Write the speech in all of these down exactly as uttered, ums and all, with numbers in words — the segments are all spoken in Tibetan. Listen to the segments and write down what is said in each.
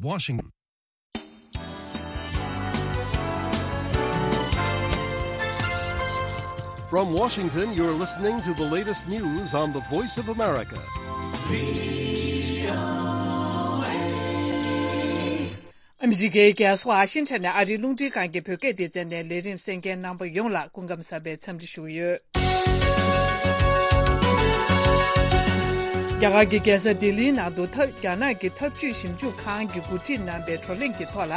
Washington. From Washington, you're listening to the latest news on the Voice of America. ཨ་མི་རི་ཀའི་རྒྱལ་ས་ཝ་ཤིང་ཊོན་ནས་ཨ་རིའི་རླུང་འཕྲིན་ཁང་གི་བོད་སྐད་སྡེ་ཚན་ནས་ལས་རིམ་གསན་མཁན་རྣམ་པ་ཡོངས་ལ་སྐུ་ཁམས་བཟང་བའི་འཚམས་འདྲི་ཞུ་གི་ཡོད། རྒྱ་གར་གྱི་རྒྱལ་ས་ལྡི་ལིའི་ནང་དུ་ཐབས་རྒྱ་ནག་གི་འཐབ་ཇུས་ཞིབ་འཇུག་ཁང་གིས་གོ་སྒྲིག་གནང་པའི་བགྲོ་གླེང་གི་ཐོག་ལ།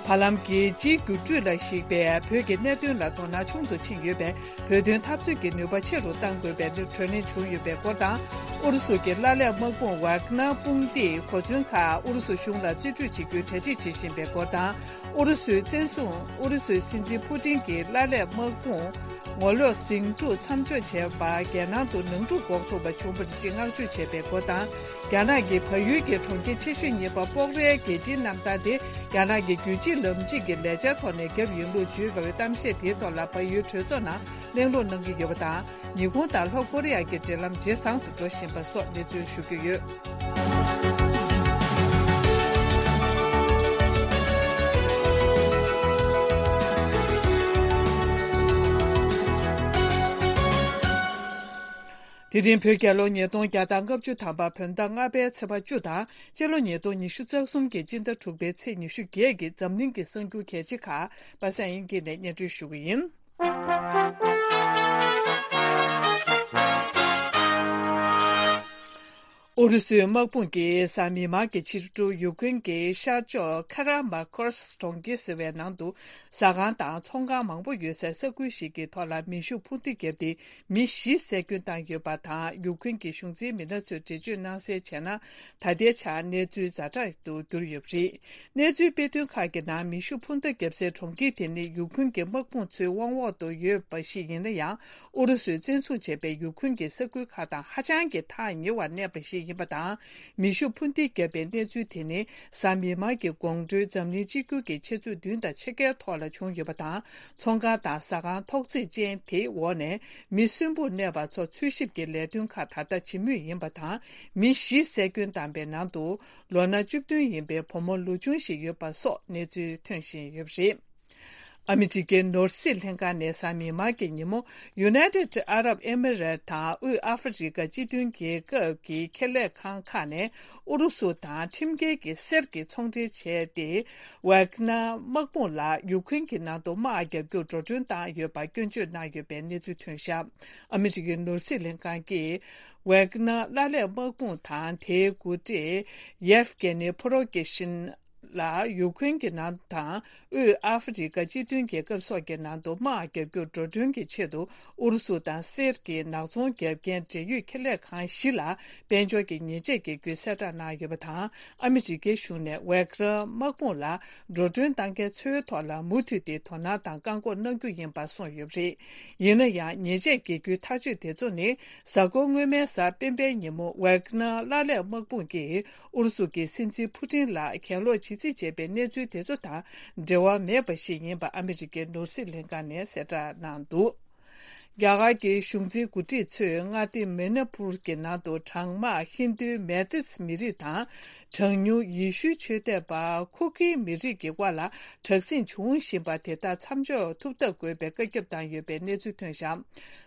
བར་ལམ་རྒྱལ་སྤྱིའི་འགྱུར་འགྲོས་ལ་གཞིགས་པའི་བོད་ཀྱི་གནད་དོན་ལ་དོ་སྣང་ཆུང་དུ་ཕྱིན་ཡོད་པས། བོད་དོན་འཐབ་རྩོད་ཀྱི་ནུས་པ་ཆེ་རུ་གཏང་དགོས་པའི་བགྲོ་གླེང་བྱུང་ཡོད་པའི་སྐོར་དང་། ཨུ་རུ་སུ་གྱི་ཀླད་ལེབ་དམག་དཔུང་ཝག་ནར་དཔུང་སྡེས་གོ་མཚོན་ཁག་ཨུ་རུ་སུ་གཞུང་ལ་རྩིས་སྤྲོད་བྱེད་རྒྱུའི་གྲ་སྒྲིག་བྱེད་བཞིན་པའི་སྐོར་དང་། ཨུ་རུ་སུའི་བཙན་བཟུང་། ཨུ་རུ་སུའི་སྲིད་འཛིན་ཕུ་ཏིན་གྱིས་ཀླད་ལེབ་དམག་དཔུང་ངོ་ལོག་ཟིང་འཁྲུག་མཚམས་འཇོག་བྱས་པར་རྒྱལ་ནང་དུ་ནང་འཁྲུག་འགོག་ཐུབ་པ་བྱུང་བར་ཅིག་བསྔགས་བརྗོད་བྱས་པའི་སྐོར་དང་། རྒྱ་ནག་གི་བལ་ཡུལ་གྱི་གྲོང་ཁྱེར་ཆེ་ཤོས་གཉིས་པ་སྤོག་རའི་རྒྱལ་སྤྱིའི་གནམ་ཐང་དེ་རྒྱ་ནག་གི་རྒྱུད་གཅིག་ལམ་གཅིག་གི་ལས་འཆར་ཐོག་ནས་བརྒྱབ་ཡིན་ལུགས་བརྗོད་པའི་གཏམ་བཤད་དེའི་ཐོག་ལ་བལ་ཡུལ་གྲོས་ཚོགས་ནང་གླེང་སློང་གནང་གི་ཡོད་པ་དང་། ཉི་ཧོང་དང་ལྷོ་ཀོ་རི་ཡ་གྱི་འབྲེལ་ལམ་ཇེ་བཟང་དུ་འགྲོ་བཞིན་པ་སོགས་གནས་ཚུལ་ཞུ་རྒྱུ་ཡོད། དེ་རིང་བོད་རྒྱལ་ལོ་ཉིས་སྟོང་བརྒྱ་དང་ལྔ་བཅུ་ཐམ་པ་བོད་ཟླ་ལྔ་པའི་ཚེས་པ་བཅུ་དང་། སྤྱི་ལོ་ཉིས་སྟོང་ཉི་ཤུ་རྩ་གསུམ་གྱི་སྤྱི་ཟླ་དྲུག་པའི་ཚེས་ཉི་ཤུ་བརྒྱད་ཀྱི་འཛམ་གླིང་གི་གསར་འགྱུར་གལ་ཆེ་ཁག་པ་སངས་དབྱངས་སྐྱིད་ནས་སྙན་སྒྲོན་ཞུ་གི་ཡིན། ཨུ་རུ་སུའི་དམག་དཔུང་གིས་གཟའ་མིག་དམར་གྱི་ཕྱི་དྲོ་ཡུཀ་རེན་གྱི་ཤར་ཕྱོགས་ཁ་ར་མ་ཀོར་སི་གྲོང་ཁྱེར་ཟེར་བའི་ནང་དུ་ཟ་ཁང་དང་ཚོང་ཁང་མང་པོ་ཡོད་སའི་ས་ཁུལ་ཞིག་གི་ཐོག་ལ་མེ་ཤུགས་འཕུར་མདེལ་བརྒྱབ་སྟེ་མི་བཞི་བསད་སྐྱོན་བཏང་ཡོད་པ་དང་། ཡུཀ་རེན་གྱི་གཞུང་འཛིན་མི་སྣ་ཚོས་འགྲེལ་བརྗོད་གནང་གསལ་བྱས་ན། ད་ལྟའི་ཆར་གནས་ཚུལ་ཛ་དྲག་ཏུ་གྱུར་ཡོད་པ་རེད། གནས་ཚུལ་སྤེལ་དོན་ཁག་གི་ནང་མེ་ཤུགས་འཕུར་མདའ་བརྒྱབ་སའི་གྲོང་ཁྱེར་དེ་ནི་ཡུཀ་རེན་གྱི་དམག་དཔུང་ཚོའི་དབང་འོག་ཏུ་ཡོད་པ་ཞིག་ཡིན་ན་ཡང་། ཨུ་རུ་སུས་བཙན་བཟུང་བྱས་པའི་ཡུཀ་རེན་གྱི་ས་ཁུལ་ཁག་དང་ཧ་ཅང་གི་ཐག་ཉེ་བར་གནས་པ་ཞིག་ཡིན་པ་དང་། མེ་ཤུགས་འཕུར་མདེལ་བརྒྱབ་པའི་གནས་ཚུལ་དེ་ནི་གཟའ་མིག་དམར་གྱི་དགོང་དྲོའི་འཛམ་གླིང་སྤྱི་འགྱུར་གྱི་ཆེད་འཛུགས་བདུན་དང་ཕྱེད་ཀའི་ཐོག་ལ་བྱུང་ཡོད་པ་དང་། ཚོང་ཁང་དང་ཟ་ཁང་ཐོག་བརྩེགས་ཅན་དེའི་འོག་ནས་མི་གསོན་པོར་གནས་པ་ཚོ་འཚོལ་ཞིབ་ཀྱི་ལས་དོན་ཁག་ད་ལྟ་བྱེད་མུས་ཡིན་པ་དང་། མི་བཞི་བསད་སྐྱོན་བཏང་པའི་ནང་དུ། ལོ་ན་བཅུ་བདུན་ཡིན་པའི་བུ་མོ་ལོ་ཆུང་ཞིག་ཡོད་པ་སོགས་གནས་ཚུལ་ཐོན་བཞིན་ཡོད་པ་རེད། ཨ་མི་རི་ཀའི་ནོར་སྲིད་ལྷན་ཁང་ནས་གཟའ་མིག་དམར་གྱི་ཉིན་མོ། ཡུ་ནའི་ཊེཌ་ཨ་རབ་ཨེ་མི་རེཊ་དང་དབུས་ཨ་ཧྥེ་རི་ཀ་སྤྱི་མཐུན་རྒྱལ་ཁབ་ཀྱི་ཁེ་ལས་ཁང་ཁག་ནས་ཨུ་རུ་སུ་དང་ཁྲིམས་འགལ་གྱི་གསེར་གྱི་ཚོང་འབྲེལ་བྱས་ཏེ། ཝག་ནར་དམག་དཔུང་ལ་ཡུཀ་རེན་གྱི་ནང་དུ་དམག་རྒྱག་རྒྱུར་འགྲོ་གྲོན་བཏང་ཡོད་པར་སྐྱོན་བརྗོད་གནང་ཡོད་པའི་གནས་ཚུལ་ཐོན་བཞག་ཨ་མི་རི་ཀའི་ནོར་སྲིད་ལྷན་ཁང་གིས། ཝེག་ནར་ཀླད་ལེབ་དམག་དཔུང་དང་དེའི་འགོ་ཁྲིད་ཡེབ་གེ་ནི་ཕོ་རོ་གེ་ཤིན་ལ་ཡུཀ་རེན་གྱི་ནང་དང་དབུས་ཨ་ཧྥེ་རི་ཀ་སྤྱི་མཐུན་རྒྱལ་ཁབ་སོགས་ཀྱི་ནང་དུ་དམག་རྒྱག་རྒྱུར་འགྲོ་གྲོན་གྱི་ཆེད་དུ་ཨུ་རུ་སུ་དང་གསེར་གྱི་ནག་ཚོང་རྒྱག་མཁན་འབྲེལ་ཡོད་ཁེ་ལས་ཁང་བཞི་ལ་དཔལ་འབྱོར་གྱི་ཉེས་ཆད་འགེལ་རྒྱུའི་གསལ་བསྒྲགས་གནང་ཡོད་པ་དང་། ཨ་མི་རི་ཀའི་གཞུང་ནས་ཝེག་ནར་དམག་དཔུང་ལ་འགྲོ་གྲོན་བཏང་མཁན་ཚོའི་ཐོག་ལ་མུ་མཐུད་དེ་དོ་སྣང་དང་བཀག་འགོག་གནང་རྒྱུ་ཡིན་པ་གསུངས་ཡོད་པ་རེད། ཡིན་ན་ཡང་ཉེས་ཆད་འགེལ་རྒྱུའི་ཐག་གཅོད་དེ་ཚོ་ནི། གཟའ་འཁོར་སྔོན་མའི་གཟའ་སྤེན་པའི་ཉིན་མོ་ཝེག་ནར་ཀླད་ལེབ་དམག་དཔུང་གིས་ཨུ་རུ་སུ་གྱི་སྲིད་འཛིན་ཕུ་ཏིན་ལ་གྱེན་ལོག་བྱེད་རྩིས་བྱས་པའི་གནས་ཚུལ་དེ་ཚོ་དང་འབྲེལ་བ་མེད་པ་ཞིག་ཡིན་པ་ཨ་མི་རི་ཀའི་ནོར་སྲིད་ལྷན་ཁང་ནས་གསལ་བསྒྲགས་གནང་འདུག་རྒྱ་གར་གྱི་གཞུང་འཛིན་འགོ་ཁྲིད་ཚོས་མངའ་སྡེ་མི་ནི་པུར་གྱི་ནང་དུ་གྲང་དམག་ཧིན་རྡུའི་མེ་ཏིས་མི་རིགས་དང་། གྲངས་ཉུང་ཡེ་ཤུའི་ཆོས་དད་པ་ཁུ་ཀི་མི་རིགས་ཀྱི་དབར་ལ་དྲག་ཟིང་འབྱུང་བཞིན་པ་དེ་དག་མཚམས་འཇོག་ཐུབ་ཐབས་དགོས་པའི་བཀའ་ཁྱབ་བཏང་ཡོད་པའི་གནས་ཚུལ་ཐོན་བཞག་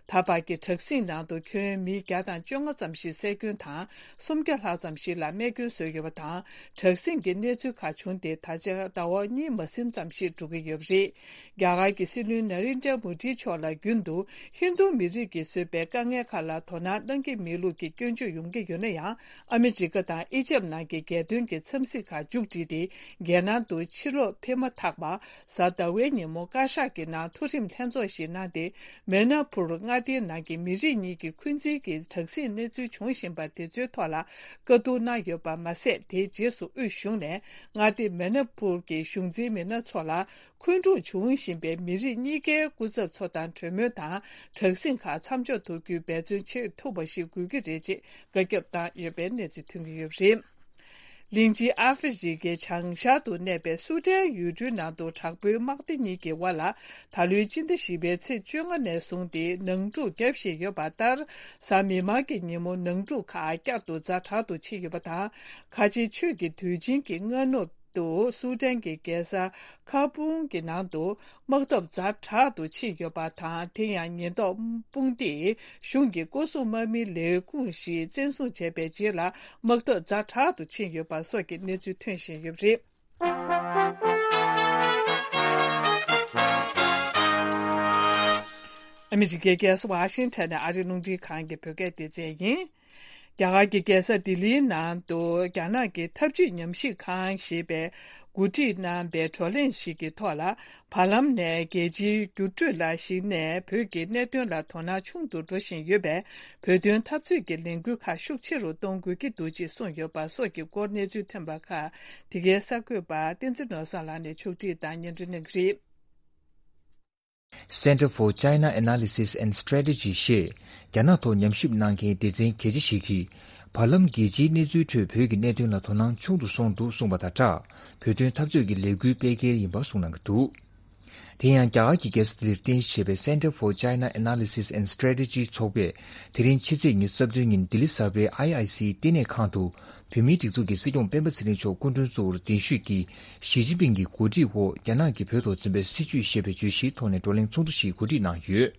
ད་བར་གྱི་དྲག་ཟིང་ནང་དུ་ཁྱོན་མི་བརྒྱ་དང་བཅོ་ལྔ་ཙམ་ཞིག་བསད་སྐྱོན་དང་། སུམ་བརྒྱ་ལྷག་ཙམ་ཞིག་ལ་རྨས་སྐྱོན་བཟོས་ཡོད་པ་དང་། དྲག་ཟིང་གི་གནས་ཚུལ་ཁག་བྱུང་སྟེ་ད་ཆ་ཟླ་བ་གཉིས་མ་ཟིན་ཙམ་ཞིག་འགྲོ་གི་ཡོད་པ་རེད། རྒྱ་གར་གྱི་སྲིད་བློན་ནཱ་རེན་དྲ་མོ་དི་མཆོག་ལ་རྒྱུན་དུ་ཧིན་རྡུ་མི་རིགས་ཀྱིས་བཟོས་པའི་དཀའ་ངལ་ཁག་ལ་དོ་སྣང་གནང་གི་མེད་ལུགས་ཀྱི་སྐྱོན་བརྗོད་ཡོང་གི་ཡོད་ན་ཡང་། ཨ་མི་རི་ཀ་དང་ཨི་ཇེབ་ནང་གི་རྒྱལ་དོན་གྱི་འཚམས་གཟིགས་ཁག་མཇུག་བསྒྲིལ་ཏེ། རྒྱལ་ནང་དུ་ཕྱིར་ལོག་ཕེབས་མ་ཐག་པར། གཟའ་ཟླ་བའི་ཉིན་མོ་བཀའ་ཤག་གི་ནང་མཐོ་རིམ་ལྷན་ཚོགས་ཤིག་གནང་སྟེ། མེ་ན་ཕུར་མངའ་སྡེའི་ནང་གི་མི་རིགས་གཉིས་ཀྱི་འཁོན་འཛིན་གྱི་དྲག་ཟིང་གནས་ཚུལ་འབྱུང་བཞིན་པ་དེ་ཚོའི་ཐོག་ལ་བཀའ་བསྡུར་གནང་ཡོད་པ་མ་ཟད། དེའི་རྗེས་སུ་དབུས་གཞུང་ནས་མངའ་སྡེ་མེ་ན་ཕུར་གྱི་གཞུང་འཛིན་མི་སྣ་ཚོ་ལ། འཁོན་འཁྲུག་འབྱུང་བཞིན་པའི་མི་རིགས་གཉིས་ཀའི་སྐུ་ཚབ་ཚོ་དང་གྲོས་མོལ་དང་། དྲག་ཟིང་ཁག་མཚམས་འཇོག་ཐུབ་རྒྱུའི་འབད་བརྩོན་བྱེད་ཐུབ་པ་ཞིག་དགོས་ཀྱི་རེད་ཅེས་བཀའ་ཁྱབ་བཏང་ཡོད་པའི་གནས་ཚུལ་ཐོན་གྱི་ཡོད་པ་རེད། གླིང་ཆེན་ཨ་ཧྥེ་རི་ཁའི་བྱང་ཤར་དུ་གནས་པའི་སུ་ཏན་ཡུལ་གྲུའི་ནང་དུ་དྲག་པོའི་དམག་སྡེ་གཉིས་ཀྱི་དབར་ལ། ད་ལོའི་སྤྱི་ཟླ་བཞི་པའི་ཚེས་བཅོ་ལྔ་ནས་བཟུང་སྟེ་ནང་འཁྲུག་བརྒྱབ་བཞིན་ཡོད་པ་ལྟར། གཟའ་མིག་དམར་གྱི་ཉིན་མོ་ནང་འཁྲུག་ཁག་བསྐྱར་དུ་ཛ་དྲག་ཏུ་ཕྱིན་ཡོད་པ་དང་། ཁ་ཆེ་ཆོས་ཀྱི་དུས་ཆེན་གྱི་སྔ་ནུབ། དུ་སུའུ་ཏན་གྱི་རྒྱལ་ས་ཁ་པུང་གི་ནང་དུ་དམག་འཐབ་ཛ་དྲག་ཏུ་ཕྱིན་ཡོད་པ་དང་། དེ་ཡང་ཉེན་རྟོག་དཔུང་སྡེས་གཞུང་གི་སྐོར་སྲུང་དམག་མིའི་ལས་ཁུངས་ཤིག་བཙན་བཟུང་བྱས་པའི་རྗེས་ལ་དམག་འཐབ་ཛ་དྲག་ཏུ་ཕྱིན་ཡོད་པ་སོགས་ཀྱི་གནས་ཚུལ་ཐོན་བཞིན་ཡོད་པ་རེད། ཨ་མི་རི་ཀའི་རྒྱལ་ས་ཝ་ཤིང་ཊོན་ནས་ཨ་རིའི་རླུང་འཕྲིན་ཁང་གི་བོད་སྐད་སྡེ་ཚན་ཡིན། རྒྱ་གར་གྱི་རྒྱལ་ས་ལྡི་ལིའི་ནང་དུ་རྒྱ་ནག་གི་འཐབ་ཇུས་ཉམས་ཞིབ་ཁང་ཞེས་པས་གོ་སྒྲིག་གནང་པའི་བགྲོ་གླེང་ཞིག་གི་ཐོག་ལ། བར་ལམ་ནས་རྒྱལ་སྤྱིའི་འགྱུར་འགྲོས་ལ་གཞིགས་ནས་བོད་ཀྱི་གནད་དོན་ལ་དོ་སྣང་ཆུང་དུ་འགྲོ་བཞིན་ཡོད་པས། བོད་དོན་འཐབ་རྩོད་ཀྱི་ལས་འགུལ་ཁག་ཤུགས་ཆེ་རུ་གཏོང་དགོས་ཀྱི་འདུག་ཅེས་གསུངས་ཡོད་པ་སོགས་ཀྱི་སྐོར་གནས་ཚུལ་ཐོན་པ་ཁག་དེ་གའི་གསར་འགོད་པ་བསྟན་འཛིན་ནོར་བཟང་ལགས་ནས་ཕྱོགས་སྒྲིག་དང་སྙན་སྒྲོན་གནང་གི་རེད། Center for China Analysis and Strategy ཞེས་རྒྱ་ནག་ཐོག་ཉམས་ཞིབ་གནང་མཁན་སྡེ་ཚན་གལ་ཆེ་ཞིག་གིས། བར་ལམ་རྒྱལ་སྤྱིའི་གནས་ཚུལ་ཁྲོད་བོད་ཀྱི་གནད་དོན་ལ་དོ་སྣང་ཆུང་དུ་སོང་འདུག་གསུངས་པ་དང་སྦྲགས། བོད་དོན་འཐབ་རྩོད་ཀྱི་ལས་འགུལ་སྤེལ་གལ་ཡིན་པ་གསུངས་གནང་གི་འདུག་དེ་ཡང་རྒྱ་གར་གྱི་རྒྱལ་ས་ལྡི་ལིར་རྟེན་གཞི་བྱས་པའི་Center for China Analysis and Strategy ཚོགས་པས་དེ་རིང་ཕྱི་ཚེས་ཉི་ཤུ་རྩ་བདུན་ཉིན་ལྡི་ལི་གསར་པའི་ཨའི་ཨའི་སིའི་བསྟི་གནས་ཁང་དུ། བོད་མིའི་སྒྲིག་འཛུགས་ཀྱི་སྲིད་སྐྱོང་སྤེན་པ་ཚེ་རིང་མཆོག་སྐུ་མགྲོན་གཙོ་བོར་གདན་ཞུས་ཀྱིས་ཞི་ཅིན་ཕིང་གི་གོ་སྒྲིག་འོག་རྒྱ་ནག་གིས་བོད་ཐོག་འཛིན་པའི་སྲིད་བྱུས་ཞེས་པའི་བརྗོད་གཞིའི་ཐོག་ནས་བགྲོ་གླེང་ཚོགས་འདུ་ཞིག་གོ་སྒྲིག་གནང་ཡོད།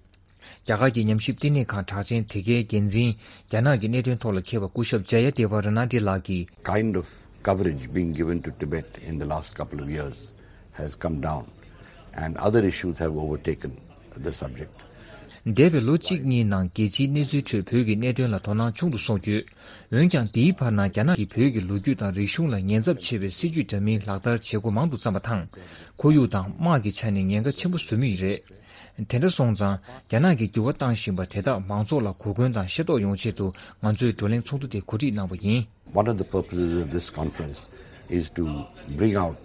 རྒྱ་གར་གྱི་ཉམས་ཞིབ་བསྟི་གནས་ཁང་གྲགས་ཅན་དེ་གའི་འགན་འཛིན་རྒྱ་ནག་གི་གནད་དོན་ཐོག་ལ་མཁས་པ་སྐུ་ཞབས་ཇ་ཡ་དེ་བ་ར་ན་ཏི་ལགས་ཀྱིས། Kind of coverage being given to Tibet in the last couple of years has come down, and other issues have overtaken the subject. འདས་པའི་ལོ་གཅིག་གཉིས་ནང་རྒྱལ་སྤྱིའི་གནས་ཚུལ་ཁྲོད་བོད་ཀྱི་གནད་དོན་ལ་དོ་སྣང་ཆུང་དུ་སོང་ཡོད། འོན་ཀྱང་། དེའི་བར་ན་རྒྱ་ནག་གིས་བོད་ཀྱི་ལོ་རྒྱུས་དང་རིག་གཞུང་ལ་ཉེན་ཚབས་ཆེ་བའི་སྲིད་བྱུས་འདྲ་མིན་ལག་བསྟར་བྱེད་སྒོ་མང་དུ་བརྩམས་པ་དང་། ཁོར་ཡུག་དང་དམག་གི་ཆ་ནས་ཉེན་ཁ་ཆེན་པོ་བཟོ་མུས་རེད། དེ་འདྲ་སོང་ཙང་། རྒྱ་ནག་གིས་འགྱུར་བ་བཏང་བཞིན་པ་དེ་དག་མང་ཚོགས་ལ་གོ་སྐོན་དང་ཤེས་རྟོགས་ཡོང་ཆེད་དུ་ང་ཚོས་བགྲོ་གླེང་ཚོགས་འདུ་དེ་གོ་སྒྲིག་གནང་བ་ཡིན། One of the purposes of this conference is to bring out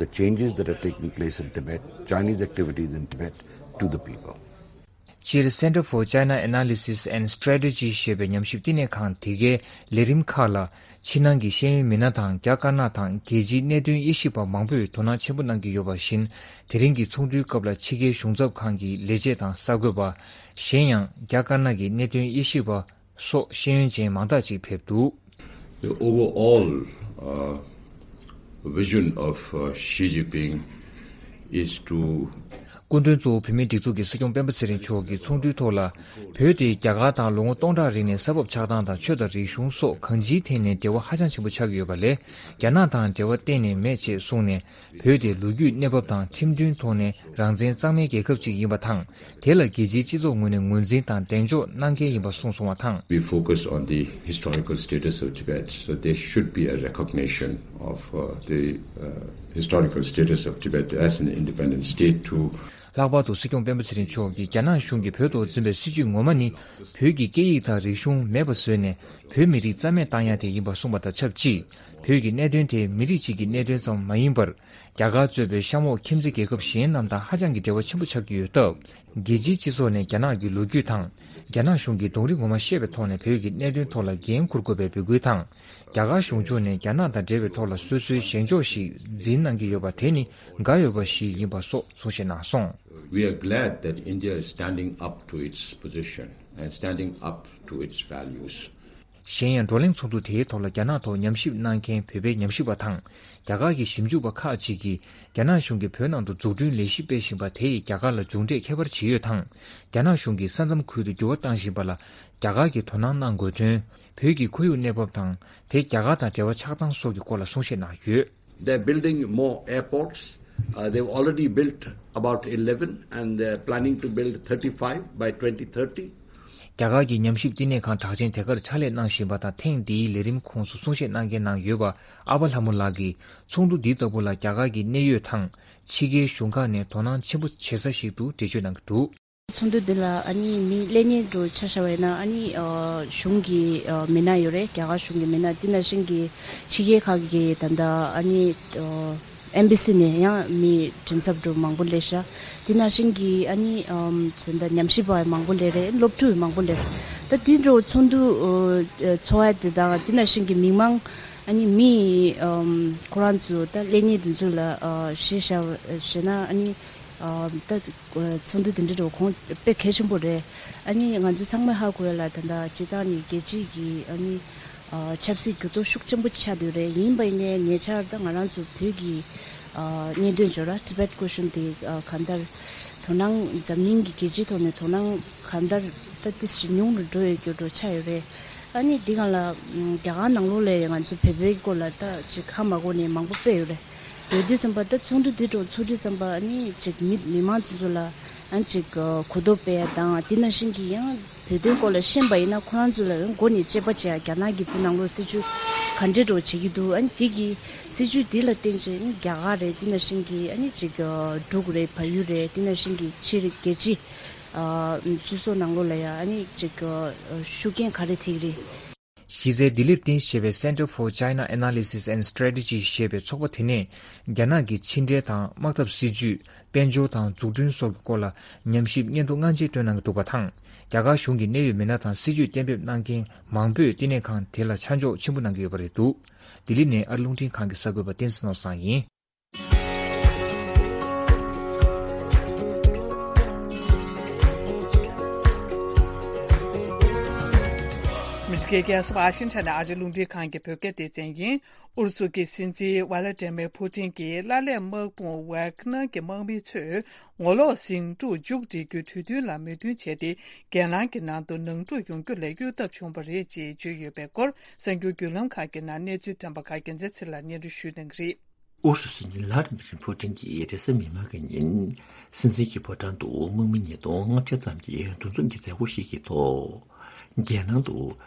the changes that are taking place in Tibet, Chinese activities in Tibet, to the people. སྤྱིར། Center for China Analysis and Strategy ཞེས་པའི་ཉམས་ཞིབ་བསྟི་གནས་ཁང་དེ་གའི་ལས་རིམ་ཁག་ལ། ཕྱི་ནང་གི་ཤེས་ཡོན་མི་སྣ་དང་། རྒྱ་དཀར་ནག་དང་རྒྱལ་སྤྱིའི་གནད་དོན་དབྱེ་ཞིབ་པ་མང་པོས་དོ་སྣང་ཆེན་པོ་གནང་གི་ཡོད་པ་བཞིན། དེ་རིང་གི་ཚོགས་འདུའི་སྐབས་ལ་ཕྱི་རྒྱལ་གཞུང་ཚབ་ཁང་གི་ལས་བྱེད་དང་གསར་འགོད་པ། གཞན་ཡང་། རྒྱ་དཀར་ནག་གི་གནད་དོན་དབྱེ་ཞིབ་པ། སོགས་ཤེས་ཡོན་ཅན་མང་དག་ཅིག་ཕེབས་འདུག The overall, uh, vision of, uh, Xi Jinping is to སྐུ་མགྲོན་གཙོ་བོ་བོད་མིའི་སྒྲིག་འཛུགས་ཀྱི་སྲིད་སྐྱོང་སྤེན་པ་ཚེ་རིང་མཆོག་གིས་ཚོགས་འདུའི་ཐོག་ལ། བོད་དེ་རྒྱ་གར་དང་ལོ་ངོ་སྟོང་ཕྲག་རིང་ནས་ས་བབ་ཆགས་སྟངས་དང་། ཆོས་དང་རིག་གཞུང་སོགས་གང་ཅིའི་ཐད་ནས་འབྲེལ་བ་ཧ་ཅང་ཆེན་པོ་ཆགས་ཀྱི་ཡོད་པ་ལས། རྒྱ་ནག་དང་འབྲེལ་བ་གཏན་ནས་མེད་ཅེས་གསུངས་ནས། བོད་དེ་ལོ་རྒྱུས་གནས་བབ་དང་ཁྲིམས་མཐུན་ཐོག་ནས་རང་བཙན་གཙང་མའི་རྒྱལ་ཁབ་ཅིག་ཡིན་པ་དང་། དེ་ལ་རྒྱལ་སྤྱིའི་སྤྱི་ཚོགས་ངོས་ནས་ངོས་འཛིན་དང་གདེང་འཇོག་གནང་གལ་ཡིན་པ་གསུངས་སོང་བ་དང་། We focus on the historical status of Tibet, so there should be a recognition of, uh, the, uh, historical status of Tibet as an independent state to ལྷག་པར་དུ་སྲིད་སྐྱོང་སྤེན་པ་ཚེ་རིང་མཆོག་གིས་རྒྱ་ནག་གཞུང་གིས་བོད་ཐོག་འཛིན་པའི་སྲིད་བྱུས་ངོ་མ་ནི། བོད་ཀྱི་སྐད་ཡིག་དང་རིག་གཞུང་མེད་པ་བཟོས་ནས། བོད་མི་རིགས་རྩ་མེད་བཏང་ཡ་དེ་ཡིན་པ་གསུངས་པ་དང་ཆབས་ཅིག་བོད་ཀྱི་གནད་དོན་དེ་མི་རིགས་གཅིག་གི་གནད་དོན་ཙམ་མ་ཡིན་པར། རྒྱ་གར་གཙོས་པའི་གཤམ་འོག་ཁྱིམ་མཚེས་རྒྱལ་ཁབ་གཞན་རྣམས་དང་ཧ་ཅང་གི་འབྲེལ་བ་ཆེན་པོ་ཆགས་ཀྱི་ཡོད་སྟབས། རྒྱལ་སྤྱིའི་སྤྱི་ཚོགས་ནས་རྒྱ་ནག་གི་ལོ་རྒྱུས་དང་། རྒྱ་ནག་གཞུང་གི་གདོང་རིས་ངོ་མ་ཤེས་པའི་ཐོག་ནས་བོད་ཀྱི་གནད་དོན་ཐོག་ལ་འགན་འཁུར་དགོས་པའི་འབོད་སྐུལ་དང་། རྒྱ་གར་གཞུང་ཕྱོགས་ནས་རྒྱ་ནག་དང་འབྲེལ་བའི་ཐོག་ལ་སོ་སོའི་བཞེས་ཕྱོགས་ཤིག་འཛིན་གནང་གི་ཡོད་པ་དེ་ནི་དགའ་འོས་པ་ཞིག་ཡིན་པ་སོགས་གསུང་བཤད་གནང་སོང་། We are glad that India is standing up to its position and standing up to its values. གཞན་ཡང་། བགྲོ་གླེང་ཚོགས་འདུ་དེའི་ཐོག་ལ་རྒྱ་ནག་ཐོག་ཉམས་ཞིབ་གནང་མཁན་བོད་པའི་ཉམས་ཞིབ་པ་དང་། རྒྱ་གར་གྱི་ཞིབ་འཇུག་པ་ཁག་ཅིག་གིས། རྒྱ་ནག་གཞུང་གིས་བོད་ནང་དུ་འཛུགས་སྐྲུན་ལས་གཞི་སྤེལ་བཞིན་པ་དེ་ཡིས་རྒྱ་གར་ལ་མཇུག་འབྲས་ཁྱད་པར་ཕྱེ་ཡོད་དང་། རྒྱ་ནག་གཞུང་གིས་ས་མཚམས་ཁུལ་དུ་འགྱུར་བ་བཏང་བཞིན་པ་ལ། རྒྱ་གར་གྱིས་དོ་སྣང་གནང་དགོས་དོན། བོད་ཀྱི་ཁོར་ཡུག་གནས་བབ་དང་། དེ་རྒྱ་གར་དང་འབྲེལ་བ་ཆགས་སྟངས་སོགས་ཀྱི་སྐོར་ལ་གསུང་བཤད་གནང་ཡོད། They're building more airports. Uh, they've already built about eleven, and they're planning to build thirty-five by twenty thirty. རྒྱ་གར་གྱི་ཉམས་ཞིབ་བསྟི་གནས་ཁང་གྲགས་ཅན་དེ་གར་ཕྱག་ལས་གནང་བཞིན་པ་དང་། ཐེངས་འདིའི་ལས་རིམ་ཁོངས་སུ་གསུང་བཤད་གནང་མཁན་ནང་ཡོད་པ་ཨ་བ་ལྷ་མོ་ལགས་ཀྱིས། ཚོགས་འདུ་འདི་ལྟ་བུ་ལ་རྒྱ་གར་གྱི་གནད་ཡོད་དང་། ཕྱི་རྒྱལ་གཞུང་ཁག་ནས་དོ་སྣང་ཆེན་པོ་བྱེད་ས་ཞིག་ཏུ་འགྲེལ་བརྗོད་གནང་གི་འདུག་ཚོགས་འདུ་འདི་ལ་ཨ་ནི་མི་ལྷན་རྒྱས་འདྲ་ཆ་བཞག་པ་ཡིན་ན། ཨ་ནི་ཨ་གཞུང་གི་ཨ་མི་སྣ་ཡོད་རེད། རྒྱ་གར་གཞུང་གི་མི་སྣ། དེ་ནང་བཞིན་གྱི་ཕྱི་རྒྱལ་ཁག་གི་ད་ལྟ་ཨ་ནི་ཨ་ཨེམ་བྷ་སི་ནས་ཡང་མི་མགྲིན་ཚབ་འདྲ་མང་པོ་སླེབས་ཤག་དེ་ནང་བཞིན་གྱི་ཨ་ནི་ཨམ་ད་ལྟ་ཉམས་ཞིབ་པ་མང་པོ་སླེབས་རེད། སློབ་ཕྲུག་མང་པོ་སླེབས་རེད། ད་དེ་འདྲ་ཚོགས་འདུ་ཨ་ཚོགས་ཡ་དེ་དང་། དེ་ནང་བཞིན་གྱི་མི་མང་ཨ་ནི་མི་ཨམ་ཁོ་རང་ཚོ་ད་ལྷན་རྒྱས་དེ་ཚོ་ལ་ཨ་གཞི་བཞག་བྱས་ན། ཨ་ནི་ཨ་ད་ཚོགས་འདུ་དེ་འདྲ་འདྲ་གོང་དཔེ་གལ་ཆེན་པོ་རེད། ཨ་ནི་ང་ཚོ་ཚང་མས་ཧ་གོ་ཡ་ལ། ད་ལྟ་སྤྱིར་བཏང་ནས་རྒྱལ་སྤྱིའི་གི་ཨ་ནི་ ཆབ་སྲིད་འགྱུར་ལྡོག་ཤུགས་ཆེན་པོ་ཆགས་བསྡད་ཡོད་རེད། ཡིན་པ་ཡིན་ནའི་ཉེ་ཆར་ད་ང་རང་ཚོ་བོད་ཀྱི་ཨ་གནད་དོན་ཇོ་ར་ཊི་བེཊ་ཀུ་ཤན་དེ་ཨ་གང་ལྟར་དོ་སྣང་འཛམ་གླིང་གི་རྒྱལ་སྤྱིའི་ཐོག་ནས་དོ་སྣང་གང་ལྟར་ད་ཏི་ཞིག་ཉུང་རུ་འགྲོ་ཡོད་རྒྱུ་འགྲོ་ཆགས་ཡོད་རེད། ཨ་ནི་འདི་སྒང་ལ་ཨམ་རྒྱ་གར་ནང་ལོགས་ལ་ཡང་ང་ཚོ་བོད་པའི་སྐོར་ལ་ད་ཅིག་ཧ་མ་གོ་ནས་མང་པོ་དཔེ་ཡོད་རེད། ཡོད་དུས་ཙམ་པ་ད་ཚོགས་འདུ་འདི་འགྲོ་ཚོགས་དུས་ཙམ་པ་ཨ་ནི་ཅིག་མི་མི་མང་ཚོ་ཚོ་ལ་ཨ་ཅིག་གོ་རྟོགས་སྤེལ་ཡ་དང་དེ་ནང་བཞིན་གྱི་ཡང་བོད་དོན་སྐོར་ལ་ཤེས་པ་ཡིན་ན་ཁོ་རང་ཚོ་ལ་ཡང་མགོ་ནས་དཔྱད་པ་བྱེད་ཡ་རྒྱ་ནག་གི་བོད་ནང་ལོགས་སྲིད་བྱུས་ག་འདྲས་འགྲོ་བྱེད་ཀྱི་འདུག་ཨ་ནི་དེ་གི་སྲིད་བྱུས་འདི་ལ་བརྟེན་བྱས་ཨ་ནི་རྒྱ་གར་རེད། དེ་ནང་བཞིན་གྱི་ཨ་ནི་ཅིག་འབྲུག་རེད། བལ་ཡུལ་རེད། དེ་ནང་བཞིན་གྱི་ཕྱི་རྒྱལ་སྤྱི་སྤྱི་ཚོགས་ནང་ལོགས་ལ་ཡ་ཨ་ནི་ཅིག་ཤུགས་རྐྱེན་ག་རེ་ཐེབས་ཀྱི་རེད། གཞི་རྩའི་ལྡི་ལིར་རྟེན་གཞི་བྱས་པའི་Center for China Analysis and Strategy ཞེས་པའི་ཚོགས་པ་དེ་ནས་རྒྱ་ནག་གི་ཕྱི་འབྲེལ་དང་དམག་འཐབ་སྲིད་ཇུས། དཔལ་འབྱོར་དང་འཛུགས་སྐྲུན་སོགས་ཀྱི་སྐོར་ལ་ཉམས་ཞིབ་སྙན་ཐོ་སྔ་རྗེས་བཏོན་གནང་གི་འདུག་པ་དང་། རྒྱ་གར་གཞུང་གི་གནད་ཡོད་མི་སྣ་དང་སྲིད་ཇུས་གཏན་འབེབས་གནང་མཁན་མང་པོས་བསྟི་གནས་ཁང་དེ་ལ་ཆ་འཇོག་ཆེན་པོ་གནང་གི་ཡོད་པ་རེད་འདུག་ལྡི་ལི་ནས་ཨ་རི་རླུང་འཕྲིན་ཁང་གི་གསར་འགོད་པ་བསྟན་འཛིན་ནོར་བཟང་ཡིན། མི་རིགས་རྒྱལ་ས་ཝ་ཤིང་ཊོན་ནས་ཨ་རིའི་རླུང་འཕྲིན་ཁང་གི་བོད་སྐད་སྡེ་ཚན་ཡིན། ཨུ་རུ་སུ་གི་སྲིད་འཛིན་ཝ་ལ་ཏི་མེ་ཕུ་ཏིན་གྱིས་ལ་ལས་དམག་དཔུང་ཝེག་ནར་གྱི་དམག་མི་ཚོས་ངོ་ལོག་ཟིང་འཁྲུག་མཇུག་སྒྲིལ་རྒྱུའི་གྲོས་མཐུན་ལ་མོས་མཐུན་བྱས་ཏེ། རྒན་ལགས་ཀྱི་ནང་དུ་ནང་འཁྲུག་ཡོང་རྒྱུ་ལས་གཡོལ་ཐབས་བྱུང་བ་རེད་ཅེས་བརྗོད་ཡོད་པའི་སྐོར་གསར་འགྱུར་བརྒྱུད་ལམ་ཁག་གི་ནང་གནས་ཚུལ་ཐོན་པ་ཁག་རྒྱལ་མཚན་ཚེ་ལགས་སྙན་སྒྲོན་ཞུ་གནང་གི་རེད། ཨུ་རུ་སུ་སྲིད་འཛིན་ལྷ་ཌི་མི་རི་ཕུ་ཏིན་གྱིས་རེས་གཟའ་མིག་དམར་གྱི་ཉིན་སྲིད་འཛིན་གྱི་ཕོ་བྲང་དུ་དམག་མི་ཉིས་སྟོང་ལྔ་བརྒྱ་ཙམ་གྱི་འདུ་འཛོམས་ཀྱི་མཛད་སྒོ་ཞིག་གི་ཐོག་རྒྱལ་ནང་དུ་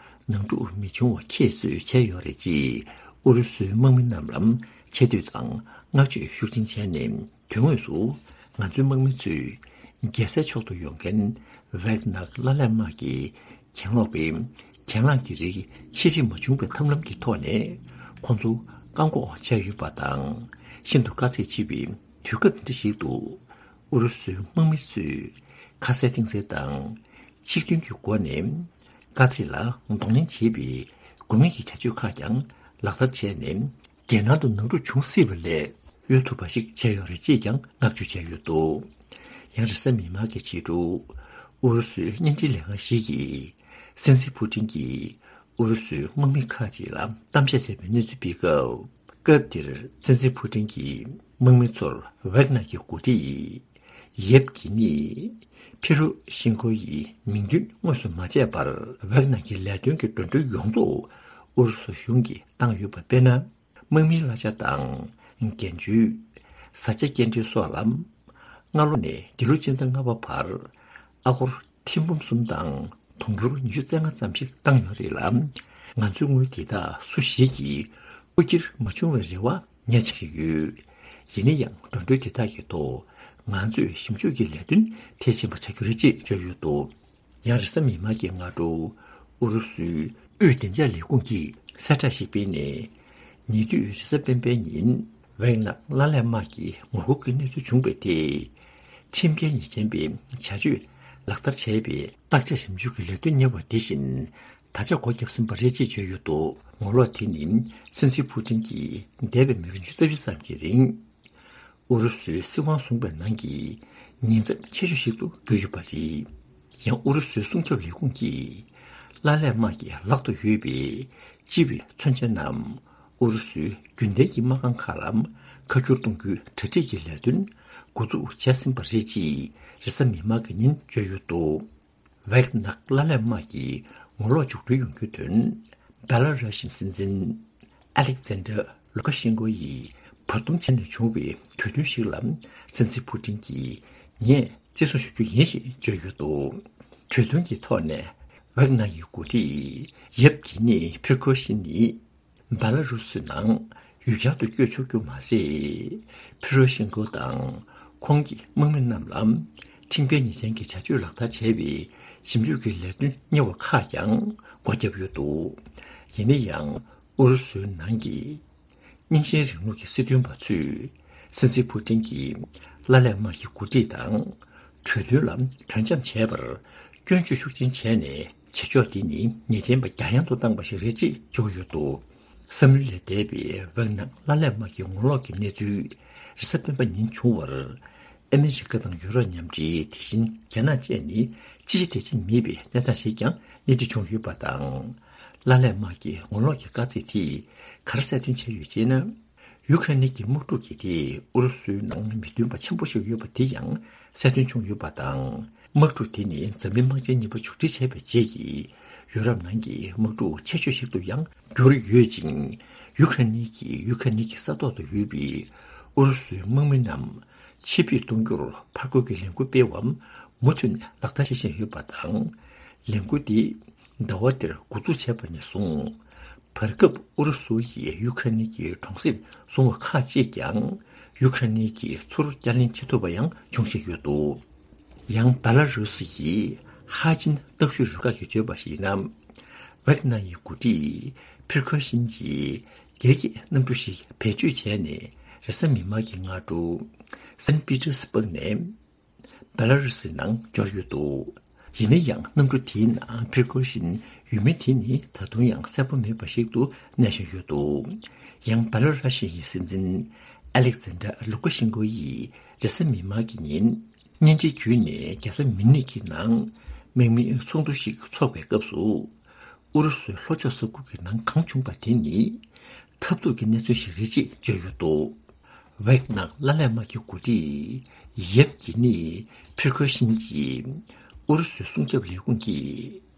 ནང་འཁྲུག་མི་འབྱུང་བ་ཁྱད་གསོད་བྱས་ཡོད་རེད་ཅེས་ཨུ་རུ་སུའི་དམག་མི་རྣམས་ལ་ཆེ་བསྟོད་དང་བསྔགས་བརྗོད་ཤུགས་ཆེན་བྱས་ནས། དོན་དངོས་སུ་ང་ཚོའི་དམག་མི་ཚོས་རྒྱལ་སའི་ཕྱོགས་སུ་ཡོང་མཁན་ཝེག་ནར་ལ་ལས་དམག་གི་གྱེན་ལོག་པའི་གྱེན་ལངས་ཀྱི་རིགས་ཕྱིར་རིམ་མ་བྱུང་བའི་ཐབས་ལམ་གྱི་ཐོག་ནས་ཁོང་ཚོ་བཀག་འགོག་བྱས་ཡོད་པ་དང་། ཤིན་ཏུ་དཀའ་ཚེགས་ཆེ་བའི་དུས་སྐབས་འདི་འདྲ་ཞིག་ཏུ་ཨུ་རུ་སུའི་དམག་མི་ཚོས་ཁ་གསལ་གཏིང་གསལ་དང་ཆིག་མཐུན་གྱི་སྒོ་ནས་དཀའ་ཚེགས་ལ་གདོང་ལེན་བྱེད་པའི་དགོས་ངེས་ཀྱི་བྱ་སྤྱོད་ཁག་ཀྱང་ལག་བསྟར་བྱས་ནས། རྒྱལ་ནང་དུ་ནང་འཁྲུག་འབྱུང་སྲིད་པ་ལས་གཡོལ་ཐུབ་པ་ཞིག་བྱས་ཡོད་རེད་ཅེས་ཀྱང་བསྔགས་བརྗོད་བྱས་ཡོད་འདུག་ཡང་རེས་གཟའ་མིག་དམར་གྱི་ཕྱི་དྲོ་ཨུ་རུ་སུའི་བརྙན་འཕྲིན་ལས་ཁང་ཞིག་གིས་སྲིད་འཛིན་ཕུ་ཏིན་གྱིས་ཨུ་རུ་སུའི་དམག་མི་ཁག་ཅིག་ལ་གཏམ་བཤད་བྱས་པའི་གནས་ཚུལ་སྤེལ་སྐབས། སྐབས་དེར་སྲིད་འཛིན་ཕུ་ཏིན་གྱིས་དམག་མི་ཚོར་ཝེག་ནར་གྱི་འགོ་ཁྲིད་ཡེབ་གི་ནི་ཕི་རོ་ཤིན་ཀོ་ཡི་མིང་འདོན་དངོས་སུ་མ་བྱས་པར་ཝེག་ནར་གྱི་ལས་དོན་གྱི་འགྲོ་གྲོན་ཡོངས་རྫོགས་ཨུ་རུ་སུ་གཞུང་གིས་བཏང་ཡོད་པ་དཔེར་ན། དམག་མིའི་གླ་ཆ་དང་འགན་བཅོལ། བཟའ་བཅའ་སྐྱེལ་འདྲེན་སོགས་ལ། སྔ་ལོ་ནས་འདི་ལོ་སྤྱི་ཟླ་ལྔ་པ་བར་ཨ་སྒོར་ཐེར་འབུམ་གསུམ་དང་དུང་ཕྱུར་ཉི་ཤུ་རྩ་ལྔ་ཙམ་ཞིག་བཏང་ཡོད་རེད་ལ། ང་ཚོའི་དངུལ་དེ་དག་སུ་ཞིག་གིས་རྐུ་འཁྱེར་མ་བྱུང་བའི་རེ་བ་ངས་བྱེད་ཀྱི་ཡོད། ཡིན་ན་ཡང་འགྲོ་གྲོན་དེ་དག་གི་ཐོག་ང་ཚོས་ཞིབ་འཇུག་གི་ལས་དོན་མཐིལ་ཕྱིན་པ་བྱ་རྒྱུ་རེད་ཅེས་བརྗོད་ཡོད་འདུག་ཡང་རེས་གཟའ་མིག་དམར་གྱི་སྔ་དྲོ་ཨུ་རུ་སུའི་དབུས་བདེ་འཇགས་ལས་ཁུངས་ཀྱིས་གསལ་བསྒྲགས་ཤིག་སྤེལ་ནས། ཉེ་དུས་རེས་གཟའ་སྤེན་པའི་ཉིན་ཝེག་ནར་ལ་ལས་དམག་གི་ངོ་རྒོལ་གྱི་གནས་ཚུལ་བྱུང་བའི་ཐད། ཁྲིམས་འགལ་ཉེས་ཅན་པའི་བྱ་སྤྱོད་ལག་བསྟར་བྱས་པའི་བརྟག་དཔྱད་ཞིབ་འཇུག་གི་ལས་དོན་གཉེར་བ་དེ་བཞིན་ད་ཆ་སྒོ་བརྒྱབ་ཟིན་པ་རེད་ཅེས་བརྗོད་ཡོད་འདུག་ངོ་ལོག་དེ་ནི་སྲིད་འཛིན་ཕུ་ཏིན་གྱིས་འདས་པའི་མི་ལོ་ཉི་ཤུ་རྩ་བཞི་ཙམ་གྱི་རིང་ཨུ་རུ་སུའི་སྲིད་དབང་བཟུང་བའི་ནང་གི་ཉེན་ཚབས་ཆེ་ཤོས་ཤིག་ཏུ་གྱུར་ཡོད་པ་རེད། ཡང་ཨུ་རུ་སུའི་སྲུང་སྐྱོབ་ལས་ཁུངས་ཀྱིས་ལ་ལས་དམག་གི་ལག་ཏུ་ཡོད་པའི་སྤྱི་པའི་མཚོན་ཆ་རྣམས་ཨུ་རུ་སུའི་རྒྱུན་ལྡན་གྱི་དམག་ཁང་ཁག་ལ་ཁ་བསྒྱུར་གཏོང་རྒྱུའི་གྲ་སྒྲིག་གི་ལས་དོན་འགོ་འཛུགས་བྱས་ཟིན་པ་རེད་ཅེས་རེས་གཟའ་མིག་དམར་གྱི་ཉིན་བརྗོད་ཡོད་འདུག་ཝེག་ནར་ལ་ལས་དམག་གི་ངོ་ལོག་མཇུག་སྒྲིལ་ཡོང་རྒྱུའི་དོན། བྷེ་ལ་རུ་ཤིའི་སྲིད་འཛིན་ཨ་ལེག་ཛན་ཌར་ལུ་ཀ་ཤེན་ཀོ་ཡིས་བར་འདུམ་བྱས་ནས་བྱུང་བའི་གྲོས་མཐུན་ཞིག་ལ་སྲིད་འཛིན་ཕུ་ཏིན་གྱིས་ངས་བརྩི་སྲུང་ཞུ་རྒྱུ་ཡིན་ཞེས་བརྗོད་ཡོད་འདུག་གྲོས་མཐུན་གྱི་ཐོག་ནས་ཝེག་ནར་ཡི་འགོ་ཁྲིད་ཡེབ་གི་ནི་ཕིར་ཁོ་ཤིན་ནི། བྷེ་ལ་རུ་སུའི་ནང་ཡུལ་གྱར་དུ་བསྐྱོད་ཆོག་རྒྱུ་མ་ཟད། ཕི་རོ་ཤིན་ཀོ་དང་ཁོང་གི་དམག་མི་རྣམས་ལ་ཁྲིམས་འགལ་ཉེས་ཅན་གྱི་བྱ་སྤྱོད་ལག་བསྟར་བྱས་པའི་ཞིབ་འཇུག་གི་ལས་དོན་གཉེར་བ་ཁག་ཀྱང་སྒོ་བརྒྱབ་ཡོད་འདུག་ཡིན་ན་ཡང་ཨུ་རུ་སུའི་ནང་གི་རྙིང་ཞེན་རིང་ལུགས་ཀྱི་སྲིད་དོན་པ་ཚོས་སྲིད་འཛིན་ཕུ་ཏིན་གྱིས་ལ་ལས་དམག་གི་འགོ་ཁྲིད་དང་། གྲོས་མཐུན་ལ་གྲོས་འཆམ་བྱས་པར་སྐྱོན་བརྗོད་ཤུགས་ཆེན་བྱས་ནས་བྱེད་ཕྱོགས་འདི་ནི་ཉེས་ཅན་པ་རྒྱ་ཡན་དུ་བཏང་པ་ཞིག་རེད་ཅེས་བརྗོད་ཡོད་འདུག་བསམ་བློ་ལས་འདས་པའི་ཝེག་ནར་ལ་ལས་དམག་གི་ངོ་ལོག་གི་གནས་ཚུལ་རེས་གཟའ་སྤེན་པ་ཉིན་བྱུང་བར། ཨ་མི་རི་ཀ་དང་ཡུ་རོབ་མཉམ་འབྲེལ་དེ་བཞིན་རྒྱ་ནག་བཅས་ནི་ཅི་བྱེད་དེ་བྱེད་མེད་པའི་གནས་སྟངས་ཤིག་ཀྱང་སྣེ་ཁྲིད་བྱུང་ཡོད་པ་དང་། ལ་ ཀླད་པ་དམག་གི་ངོ་ལོག་གི་དཀའ་ཚེགས་དེས་ག་རེ་གསལ་སྟོན་བྱས་ཡོད་ཅེ་ན། ཡུ་ཁ་རེན་གྱི་དམག་འཁྲུག་གི་དེས་ཨུ་རུ་སུའི་ནང་མི་མཐུན་པ་ཆེན་པོ་ཞིག་ཡོད་པ་དེ་ཡང་གསལ་སྟོན་བྱུང་ཡོད་པ་དང་། དམག་འཁྲུག་དེ་ནི་འཛམ་གླིང་དམག་ཆེན་གཉིས་པ་མཇུག་སྒྲིལ་བྱས་པའི་རྗེས་ཀྱི་ཡུ་རོབ་ནང་གི་དམག་འཁྲུག་ཆེ་ཤོས་ཤིག་ཏུ་ཡང་གྱུར་ཡོད་ཅིང་། ཡུ་ཁ་རེན་གྱི་ཡུ་ཁ་རེན་གྱི་ས་ཐོག་ཏུ་ཡོད་པའི་ཨུ་རུ་སུའི་དམག་མི་རྣམས་ཕྱིར་འབུད་གཏོང་རྒྱུར་ཕར་རྒོལ་གྱི་ལས་འགུལ་སྤེལ་བ་མུ་མཐུད་ནས་ལག་བསྟར་བྱེད་བཞིན་ཡོད་པ་དང་། ལས་འགུལ་འདི་ཟླ་བ་འདིར་འགོ་འཛུགས་བྱས་པ་ནས་བཟུང་། བར་སྐབས་ཨུ་རུ་སུ་ཡིས་ཡུ་ཁ་རེན་གྱི་གྲོང་གསེབ་བཟུང་བ་ཁག་ཅིག་ཀྱང་ཡུ་ཁ་རེན་གྱིས་ཚུར་བསྐྱར་ལེན་བྱེད་ཐུབ་པ་ཡང་འབྱུང་བཞིན་ཡོད་འདུག། ཡང་བེ་ལ་རུ་སི་ཡི་ཧ་ཅིན་གནམ་གཤིས་རུ་ཁག་གིས་བརྗོད་པར་གཞིགས་ན། ཝེག་ནར་ཡི་འགོ་ཁྲིད་ཕིར་ཁོ་ཤིན་གྱིས་སྒེར་གྱི་གནམ་གྲུ་ཞིག་བེད་སྤྱོད་བྱས་ནས་རེས་གཟའ་མིག་དམར་གྱི་སྔ་དྲོ་སན་པི་ཏྲི་སི་པུག་ནས་བེ་ལ་རུ་སི་ནང་འབྱོར་ཡོད་འདུག། ཡིན་ན་ཡང་གནམ་གྲུ་དེའི་ནང་ཕིར་ཁོ་ཤིན་ཡོད་མེད་དེ་ནི་ད་དུང་ཡང་གསལ་པོ་མེད་པ་ཞིག་ཏུ་གནས་བཞིན་ཡོད་འདུག། ཡང་བེ་ལ་རུ་སི་ཡི་སྲིད་འཛིན་ཨ་ལེག་ཛན་དྲ་ལུ་ཀ་ཤེན་ཀོ་ཡིས་རེས་གཟའ་མིག་དམར་གྱི་ཉིན་བརྙན་འཕྲིན་བརྒྱུད་ནས་རྒྱལ་ས་མིན་ནིག་གི་ནང་དམག་མིའི་ཚོགས་འདུ་ཞིག་འཚོགས་པའི་སྐབས་སུ། ཨུ་རུ་སུའི་ལྷོ་ཕྱོགས་ས་ཁུལ་གྱི་ནང་གང་བྱུང་བ་དེ་ནི་ཐབས་སྡུག་གི་གནས་ཚུལ་ཞིག་རེད་ཅེས་བརྗོད་ཡོད་འདུག། ཝེག་ནར་ཀླད་པ་དམག་གི་འགོ་ཁྲིད་ཡེབ་གི་ནི་ཕིར་ཁོ་ཤིན་གྱིས་ཨུ་རུ་སུའི་སྲུང་སྐྱོབ་ལས་ཁུངས་ཀྱིས།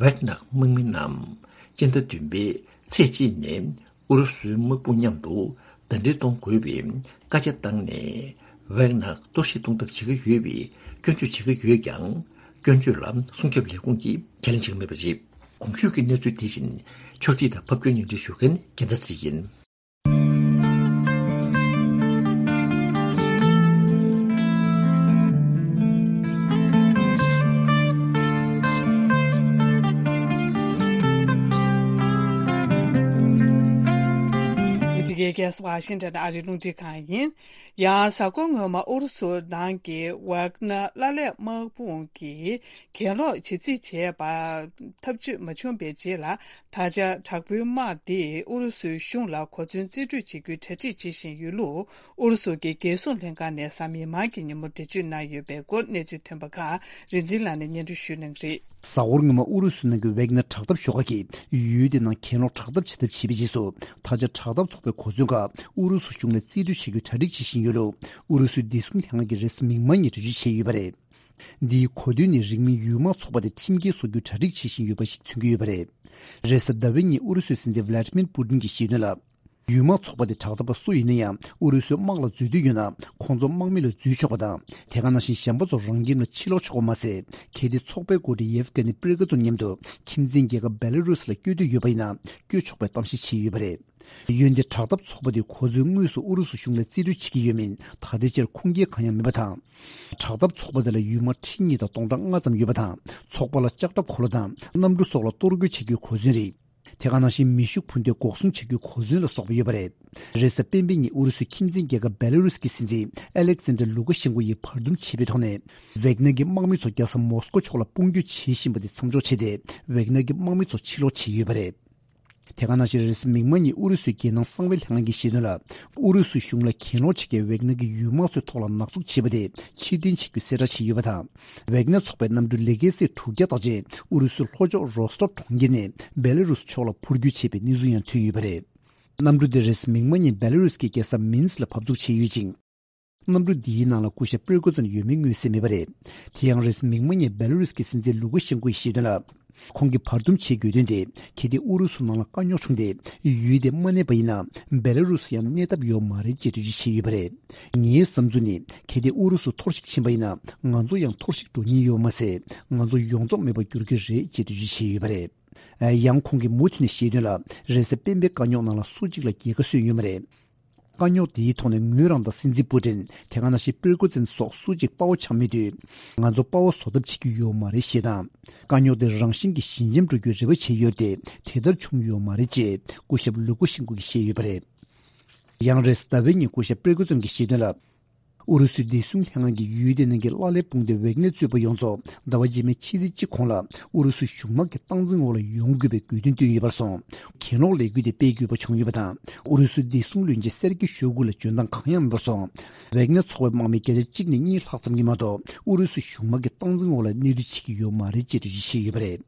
ཝེག་ནར་དམག་མི་རྣམས་སྤྱི་ཟླ་བདུན་པའི་ཚེས་གཅིག་ནས་ཨུ་རུ་སུའི་དམག་དཔུང་མཉམ་དུ་ཟླ་སྒྲིལ་གཏོང་དགོས་པའི་བཀའ་རྒྱ་བཏང་ནས། ཝེག་ནར་གཏོར་བཤིག་གཏོང་ཐབས་བྱེད་ཀྱི་ཡོད་པའི་སྐྱོན་བརྗོད་བྱེད་ཀྱི་ཡོད་ཀྱང་། སྐྱོན་བརྗོད་ལ་སྲུང་སྐྱོབ་ལས་ཁུངས་ཀྱིས་ཁས་ལེན་བྱེད་ཀྱི་མེད་པ་རེད། གོང་ཞུས་ཀྱི་གནས་ཚུལ་དེ་བཞིན་ཕྱོགས་སྒྲིག་དང་ཕབ་སྒྱུར་སྙན་སྒྲོན་ཞུ་མཁན་རྒྱལ་མཚན་ཚེ་རིང་ཡིན། འདི་གའི་རྒྱལ་ས་ཝ་ཤིང་ཊོན་ཨ་རིའི་རླུང་འཕྲིན་ཁང་ཡིན། ཡང་གཟའ་འཁོར་སྔོན་མ་ཨུ་རུ་སུ་ནང་གི་ཝག་ན་ཀླད་པའི་དམག་དཔུང་གིས་གྱེན་ལོག་བྱེད་རྩིས་བྱས་པ་ཐབས་ཇུས་མ་བྱུང་བའི་རྗེས་ལ། ད་ཆ་དྲག་པོའི་དམག་འདིས་ཨུ་རུ་སུའི་གཞུང་ལ་གོ་མཚོན་རྩིས་སྤྲོད་བྱེད་རྒྱུའི་གྲ་སྒྲིག་བྱེད་བཞིན་ཡོད་ལུགས་ཨུ་རུ་སུ་གྱི་རྒྱལ་སྲུང་ལྷན་ཁང་ནས་གཟའ་མིག་དམར་གྱི་ཉིན་མོ་འགྲེལ་བརྗོད་གནང་ཡོད་པའི་སྐོར་གནས་ཚུལ་ཐོན་པ་ཁག་རིག་འཛིན་ལགས་ནས་སྙན་སྒྲོན་ཞུ་གནང་གི་རེད། གཟའ་འཁོར་སྔོན་མ་ཨུ་རུ་སུ་ནང་གི་ཝེག་ནར་དྲག་འཐབ་ཤོག་ཁག་གིས་ཡུལ་དེ་ནང་གྱེན་ལོག་དྲག་འཐབ་བྱེད་ཐབས་བྱས་པའི་རྗེས་སུ། ད་ཆ་དྲག་འཐབ་ཚོགས་པའི་གོ་མཚོན་ཁག་ཨུ་རུ་སུ་གཞུང་ལ་རྩིས་སྤྲོད་བྱེད་རྒྱུའི་གྲ་སྒྲིག་བྱེད་བཞིན་ཡོད་ལུགས་ཨུ་རུ་སུའི་བདེ་སྲུང་ལྷན་ཁང་གིས་རེས་གཟའ་མིག་དམར་ཉིན་འགྲེལ་བརྗོད་བྱས་ཡོད་པ་རེད། འདིའི་གོ་དོན་ནི་རིང་མིན་ཡུལ་དམག་ཚོགས་པ་དེ་ཁྲིམས་འགལ་བཟོ་རྒྱུའི་གྲ་སྒྲིག་བྱེད་བཞིན་ཡོད་པ་ཞིག་མཚོན་གྱི་ཡོད་པ་རེད། རེས་གཟའ་ཟླ་བའི་ཉིན་ཨུ་རུ་སུའི་སྲིད་འཛིན་ཝ་ལ་ཏི་མིར་པུ་ཏིན་གྱིས་བཤད་དོན་ལ། ཡུལ་དམག་ཚོགས་པ་དེ་དྲག་འཐབ་པ་སུ་ཡིན་ན་ཡང་ཨུ་རུ་སུའི་དམག་ལ་འཛུལ་འདོད་ཡོད་ན་ཁོང་ཚོ་དམག་མི་ལ་འཛུལ་ཆོག་པ་དང་། དེ་ག་ནང་བཞིན་གཞན་པ་ཚོ་རང་ཁྱིམ་ལ་ཕྱིར་ལོག་ཆོག་པ་མ་ཟད། གལ་ཏེ་ཚོགས་པའི་འགོ་ཁྲིད་ཡེབ་གྷ་ནི་པིར་ཀ་ཛོན་མཉམ་དུ་ཁྱིམ་མཚེས་རྒྱལ་ཁབ་བེ་ལ་རུ་སི་ལ་བསྐྱོད་འདོད་ཡོད་པ་ཡིན་ན་བསྐྱོད་ཆོག་པའི་གཏམ་བཤད་བྱས་ཡོད་པ་རེད། འོན་ཏེ་དྲག་འཐབ་ཚོགས་པ་དེའི་གོ་མཚོན་དངོས་སུ་ཨུ་རུ་སུ་གཞུང་ལ་རྩིས་སྤྲོད་བྱེད་ཀྱི་ཡོད་མིན་ད་ལྟའི་ཆར་ཁུངས་སྐྱེལ་གང་ཡང་མེད་པ་དང་། དྲག་འཐབ་ཚོགས་པ་དེ་ལ་ཡུལ་དམག་ཁྲི་གཉིས་དང་སྟོང་ཕྲག་ལྔ་ཙམ་ཡོད་པ་དང་། ཚོགས་པ་ལ་ལྕགས་ཁྲབ་འཁོར་ལོ་དང་གནམ་གྲུ་སོགས་ལ་གཏོར་རྒོལ་བྱེད་རྒྱུའི་གོ་མཚོན་རིགས། དེ་ག་ནང་བཞིན་མེ་ཤུགས་འཕུར་མདེལ་འགོག་སྲུང་བྱེད་རྒྱུའི་གོ་མཚོན་ལ་སོགས་པ་ཡོད་པ་རེད། རེས་གཟའ་སྤེན་པའི་ཉིན་ཨུ་རུ་སུའི་ཁྱིམ་མཚེས་རྒྱལ་ཁབ་བེ་ལ་རུ་སི་གི་སྲིད་འཛིན་ཨ་ལེག་ཛན་དྲ་ལུ་ཀ་ཤེན་ཀོ་ཡིས་བར་འདུམ་བྱས་པའི་ཐོག་ནས། ཝེག་ནར་གྱི་དམག་མི་ཚོ་རྒྱལ་ས་མོ་སི་ཀོ་ཕྱོགས་ལ་དཔུང་སྐྱོད་བྱེད་བཞིན་པ་དེ་མཚམས་འཇོག་བྱས་ཏེ། ཝེག་ནར་གྱི་དམག་མི་ཚོ་ཕྱིར་ལོག་བྱས་ཡོད་པ་རེད། དེ་ག་ནང་བཞིན་རེས་གཟའ་མིག་དམར་ཉིན་ཨུ་རུ་སུའི་རྒྱལ་ནང་གསང་བའི་ལྷན་ཁང་གིས་བཤད་དོན་ལ། ཨུ་རུ་སུའི་གཞུང་ལ་གྱེན་ལོག་བྱེད་མཁན་ཝེག་ནར་གྱི་ཡུལ་དམག་ཚོའི་ཐོག་ལ་ནག་འཛུགས་བྱས་པ་དེ་ཕྱིར་འཐེན་བྱེད་རྒྱུའི་གསལ་བསྒྲགས་བྱས་ཡོད་པ་དང་། ཝེག་ནར་ཚོགས་པའི་གནམ་གྲུ་ལེ་ཀེ་སི་དྲུག་བརྒྱ་དག་ཅིག་ཨུ་རུ་སུའི་ལྷོ་ཕྱོགས་རོ་སི་ཊོབ་གྲོང་ཁྱེར་ནས་བེ་ལ་རུ་སི་ཕྱོགས་ལ་འཕུར་སྐྱོད་བྱས་པའི་གནས་ཚུལ་ཡང་ཐོན་ཡོད་པ་རེད། གནམ་གྲུ་དེ་རེས་གཟའ་མིག་དམར་ཉིན་བེ་ལ་རུ་སི་གི་རྒྱལ་ས་མིན་སི་ལ་བབས་འཚུགས་བྱས་ཡོད་ཅིང་། གནམ་གྲུ་འདིའི་ནང་ལ་སྐུ་ཞབས་པིར་ཀོ་ཙན་ཡོད་མེད་མངོན་གསལ་མེད་པ་རེད། དེ་ཡང་རེས་གཟའ་མིག་དམར་ཉིན་བེ་ལ་རུ་སི་གི་སྲིད་འཛིན་ལུ་ཀ་ཤེན་ཀོ་ཡིས་བཤད་དོན་ལ། ཁོང་གིས་བར་འདུམ་བྱེད་དགོས་དོན་དེ་གལ་ཏེ་ཨུ་རུ་སུ་ནང་ལ་དཀའ་རྙོག་བྱུང་སྟེ་ཡུལ་དེ་མ་གནས་པ་ཡིན་ན་བེ་ལ་རུ་སི་ཡང་གནས་ཐབས་ཡོད་མ་རེད་ཅེས་འགྲེལ་བརྗོད་བྱས་ཡོད་པ་རེད། ངའི་བསམ་ཚུལ་ནི་གལ་ཏེ་ཨུ་རུ་སུ་འཐོར་ཞིག་ཕྱིན་པ་ཡིན་ན་ང་ཚོ་ཡང་འཐོར་ཞིག་འགྲོ་ཉེན་ཡོད་མ་ཟད་ང་ཚོ་ཡོངས་རྫོགས་མེད་པར་འགྱུར་གྱི་རེད་ཅེས་འགྲེལ་བརྗོད་བྱས་ཡོད་པ་རེད། ཡང་ཁོང་གིས་མུ་མཐུད་ནས་བཤད་དོན་ལ་རེས་གཟའ་སྤེན་པའི་དཀའ་རྙོག་ནང་ལ་སུ་གཅིག་ལ་རྒྱལ་ཁ་སོན་ཡོད་མ་རེད། དཀའ་རྙོག་དེའི་ཐོག་ནས་ངོས་རང་དང་སྲིད་འཛིན་པུ་ཏིན་དེ་ག་ནང་བཞིན་པིར་ཀོ་ཙིན་སོགས་སུ་གཅིག་དཔའ་བོ་ཆགས་མེད་དུས། ང་ཚོ་དཔའ་བོ་བཟོ་ཐབས་བྱེད་ཀྱི་ཡོད་མ་རེད་ཞེས་དང་། དཀའ་རྙོག་དེ་རང་བཞིན་གྱིས་ཞི་འཇམ་འགྲོ་རྒྱུའི་རེ་བ་བྱས་ཡོད་དེ་དེ་ལྟར་བྱུང་ཡོད་མ་རེད་ཅེས་སྐུ་ཞབས་ལུ་ཀོ་ཤིན་ཀོ་གིས་བཤད་ཡོད་པ་རེད། ཡང་རེས་ཟླ་བའི་ཉིན་སྐུ་ཞབས་པིར་ཀོ་ཙིན་གྱིས་བཤད་དོན་ལ། ཨུ་རུ་སུའི་བདེ་སྲུང་ལྷན་ཁང་གིས་ཡུལ་དེའི་ནང་གི་ཀླ་ཀློའི་དཔུང་སྡེ་ཝེག་ནེར་གཙོས་པ་ཡོངས་རྫོགས་ཟླ་བ་རྗེས་མའི་ཕྱི་ཚེས་གཅིག་གོང་ལ་ཨུ་རུ་སུའི་གཞུང་དམག་གི་སྟངས་འཛིན་འོག་ལ་ཡོང་དགོས་པའི་དགོས་འདུན་བཏོན་ཡོད་པར་སོང་། གྱེན་ལོག་ལས་འགུལ་དེ་སྤེལ་དགོས་པ་བྱུང་ཡོད་པ་དང་། ཨུ་རུ་སུའི་བདེ་སྲུང་བློན་ཆེན་སེར་གི་ཤོ་གུ་ལ་འཇོན་ཐང་གང་ཡང་མེད་པར་སོང་། ཝེག་ནེར་ཚོགས་པའི་དམག་མི་བརྒྱ་ཆ་གཅིག་ནས་གཉིས་ལྷག་ཙམ་གྱིས་མ་གཏོགས་ཨུ་རུ་སུའི་གཞུང་དམག་གི་སྟངས་འཛིན་འོག་ལ་གནས་སྡོད་བྱེད་ཀྱི་ཡོད་མ་རེད་ཅེས་འགྲེལ་བརྗོད་བྱས་ཡོད་པ་རེད།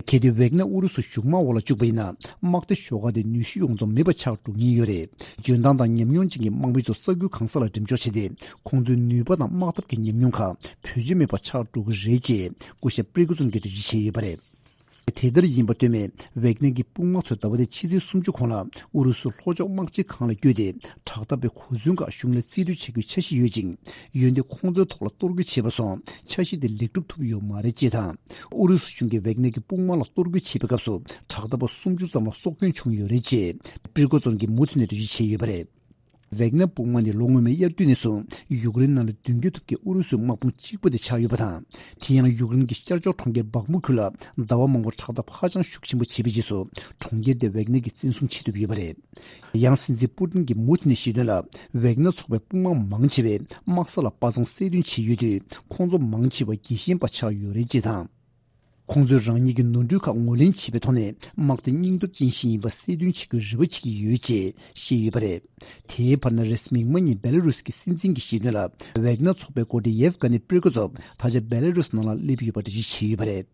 གལ་ཏེ་ཝེག་ནེར་ཨུ་རུ་སུ་གཞུང་དམག་འོག་ལ་བཅུག་པ་ཡིན་ན། དམག་སྡེ་ཤོག་ཁག་དེ་ནུས་ཤུགས་ཡོངས་རྫོགས་མེད་པ་ཆགས་འགྲོ་ངེས་ཡོད་རེད། འཇོན་ཐང་དང་ཉམས་མྱོང་ཅན་གྱི་དམག་མི་ཚོ་ས་ཁུལ་གང་ས་ལ་འགྲེམས་འཇོག་བྱས་ཏེ། ཁོང་ཚོའི་ནུས་པ་དང་དམག་འཐབ་ཀྱི་ཉམས་མྱོང་ཁག་བེད་སྤྱོད་མེད་པ་ཆགས་འགྲོ་གི་རེད་ཅེས་སྐུ་ཞབས་པྲི་གོ་ཙུན་གྱིས་འགྲེལ་བརྗོད་བྱས་ཡོད་པ་རེད། དེ་ལྟར་ཡིན་པར་ལྟོས་མེད། ཝེག་ནེར་གྱི་དཔུང་དམག་ཚོས་ཟླ་བ་འདིའི་ཕྱི་ཚེས་སུམ་ཅུ་གོང་ལ་ཨུ་རུ་སུའི་ལྷོ་ཕྱོགས་དམག་སྤྱི་ཁང་ལ་བསྐྱོད་དེ། དྲག་འཐབ་པའི་གོ་མཚོན་ཁག་གཞུང་ལ་རྩིས་སྤྲོད་བྱ་རྒྱུའི་འཆར་གཞི་ཡོད་ཅིང་། འོན་ཏེ་ཁོང་ཚོའི་ཐོག་ལ་གཏོར་རྒོལ་བྱས་པར་སོང་། འཆར་གཞི་དེ་ལེགས་གྲུབ་ཐུབ་ཡོད་མ་རེད་ཅེས་དང་། ཨུ་རུ་སུ་གཞུང་གིས་ཝེག་ནེར་གྱི་དཔུང་དམག་ལ་གཏོར་རྒོལ་བྱེད་པའི་སྐབས་སུ། དྲག་འཐབ་པ་སུམ་ཅུ་ཙམ་ལ་སྲོག་སྐྱོན་བྱུང་ཡོད་རེད་ཅེས་པྲི་གོ་ཙུན་གྱིས་མུ་མཐུད་ནས་འགྲེལ་བརྗོད་བྱས་ཡོད་པ་རེད། ཝེག་ནེར་དཔུང་དམག་ནི་ལོ་སྔོན་མའི་དབྱར་དུས་ནས་བཟུང་ཡུཀ་རེན་ནང་ལ་མདུན་སྐྱོད་ཐུབ་མཁན་ཨུ་རུ་སུའི་དམག་དཔུང་གཅིག་པུ་དེ་ཆགས་ཡོད་པ་དང་། དེ་ཡང་ཡུཀ་རེན་གྱི་ཤར་ཕྱོགས་གྲོང་ཁྱེར་བག་མུ་ཁུལ་ལ་ཟླ་བ་མང་པོར་དྲག་འཐབ་ཧ་ཅང་ཤུགས་ཆེན་པོ་བྱས་པའི་རྗེས་སུ། གྲོང་ཁྱེར་དེ་ཝེག་ནེར་གྱིས་བཙན་བཟུང་བྱེད་ཐུབ་ཡོད་པ་རེད། ཡང་སྲིད་འཛིན་པུ་ཏིན་གྱིས་མུ་མཐུད་ནས་བཤད་དོན་ལ། ཝེག་ནེར་ཚོགས་པའི་དཔུང་དམག་མང་ཆེ་བས་དམག་ས་ལ་པ་སངས་གསལ་སྟོན་བྱས་ཡོད་དུས། ཁོང་ཚོ་མང་ཆེ་བ་དགེ་ཞེན་པ་ཆགས་ཡོད་རེད་ཅེས་དང་། ཁོང་ཚོས་རང་ཉིད་ཀྱི་ནོར་འཁྲུལ་ཁག་ངོས་ལེན་བྱེད་པའི་ཐོག་ནས། དམག་དེ་སྙིང་སྟོབས་ཅན་ཞིག་ཡིན་པ་གསལ་སྟོན་བྱེད་རྒྱུའི་རེ་བ་བྱེད་ཀྱི་ཡོད་ཅེས་བཤད་ཡོད་པ་རེད། དེའི་བར་ན། རེས་གཟའ་མིག་དམར་ཉིན་བེ་ལ་རུས་ཀྱི་སྲིད་འཛིན་གྱིས་བཤད་དོན་ལ། ཝེག་ནེར་ཚོགས་པའི་འགོ་ཁྲིད་ཡེབ་གྷ་ནི་པྲི་གོ་ཙོབ་ད་ཆ་བེ་ལ་རུས་ནང་ལ་སླེབས་ཡོད་པ་འགྲེལ་བརྗོད་བྱས་ཡོད་པ་རེད།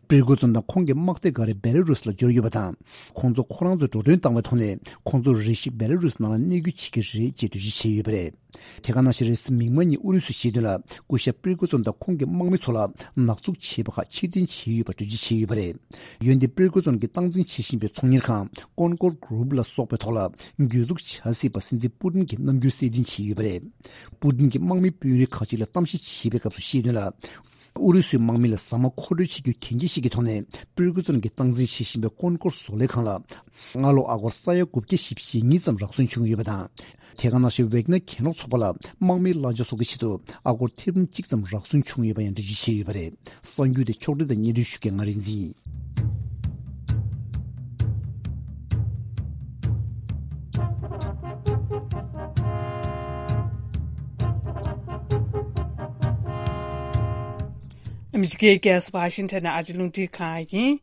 པྲི་གོ་ཙོབ་དང་ཁོང་གི་དམག་སྡེ་འགའ་རེ་བེ་ལ་རུས་ལ་འབྱོར་ཡོད་པ་དང་། ཁོང་ཚོ་ཁོ་རང་ཚོས་འགྲོ་གྲོན་བཏང་བའི་ཐོག་ནས། ཁོང་ཚོར་རེ་ཞིག་བེ་ལ་རུས་ནང་ལ་གནས་སྐྱོད་བྱེད་ཀྱི་རེད་ཅེས་འགྲེལ་བརྗོད་བྱས་ཡོད་པ་རེད། དེ་ག་ནང་བཞིན། རེས་གཟའ་མིག་དམར་ཉིན་ཨུ་རུ་སུས་བཤད་དོན་ལ། སྐུ་ཞབས་པྲི་གོ་ཙོབ་དང་ཁོང་གི་དམག་མི་ཚོ་ལ་ནག་འཛུགས་བྱས་པ་ཁག་ཕྱིར་འཐེན་བྱས་ཡོད་པ་འགྲེལ་བརྗོད་བྱས་ཡོད་པ་རེད། འོན་ཏེ། པྲི་གོ་ཙོབ་ཀྱིས་སྟངས་འཛིན་བྱེད་བཞིན་པའི་ཚོང་གཉེར་ཁང་ཀོན་ཀོར་གྷུ་རུབ་ལ་སོགས་པའི་ཐོག་ལ་གྱོད་འཛུགས་བྱ་སྲིད་པ་སྲིད་འཛིན་པུ་ཏིན་གྱིས་རྣམ་འགྱུར་གསལ་སྟོན་བྱས་ཡོད་པ་རེད། པུ་ཏིན་གྱིས་དམག་མི་དཔོན་རིགས་ཁག་ཅིག་ལ་གཏམ་བཤད་བྱས་པའི་སྐབས་སུ་བཤད་དོན་ལ། ཨུ་རུ་སུའི་དམག་མི་ལ་ཟ་མ་མཁོ་སྤྲོད་བྱེད་རྒྱུའི་གན་རྒྱ་ཞིག་གི་ཐོག་ནས། པྲི་གོ་ཙོབ་ཀྱིས་སྟངས་འཛིན་བྱེད་བཞིན་པའི་ཀོན་ཀོར་བཟོ་ལས་ཁང་ལ། སྔ་ལོ་ཨ་སྒོར་ས་ཡ་དགུ་བརྒྱ་ཞེ་གཉིས་ཙམ་རག་སོན་བྱུང་ཡོད་པ་དང་། དེ་ག་ནང་བཞིན། ཝེག་ནེར་གྱེན་ལོག་ཚོགས་པ་ལ་དམག་མིའི་གླ་ཆ་གསོག་གི་ཆེད་དུ་ཨ་སྒོར་ཐེར་འབུམ་གཅིག་ཙམ་རག་སོན་བྱུང་ཡོད་པ་ཡང་འགྲེལ་བརྗོད་བྱས་ཡོད་པ་རེད། གསར་འགྱུར་དེ་ཕྱོགས་སྒྲིག་དང་སྙན་སྒྲོན་ཞུ་མཁན་ང་རིག་འཛིན་ཡིན། ཨ་མི་རི་ཀའི་རྒྱལ་ས་ཝ་ཤིང་ཊོན་ནས་ཨ་རིའི་རླུང་འཕྲིན་ཁང་ཡིན།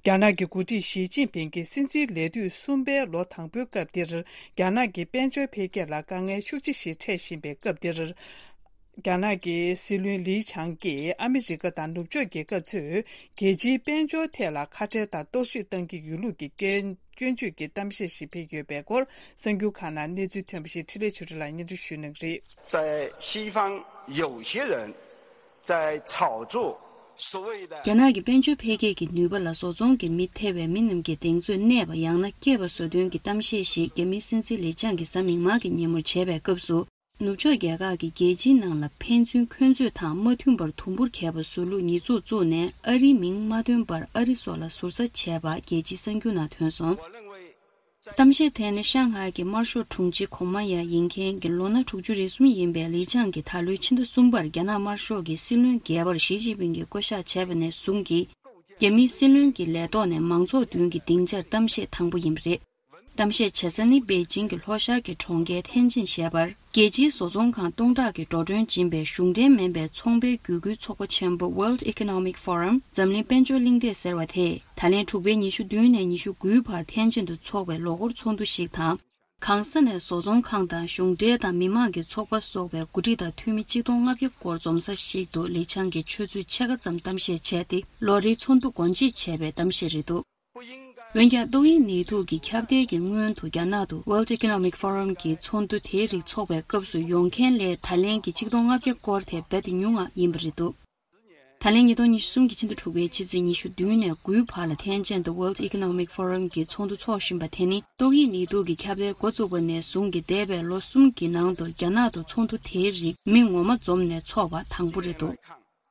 རྒྱ་ནག་གི་འགོ་ཁྲིད་ཞི་ཅིན་ཕིང་གིས་སྲིད་འཛིན་ལས་དུས་གསུམ་པའི་ལོ་དང་པོའི་སྐབས་འདིར། རྒྱ་ནག་གི་དཔལ་འབྱོར་འཕེལ་རྒྱས་ལ་དཀའ་ངལ་ཤུགས་ཆེ་ཞིག་འཕྲད་བཞིན་པའི་སྐབས་འདིར། རྒྱ་ནག་གི་སྲིད་བློན་ལི་ཆང་གིས་ཨ་མི་རི་ཀ་དང་ནུབ་ཕྱོགས་རྒྱལ་ཁབ་ཚོས་རྒྱལ་སྤྱིའི་དཔལ་འབྱོར་ཐད་ལ་ཁ་བྲལ་དང་གཏོར་བཤིག་བཏང་གི་ཡོད་ལུགས་ཀྱི་སྐྱོན་སྐྱོན་བརྗོད་ཀྱི་གཏམ་བཤད་ཞིག་སྤེལ་ཡོད་པའི་སྐོར། གསར་འགྱུར་ཁང་ནང་གནས་ཚུལ་ཐོན་པ་ཞིག་འཕྲིན་ལས་ཆོས་སྒྲོན་ལགས་སྙན་སྒྲོན་ཞུ་གནང་གི་རེད། 在西方有些人在炒作所谓的 རྒྱ་ནག་གི་དཔལ་འབྱོར་འཕེལ་རྒྱས་ཀྱི་ནུས་པ་ལ་བཟོ་ཚོང་གི་མི་ཐེ་བའི་མི་རྣམས་ཀྱིས་གདེང་ཚོད་གནས་པ་ཡང་ན་སྐྱེས་པ་བཟོ་དོན་གྱི་གཏམ་བཤད་ཞིག་རྒྱ་མིའི་སྲིད་འཛིན་ལི་ཆང་གིས་གཟའ་མིག་དམར་གྱི་ཉིན་མོར་བྱས་པའི་སྐབས་སུ། ནུབ་ཕྱོགས་རྒྱལ་ཁག་གིས་རྒྱལ་སྤྱིའི་ནང་ལ་ཕན་ཚུན་འཁོན་རྩོད་དང་མ་མཐུན་པར་དུམ་བུར་གྱེས་པ་བཟོ་ལུགས་ཉེས་འཛུགས་བཙུགས་ནས་ཨ་རིའི་མིང་མ་ཐོན་པར་ཨ་རི་སོགས་ལ་ཟུར་ཟ་བྱས་པ་རྒྱལ་སྤྱིའི་གསར་འགྱུར་ནང་ཐོན་སོང་། གཏམ་བཤད་དེ་ནི་ཤང་ཧའེ་གྱི་དམར་ཤོག་དྲུང་ཆེ་གོང་མ་ཡང་ཡིན་མཁན་གྱི་ལོ་ན་དྲུག་ཅུ་རེ་གསུམ་ཡིན་པའི་ལི་ཆང་གིས་ད་ལོའི་ཕྱི་ཟླ་གསུམ་པར་རྒྱ་ནག་དམར་ཤོག་གི་སྲིད་བློན་རྒྱལ་བར་ཞི་ཅིན་ཕིང་གིས་བསྐོ་གཞག་བྱས་པ་ནས་བཟུང་གི་རྒྱ་མིའི་སྲིད་བློན་གྱི་ལས་ཐོག་ནས་མང་ཚོགས་མདུན་གྱི་སྡིངས་ཆར་གཏམ་བཤད་དང་པོ་ཡིན་པ་རེད། གཏམ་བཤད་བྱེད་ས་ནི་པེ་ཅིང་གི་ལྷོ་ཤར་གྱི་གྲོང་ཁྱེར་ཐེན་ཅིན་ཞེས་པར། རྒྱལ་སྤྱིའི་བཟོ་ཚོང་ཁང་སྟོང་ཕྲག་གིས་འགྲོ་གྲོན་སྦྱིན་པའི་གཞུང་འབྲེལ་མིན་པའི་ཚོང་པའི་བརྒྱུད་སྐུལ་ཚོགས་པ་ཆེན་པོ་World Economic Forum འཛམ་གླིང་དཔལ་འབྱོར་གླེང་སྟེགས་ཟེར་བ་དེས་ད་ལན་དྲུག་པའི་ཉི་ཤུ་བདུན་ནས་ཉི་ཤུ་དགུའི་བར་ཐེན་ཅིན་དུ་འཚོགས་པའི་ལོ་འཁོར་ཚོགས་འདུ་ཞིག་དང་། གང་ས་ནས་བཟོ་ཚོང་ཁང་དང་གཞུང་འབྲེལ་དང་མི་མང་གི་ཚོགས་པ་སོགས་པའི་འགོ་ཁྲིད་དང་འཐུས་མི་གཅིག་སྟོང་ལྔ་བརྒྱ་སྐོར་འཛོམས་ས་ཞིག་ཏུ་ལི་ཆང་གིས་ཆུ་ཚོད་ཕྱེད་ཀ་ཙམ་གཏམ་བཤད་བྱས་ཏེ་ལོ་རེའི་ཚོགས་འདུ་སྒོ་འབྱེད་བྱས་པའི་གཏམ་བཤད་རེད་འདུག་འོན་ཀྱང་ཏོག་དབྱིབས་ནད་དུག་གི་ཁྱབ་གདལ་གྱི་སྔོན་དུ་རྒྱ་ནག་ཏུ་World Economic Forum གྱི་ཚོགས་འདུ་དེའི་རིགས་འཚོགས་པའི་སྐབས་སུ་ཡོང་མཁན་ལས་ད་ལན་གྱི་ཆིག་སྟོང་ལྔ་བརྒྱ་སྐོར་དེ་རྦད་དེ་ཉུང་ང་ཡིན་པ་རེད་འདུག་ད་ལན་ཉིས་སྟོང་ཉི་ཤུ་གསུམ་གྱི་ཕྱི་ཟླ་དྲུག་པའི་ཕྱི་ཚེས་ཉི་ཤུ་བདུན་ནས་དགུའི་བར་ལ་ཐེན་ཅིན་དུ་World Economic Forum གྱི་ཚོགས་འདུ་འཚོགས་བཞིན་པ་དེ་ནི་ཏོག་དབྱིབས་ནད་དུག་གི་ཁྱབ་གདལ་འགོ་བཙུགས་པ་ནས་བཟུང་གི་འདས་པའི་ལོ་གསུམ་གྱི་ནང་དུ་རྒྱ་ནག་ཏུ་ཚོགས་འདུ་དེའི་རིགས་མི་ངོ་མ་འཛོམས་ནས་འཚོགས་པ་དང་པོ་རེད་འདུག་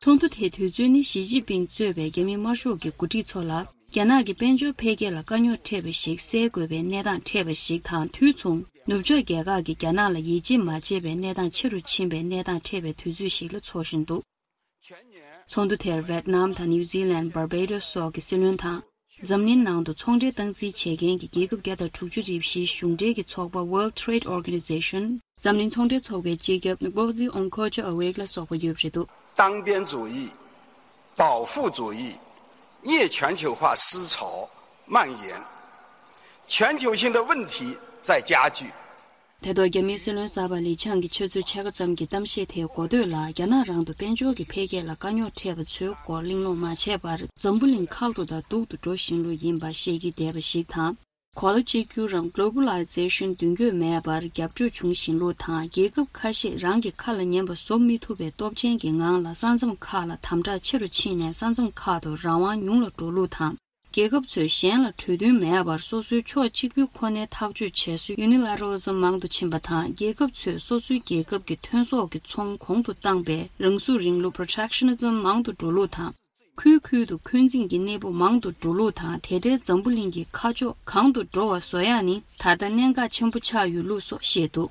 ཚོགས་འདུ་དེའི་དུས་ཚོད་ནི་ཞི་ཅིན་ཕིང་གཙོས་པའི་རྒྱ་མི་དམར་ཤོག་གི་འགོ་ཁྲིད་ཚོ་ལ་རྒྱ་ནག་གི་དཔལ་འབྱོར་འཕེལ་རྒྱས་ལ་དཀའ་རྙོག་འཕྲད་པ་ཞིག་སེལ་དགོས་པའི་གནས་སྟངས་འཕྲད་པ་ཞིག་དང་དུས་མཚུངས་ནུབ་ཕྱོགས་རྒྱལ་ཁག་གིས་རྒྱ་ནག་ལ་ཡིད་ཆེས་མ་བྱས་པའི་གནས་སྟངས་ཆེ་རུ་ཕྱིན་པའི་གནས་སྟངས་འཕྲད་པའི་དུས་ཚོད་ཞིག་ལ་འཚོགས་བཞིན་འདུག་ཚོགས་འདུ་དེར་ཝེད་ནམ་དང་ནིའུ་ཛི་ལན། བར་བེ་ཌོས་སོགས་ཀྱི་སྲིད་བློན་དང་། འཛམ་གླིང་ནང་དུ་ཚོང་འབྲེལ་སྟངས་འཛིན་བྱེད་མཁན་གྱི་རྒྱལ་ཁབ་བརྒྱ་དང་དྲུག་ཅུ་རེ་བཞིའི་གཞུང་འབྲེལ་གྱི་ཚོགས་པ་World Trade Organization འཛམ་གླིང་ཚོང་འབྲེལ་ཚོགས་པའི་སྤྱི་ཁྱབ་Ngozi Okonjo-Iweala་སོགས་པ་ཡོད་པ་རེད་འདུག། 单边主义、保护主义、逆全球化思潮蔓延，全球性的问题在加剧。 དེ་ཐོག་རྒྱ་མིའི་སྲིད་བློན་གསར་པ་ལི་ཆང་གིས་ཆུ་ཚོད་ཕྱེད་ཀ་ཙམ་གྱི་གཏམ་བཤད་དེའི་འགོ་སྟོད་ལ། རྒྱ་ནག་རང་དུ་དཔལ་འབྱོར་གྱི་འཕེལ་རྒྱས་ལ་དཀའ་རྙོག་འཕྲད་པ་ཚོའི་སྐོར་གླེང་སློང་མ་བྱས་པར། འཛམ་བུ་གླིང་ཁག་ཏུ་དང་སྡུག་ཏུ་འགྲོ་བཞིན་ལུགས་ཡིན་པ་བཤད་ཀྱི་བསྡད་པ་ཞིག་དང་། གོ་ལ་གཅིག་གྱུར་རམ་Globalization་མདུན་སྐྱོད་མེད་པར་རྒྱབ་སྐྱོར་བྱུང་བཞིན་ལུགས་དང་། རྒྱལ་ཁབ་ཁ་ཤས་རང་གི་ཁ་ལ་ཉན་པ་བཟོ་མི་ཐུབ་པའི་སྟོབས་ཆེན་གྱི་ངང་ལ་ས་མཚམས་ཁག་ལ་དམ་དྲག་ཆེ་རུ་ཕྱིན་ནས། ས་མཚམས་ཁག་ཏུ་རང་དབང་ཉུང་ལ་འགྲོ་ལུགས་དང་། རྒྱལ་ཁབ་ཚོས་གཞན་ལ་གྲོས་མཐུན་མེད་པར་སོ་སོའི་ཕྱོགས་གཅིག་པུའི་ཁོ་ནའི་ཐག་གཅོད་བྱེད་སྲོལ་Unilateralism་མང་དུ་ཕྱིན་པ་དང་། རྒྱལ་ཁབ་ཚོས་སོ་སོའི་རྒྱལ་ཁབ་ཀྱི་ཐོན་ཟོག་གི་ཚོང་གོང་དུ་བཏང་པའི་རང་ཟུར་རིང་ལུགས་Protectionism་མང་དུ་འགྲོ་ལུགས་དང་། ཁུལ་ཁུལ་དུ་འཁོན་འཛིང་གི་གནས་བབ་མང་དུ་འགྲོ་ལུགས་དང་། དེ་འདྲའི་འཛམ་བུ་གླིང་གི་ཁ་ཕྱོགས་གང་དུ་འགྲོ་བ་བཟོ་ཡག་ནི་ད་ལྟ་གནད་འགག་ཆེན་པོ་ཆགས་ཡོད་ལུགས་སོགས་བཤད་འདུག།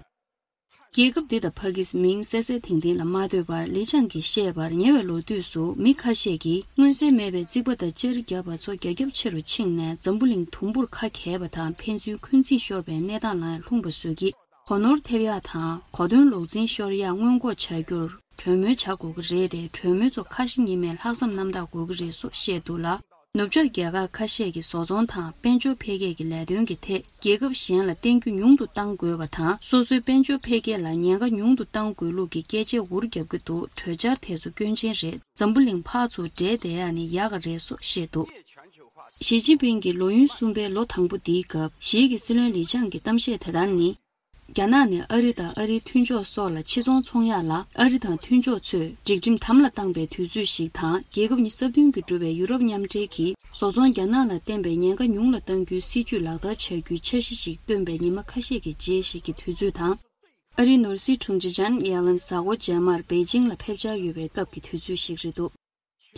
རྒྱལ་ཁབ་འདི་དང་ཕ་གིས་མིང་གསལ་གསལ་ཐིང་ཐིང་ལ་མ་ཐོས་པར། ལི་ཆང་གིས་བཤད་པར། ཉེ་བའི་ལོ་དུས་སུ་མི་ཁ་ཤས་ཀྱིས་མངོན་གསལ་མེད་པའི་རྩིག་པ་དང་ཅར་བརྒྱབ་པ་ཚོ་རྒྱ་ཁྱབ་ཆེ་རུ་ཕྱིན་ནས། འཛམ་བུ་གླིང་དུམ་བུར་ཁ་གྱེས་པ་དང་། ཕན་ཚུན་འཁོན་འཛིང་ཤོར་བའི་གནས་སྟངས་ལའང་ལྷུང་བ་བཟོ་གི། གོ་ནོར་ཐེབས་ཡག་དང་གོ་དོན་ལོག་འཛིན་ཤོར་ཡག་སྔོན་འགོག་བྱ་རྒྱུར་གྲོས་མོལ་བྱ་དགོས་ཀྱི་རེད་དེ། གྲོས་མོལ་ཚོ་ཁ་ཞེ་གཉིས་མེད་ལྷག་བསམ་རྣམ་དག་དགོས་ཀྱི་རེད་སོགས་བཤད་འདུག་ལ། ནུབ་ཕྱོགས་རྒྱལ་ཁབ་ཁ་ཤས་ཀྱིས་བཟོ་ཚོང་དང་དཔལ་འབྱོར་འཕེལ་རྒྱས་ཀྱི་ལས་དོན་གྱི་ཐད་རྒྱལ་ཁབ་གཞན་ལ་བརྟེན་རྒྱུ་ཉུང་དུ་གཏང་དགོས་པ་དང་། སོ་སོའི་དཔལ་འབྱོར་འཕེལ་རྒྱས་ལ་ཉེན་ཁ་ཉུང་དུ་གཏང་དགོས་ལུགས་ཀྱི་སྐད་ཆ་འུར་རྒྱབ་ཀྱི་འདུག། གྲོས་འཆར་དེ་ཚོ་སྐྱོན་ཅན་རེད། འཛམ་བུ་གླིང་ཕར་ཚུར་འབྲེལ་བསྡད་ཡག་ནི་ཡག་ག་རེད་སོགས་བཤད་འདུག། ཞི་ཅིན་ཕིང་གིས་ལོ་ཡུན་གསུམ་པའི་ལོ་དང་པོ་འདིའི་སྐབས་ཞིག་གི་སྲིད་བློན་ལི་ཆང་གི་གཏམ་བཤད་དེ་ལྟར་ནི། རྒྱ་ནག་ནས་ཨ་རི་དང་ཨ་རིའི་མཐུན་ཕྱོགས་སོགས་ལ་ཕྱི་ཚོང་ཚོང་ཡག་ལ་ཨ་རི་དང་མཐུན་ཕྱོགས་ཚོས་སྒྲིག་ཁྲིམས་དམ་ལ་བཏང་པའི་དུས་ཚོད་ཞིག་དང་། རྒྱལ་ཁབ་གཉིས་སྲ་བརྟན་གྱིས་གྲུབ་པའི་ཡུ་རོབ་མཉམ་འབྲེལ་གྱིས་བཟོ་ཚོང་རྒྱ་ནག་ལ་བརྟེན་པའི་ཉེན་ཁ་ཉུང་ལ་གཏང་རྒྱུའི་སྲིད་ཇུས་ལག་བསྟར་བྱ་རྒྱུའི་འཆར་གཞི་ཞིག་བཏོན་པའི་ཉི་མ་ཁ་ཤས་ཀྱི་རྗེས་ཤིག་གི་དུས་ཚོད་དང་། ཨ་རིའི་ནོར་སྲིད་དྲུང་ཆེ་ཇན་ཡེ་ལན་གཟའ་འཁོར་རྗེས་མར་པེ་ཅིང་ལ་ཕེབས་འཆར་ཡོད་པའི་སྐབས་ཀྱི་དུས་ཚོད་ཞིག་རེད་འདུག།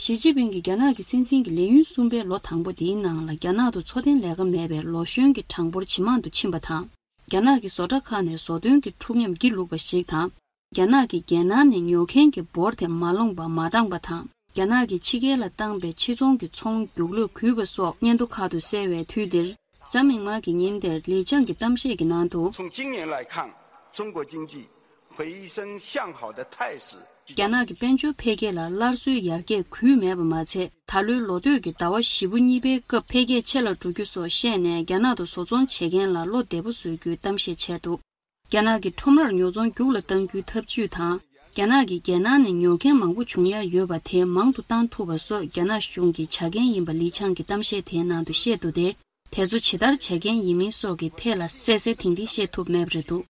ཞི་ཅིན་ཕིང་གིས་རྒྱ་ནག་གི་སྲིད་འཛིན་གྱི་ལས་ཡུན་གསུམ་པའི་ལོ་དང་པོ་འདིའི་ནང་ལ་རྒྱ་ནག་ཏུ་འཚོ་རྟེན་ལས་ཀ་མེད་པའི་ལོ་གཞོན་གྱི་གྲངས་འབོར་ཇེ་མང་དུ་ཕྱིན་པ་དང་། རྒྱ་ནག་གི་བཟོ་གྲྭ་ཁག་ནས་བཟོ་ཐོན་གྱི་འཁྲུག་ཉམས་ཀྱིས་བླུགས་པ་ཞིག་དང་། རྒྱ་ནག་གིས་རྒྱལ་ནང་ནས་ཉོ་མཁན་གྱི་འབོར་དེ་མ་ལོངས་པ་མ་འདང་པ་དང་། རྒྱ་ནག་གིས་ཕྱི་རྒྱལ་ལ་བཏང་པའི་ཕྱི་ཚོང་གི་ཚོང་རྒྱུགས་ལོས་གུད་པ་སོགས་སྙན་ཐོ་ཁག་ཏུ་གསལ་བའི་དུས་འདིར། གཟའ་མིག་དམར་གྱི་ཉིན་དེར་ལི་ཅང་གི་གཏམ་བཤད་ཀྱི་ནང་དུ། 从今年来看，中国经济回升向好的态势。 རྒྱ་ནག་གི་དཔལ་འབྱོར་འཕེལ་རྒྱས་ལ་སླར་གསོའི་ཡར་རྒྱས་གུད་མེད་པ་མ་ཚད། ད་ལོའི་ལོ་སྟོད་ཀྱི་ཟླ་བ་བཞི་པོ་གཉིས་པའི་སྐབས་འཕེལ་རྒྱས་ཆེ་ལ་འགྲོ་རྒྱུ་སོགས་བཤད་ནས། རྒྱ་ནག་ཏུ་བཟོ་ཚོང་བྱེད་མཁན་ལ་བློ་བདེ་པོ་བཟོ་རྒྱུའི་གཏམ་བཤད་བྱས་འདུག། རྒྱ་ནག་གིས་ཁྲོམ་རར་ཉོ་ཚོང་རྒྱུགས་ལ་གཏང་རྒྱུའི་ཐབས་ཇུས་དང་། རྒྱ་ནག་གིས་རྒྱལ་ནང་ནས་ཉོ་མཁན་མང་པོ་བྱུང་ཡ་ཡོད་པ་དེ་མང་དུ་གཏང་ཐུབ་པ་སོགས་རྒྱ་ནག་གཞུང་གི་བྱ་འགན་ཡིན་པ་ལི་ཆང་གི་གཏམ་བཤད་དེའི་ནང་དུ་བཤད་འདུག་སྟེ། དེ་ཚོ་ཇི་ལྟར་བྱ་འགན་ཡིན་མིན་སོགས་ཀྱི་ཐད་ལ་གསལ་གསལ་ཐིང་ཐིང་བཤད་ཐུབ་མེད་པ་རེད་འདུག།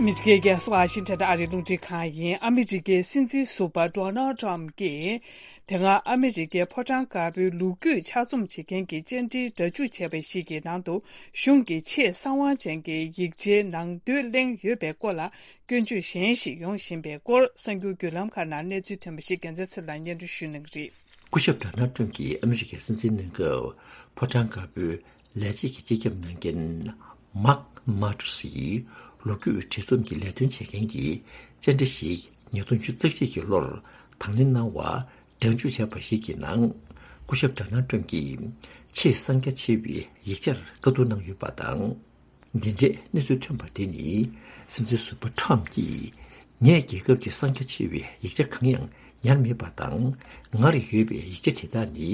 ཨ་མི་རི་ཀའི་རྒྱལ་ས་ཝ་ཤིང་ཊོན་ཨ་རིའི་རླུང་འཕྲིན་ཁང་ཡིན། ཨ་མི་རི་ཀའི་སྲིད་འཛིན་ཟུར་པ་ཌོ་ནལ་ཊམ་གྱིས། དེ་སྔ་ཨ་མི་རི་ཀའི་ཕོ་བྲང་དཀར་པོའི་ལོ་རྒྱུས་ཕྱག་རྩོམ་བྱེད་མཁན་གྱི་བཅར་འདྲིའི་སྒྲ་འཇུག་བྱས་པ་ཞིག་གི་ནང་དུ། གཞུང་གི་ཆེས་གསང་བ་ཅན་གྱི་ཡིག་ཆའི་ནང་དོན་གླེང་ཡོད་པའི་སྐོར་ལ་སྐྱོན་བརྗོད་གཞན་ཞིག་ཡོང་བཞིན་པའི་སྐོར། གསར་འགྱུར་བརྒྱུད་ལམ་ཁག་ནང་གནས་ཚུལ་ཐོན་པ་ཞིག་རྒྱལ་མཚན་ཚེ་ལ་སྙན་སྒྲོན་ཞུ་གནང་གི་རེད། སྐུ་ཞབས་ཌོ་ནལ་ཊམ་གྱིས་ཨ་མི་རི་ཀའི་སྲིད་འཛིན་གནང་སྐབས། ཕོ་བྲང་དཀར་པོའི་ལས་བྱེད་ཀྱི་སྤྱི་ཁྱབ་གནང་མཁན་མཱག་མཱ་ཏུ་སི་ཡིས་ལོ་རྒྱུས་བྲིས་རྩོམ་གྱི་ལས་དོན་བྱེད་མཁན་གྱི་བཅར་འདྲི་ཞིག་ཉིས་སྟོང་ཉི་ཤུ་རྩ་གཅིག་གི་ལོར་དང་ལེན་གནང་བ། སྒྲ་འཇུག་བྱས་པ་ཞིག་གི་ནང་། སྐུ་ཞབས་ཌོ་ནལ་ཊམ་གྱིས་ཆེས་གསང་རྒྱ་ཆེ་བའི་ཡིག་ཆར་བཀའ་བསྡུར་གནང་ཡོད་པ་དང་། འདི་འདྲའི་གནས་ཚུལ་ཐོན་པ་དེ་ནི། སྲིད་འཛིན་ཟུར་པ་ཊམ་གྱིས། ངས་རྒྱལ་ཁབ་ཀྱི་གསང་རྒྱ་ཆེ་བའི་ཡིག་ཆ་གང་ཡང་ཉར་མེད་པ་དང་། ངར་ཡོད་པའི་ཡིག་ཆ་དེ་དག་ནི།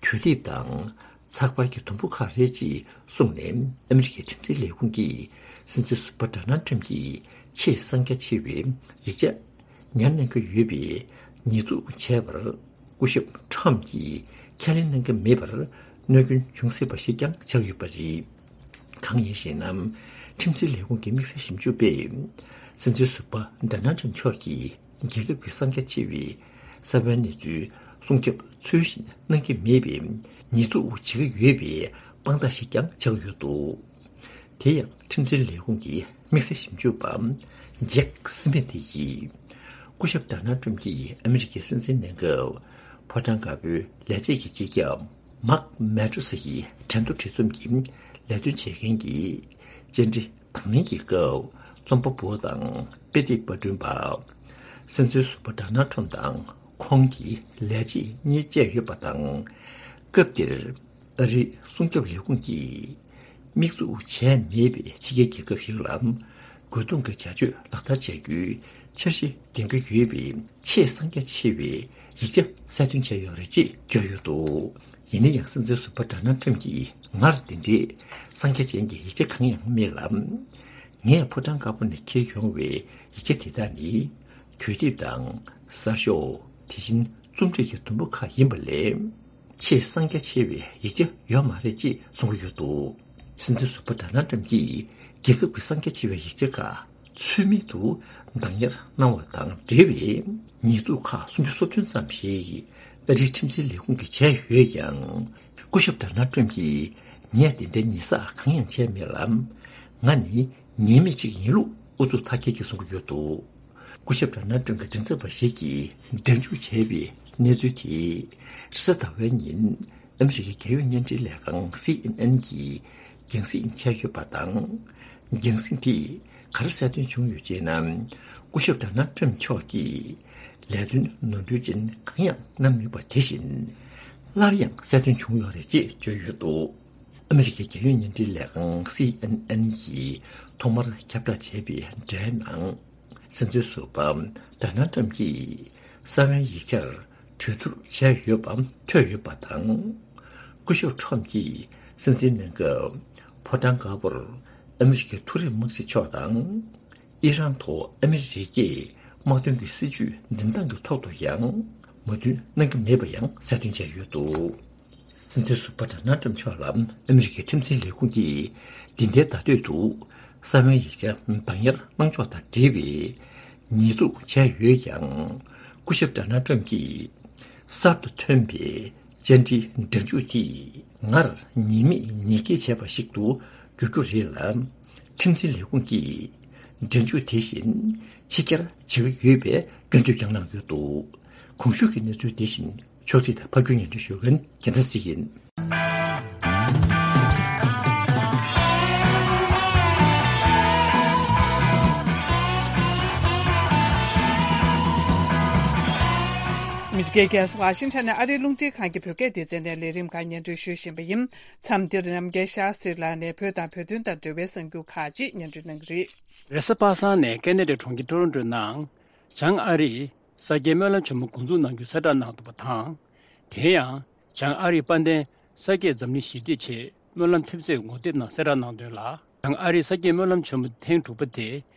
དུས་དེབ་དང་། ཚགས་པར་གྱི་དུམ་བུ་ཁག་རེད་ཅེས་གསུངས་ནས། ཨ་མི་རི་ཀའི་ཁྲིམས་འཛིན་ལས་ཁུངས་ཀྱིས། སྲིད་འཛིན་ཟུར་པ་ཌོ་ནལ་ཊམ་གྱིས་ཆེས་གསང་རྒྱ་ཆེ་བའི་ཡིག་ཆ་ཉར་གནང་གི་ཡོད་པའི་ཉེས་འཛུགས་བྱས་པར། སྐུ་ཞབས་ཊམ་གྱིས་ཁས་ལེན་གནང་གི་མེད་པར་གནོད་སྐྱོན་འབྱུང་སྲིད་པ་ཞིག་ཀྱང་ཆགས་ཡོད་པ་རེད། གང་ཡིན་ཞེ་ན། ཁྲིམས་འཛིན་ལས་ཁུངས་ཀྱི་དམིགས་བསལ་ཞིབ་འཇུག་པས། སྲིད་འཛིན་ཟུར་པ་ཌོ་ནལ་ཊམ་མཆོག་གིས་རྒྱལ་ཁབ་ཀྱི་གསང་རྒྱ་ཆེ་བའི་གསང་བའི་གནས་ཚུལ་སྲུང་སྐྱོབ་ཚུལ་བཞིན་གནང་གི་མེད་པའི་ཉེས་འཛུགས་བྱེད་ཀྱི་ཡོད་པའི་དཔང་རྟགས་ཤིག་ཀྱང་ཆགས་ཡོད་འདུག། དེ་ཡང་ཁྲིམས་འཛིན་ལས་ཁུངས་ཀྱི་དམིགས་བསལ་ཞིབ་འཇུག་པ་ཇེག་སི་མི་ཐི་ཡིས། སྐུ་ཞབས་ཌོ་ནལ་ཊམ་གྱིས་ཨ་མི་རི་ཀའི་སྲིད་འཛིན་གནང་སྐབས། ཕོ་བྲང་དཀར་པོའི་ལས་བྱེད་ཀྱི་སྤྱི་ཁྱབ་མཱག་མཱ་ཏུ་སི་ཡི་འགྲན་བསྡུར་བྲིས་རྩོམ་གྱི་ལས་དོན་བྱེད་མཁན་གྱི་བཅར་འདྲི་དང་ལེན་གྱི་སྐབས། རྩོམ་པ་པོ་དང་དཔེ་དེབ་པར་སྐྲུན་པ། སྲིད་འཛིན་ཟུར་པ་ཌོ་ནལ་ཊམ་དང་ ཁོང་གིས་ལས་བྱེད་གཉིས་བཅས་ཡོད་པ་དང་། སྐབས་དེར་ཨ་རིའི་སྲུང་སྐྱོབ་ལས་ཁུངས་ཀྱིས་དམིགས་འཛུགས་བྱས་མེད་པའི་ཕྱི་རྒྱལ་རྒྱལ་ཁབ་ཞིག་ལ་རྒོལ་རྡུང་གི་བྱ་སྤྱོད་ལག་བསྟར་བྱ་རྒྱུའི་འཆར་གཞི་འདིང་གི་ཡོད་པའི་ཆེས་གསང་རྒྱ་ཆེ་བའི་ཡིག་ཆ་གསལ་སྟོན་བྱས་ཡོད་རེད་ཅེས་བརྗོད་ཡོད་འདུག་ཡིན་ན་ཡང་སྲིད་འཛིན་ཟུར་པ་ཌོ་ནལ་ཊམ་གྱིས་ངར་དེ་འདྲའི་གསང་རྒྱ་ཅན་གྱི་ཡིག་ཆ་གང་ཡང་མེད་ལ། ངས་ཕོ་བྲང་དཀར་པོ་ནས་འཁྱེར་ཡོང་བའི་ཡིག་ཆ་དེ་དག་ནི་དུས་དེབ་དང་གསར་ཤོག་དེ་བཞིན་རྩོམ་སྒྲིག་གི་དུམ་བུ་ཁག་ཡིན་པ་ལས། ཆེས་གསང་རྒྱ་ཆེ་བའི་ཡིག་ཆ་ཡོད་མ་རེད་ཅེས་གསུང་གི་ཡོད་འདུག་སྲིད་འཛིན་ཟུར་པ་ཌོ་ནལ་ཊམ་གྱིས་རྒྱལ་ཁབ་ཀྱི་གསང་རྒྱ་ཆེ་བའི་ཡིག་ཆ་ཁག་ཚུལ་མིན་དུ་བདག་གཉེར་གནང་བ་དང་འབྲེལ་བའི་ཉེས་འཛུགས་ཁག་སུམ་ཅུ་སོ་བདུན་ཙམ་ཞིག་ཨ་རིའི་ཁྲིམས་འཛིན་ལས་ཁུངས་ཀྱིས་བྱས་ཡོད་ཀྱང་། སྐུ་ཞབས་ཌོ་ནལ་ཊམ་གྱིས་ངས་དེ་འདྲའི་ཉེས་བསགས་གང་ཡང་བྱས་མེད་ལ། ང་ནི་ཉེས་མེད་ཅིག་ཡིན་ལུགས་ཨུ་ཚུགས་མཐའ་སྐྱེལ་གྱིས་གསུང་གི་ཡོད་འདུག་སྐུ་ཞབས་ཌོ་ནལ་ཊམ་གྱི་མགྲིན་ཚབ་པ་ཞིག་གིས་སྒྲ་འཇུག་བྱས་པའི་གནས་ཚུལ་དེ་རེས་གཟའ་ཟླ་བའི་ཉིན་ཨ་མི་རི་ཀའི་རྒྱལ་ཡོངས་བརྙན་འཕྲིན་ལས་ཁང་སི་ཨེན་ཨེན་གྱིས་རྒྱང་སྲིང་བྱས་ཡོད་པ་དང་། རྒྱང་སྲིང་དེས་ག་རེ་གསལ་སྟོན་བྱུང་ཡོད་ཅེ་ན། སྐུ་ཞབས་ཌོ་ནལ་ཊམ་མཆོག་གིས་ལས་དོན་ནོར་འཁྲུལ་ཅན་གང་ཡང་གནང་མེད་པ་དེ་བཞིན་སླར་ཡང་གསལ་སྟོན་བྱུང་ཡོད་རེད་ཅེས་བརྗོད་ཡོད་འདུག་ཨ་མི་རི་ཀའི་རྒྱལ་ཡོངས་བརྙན་འཕྲིན་ལས་ཁང་སི་ཨེན་ཨེན་གྱིས་ཐོག་མར་ཁྱབ་བསྒྲགས་བྱས་པའི་འགྲེལ་ནང་། སྲིད་འཛིན་ཟུར་པ་ཌོ་ནལ་ཊམ་གྱིས་གསང་བའི་ཡིག་ཆར་གྲོས་བསྡུར་བྱས་ཡོད་པ་ཐོས་ཡོད་པ་དང་། སྐུ་ཞབས་ཊམ་གྱིས་སྲིད་འཛིན་གནང་སྐབས་ཕོ་བྲང་དཀར་པོར་ཨ་མི་རི་ཀའི་མཐོ་རིམ་དམག་སྤྱི་མཆོག་དང་། ཨི་རན་ཐོག་ཨ་མི་རི་ཀས་དམག་དོན་གྱི་སྲིད་ཇུས་འཛིན་སྟངས་ཀྱི་ཐོག་ཏུ་ཡང་མོས་མཐུན་གནང་གི་མེད་པ་ཡང་གསལ་སྟོན་བྱས་ཡོད་འདུག་སྲིད་འཛིན་ཟུར་པ་ཌོ་ནལ་ཊམ་མཆོག་ལ་ཨ་མི་རི་ཀའི་ཁྲིམས་འཛིན་ལས་ཁུངས་ཀྱིས་འདི་ཟླའི་ཟླ་སྟོད་དུ་གསང་བའི་ཡིག་ཆ་བདག་གཉེར་གནང་ཕྱོགས་དང་འབྲེལ་བའི་ཉེས་འཛུགས་བྱས་ཡོད་ཀྱང་། སྐུ་ཞབས་ཌོ་ནལ་ཊམ་གྱིས་གསར་དུ་ཐོན་པའི་བཅར་འདྲིའི་སྒྲ་འཇུག་དེས་ངར་ཉེས་མེད་ཉེས་འགེལ་བྱས་པ་ཞིག་ཏུ་འགྱུར་རྒྱུ་རེད་ལ། ཁྲིམས་འཛིན་ལས་ཁུངས་ཀྱིས་སྒྲ་འཇུག་དེ་བཞིན་ཕྱི་གྱར་བྱེད་ཀྱི་ཡོད་པའི་སྐྱོན་བརྗོད་ཀྱང་གནང་ཡོད་འདུག་གོང་ཞུས་ཀྱི་གནས་ཚུལ་དེ་བཞིན་ཕྱོགས་སྒྲིག་དང་ཕབ་སྒྱུར་སྙན་སྒྲོན་ཞུ་མཁན་རྒྱལ་མཚན་སྲིད་ཡིན། མི་སྐད་ཁ་ཤས་ཝ་ཤིང་ཊོན་ནས་ཨ་རིའི་རླུང་འཕྲིན་ཁང་གི་བོད་སྐད་སྡེ་ཚན་ནས་ལས་རིམ་ཁག་སྙན་སྒྲོན་ཞུ་བཞིན་པ་ཡིན། མཚམས་འདིར་རྣམ་རྒྱལ་ཤཱ་སྟྲི་ལགས་ནས་བོད་དང་བོད་དོན་དང་འབྲེལ་བའི་གསར་འགྱུར་ཁག་ཅིག་སྙན་སྒྲོན་གནང་གི་རེད། རེས་གཟའ་པ་སངས་ནས་ཀེ་ན་ཌའི་གྲོང་ཁྱེར་ཊོ་རོན་ཊོའི་ནང་བྱང་ཨ་རིས་ས་སྐྱའི་སྨོན་ལམ་ཆེན་མོ་འགོ་འཛུགས་གནང་རྒྱུའི་གསལ་བསྒྲགས་གནང་འདུག་པ་དང་། དེ་ཡང་བྱང་ཨ་རིའི་དཔལ་ལྡན་ས་སྐྱའི་འཛམ་གླིང་ཞི་བདེའི་ཆེད་སྨོན་ལམ་ཐེབས་རྩའི་ངོ་དེབ་ནང་གསལ་བསྒྲགས་གནང་དོན་ལ། བྱང་ཨ་རིའི་ས་སྐྱའི་སྨོན་ལམ་ཆེན་མོ་ཐེངས་དྲུག་པ་དེ་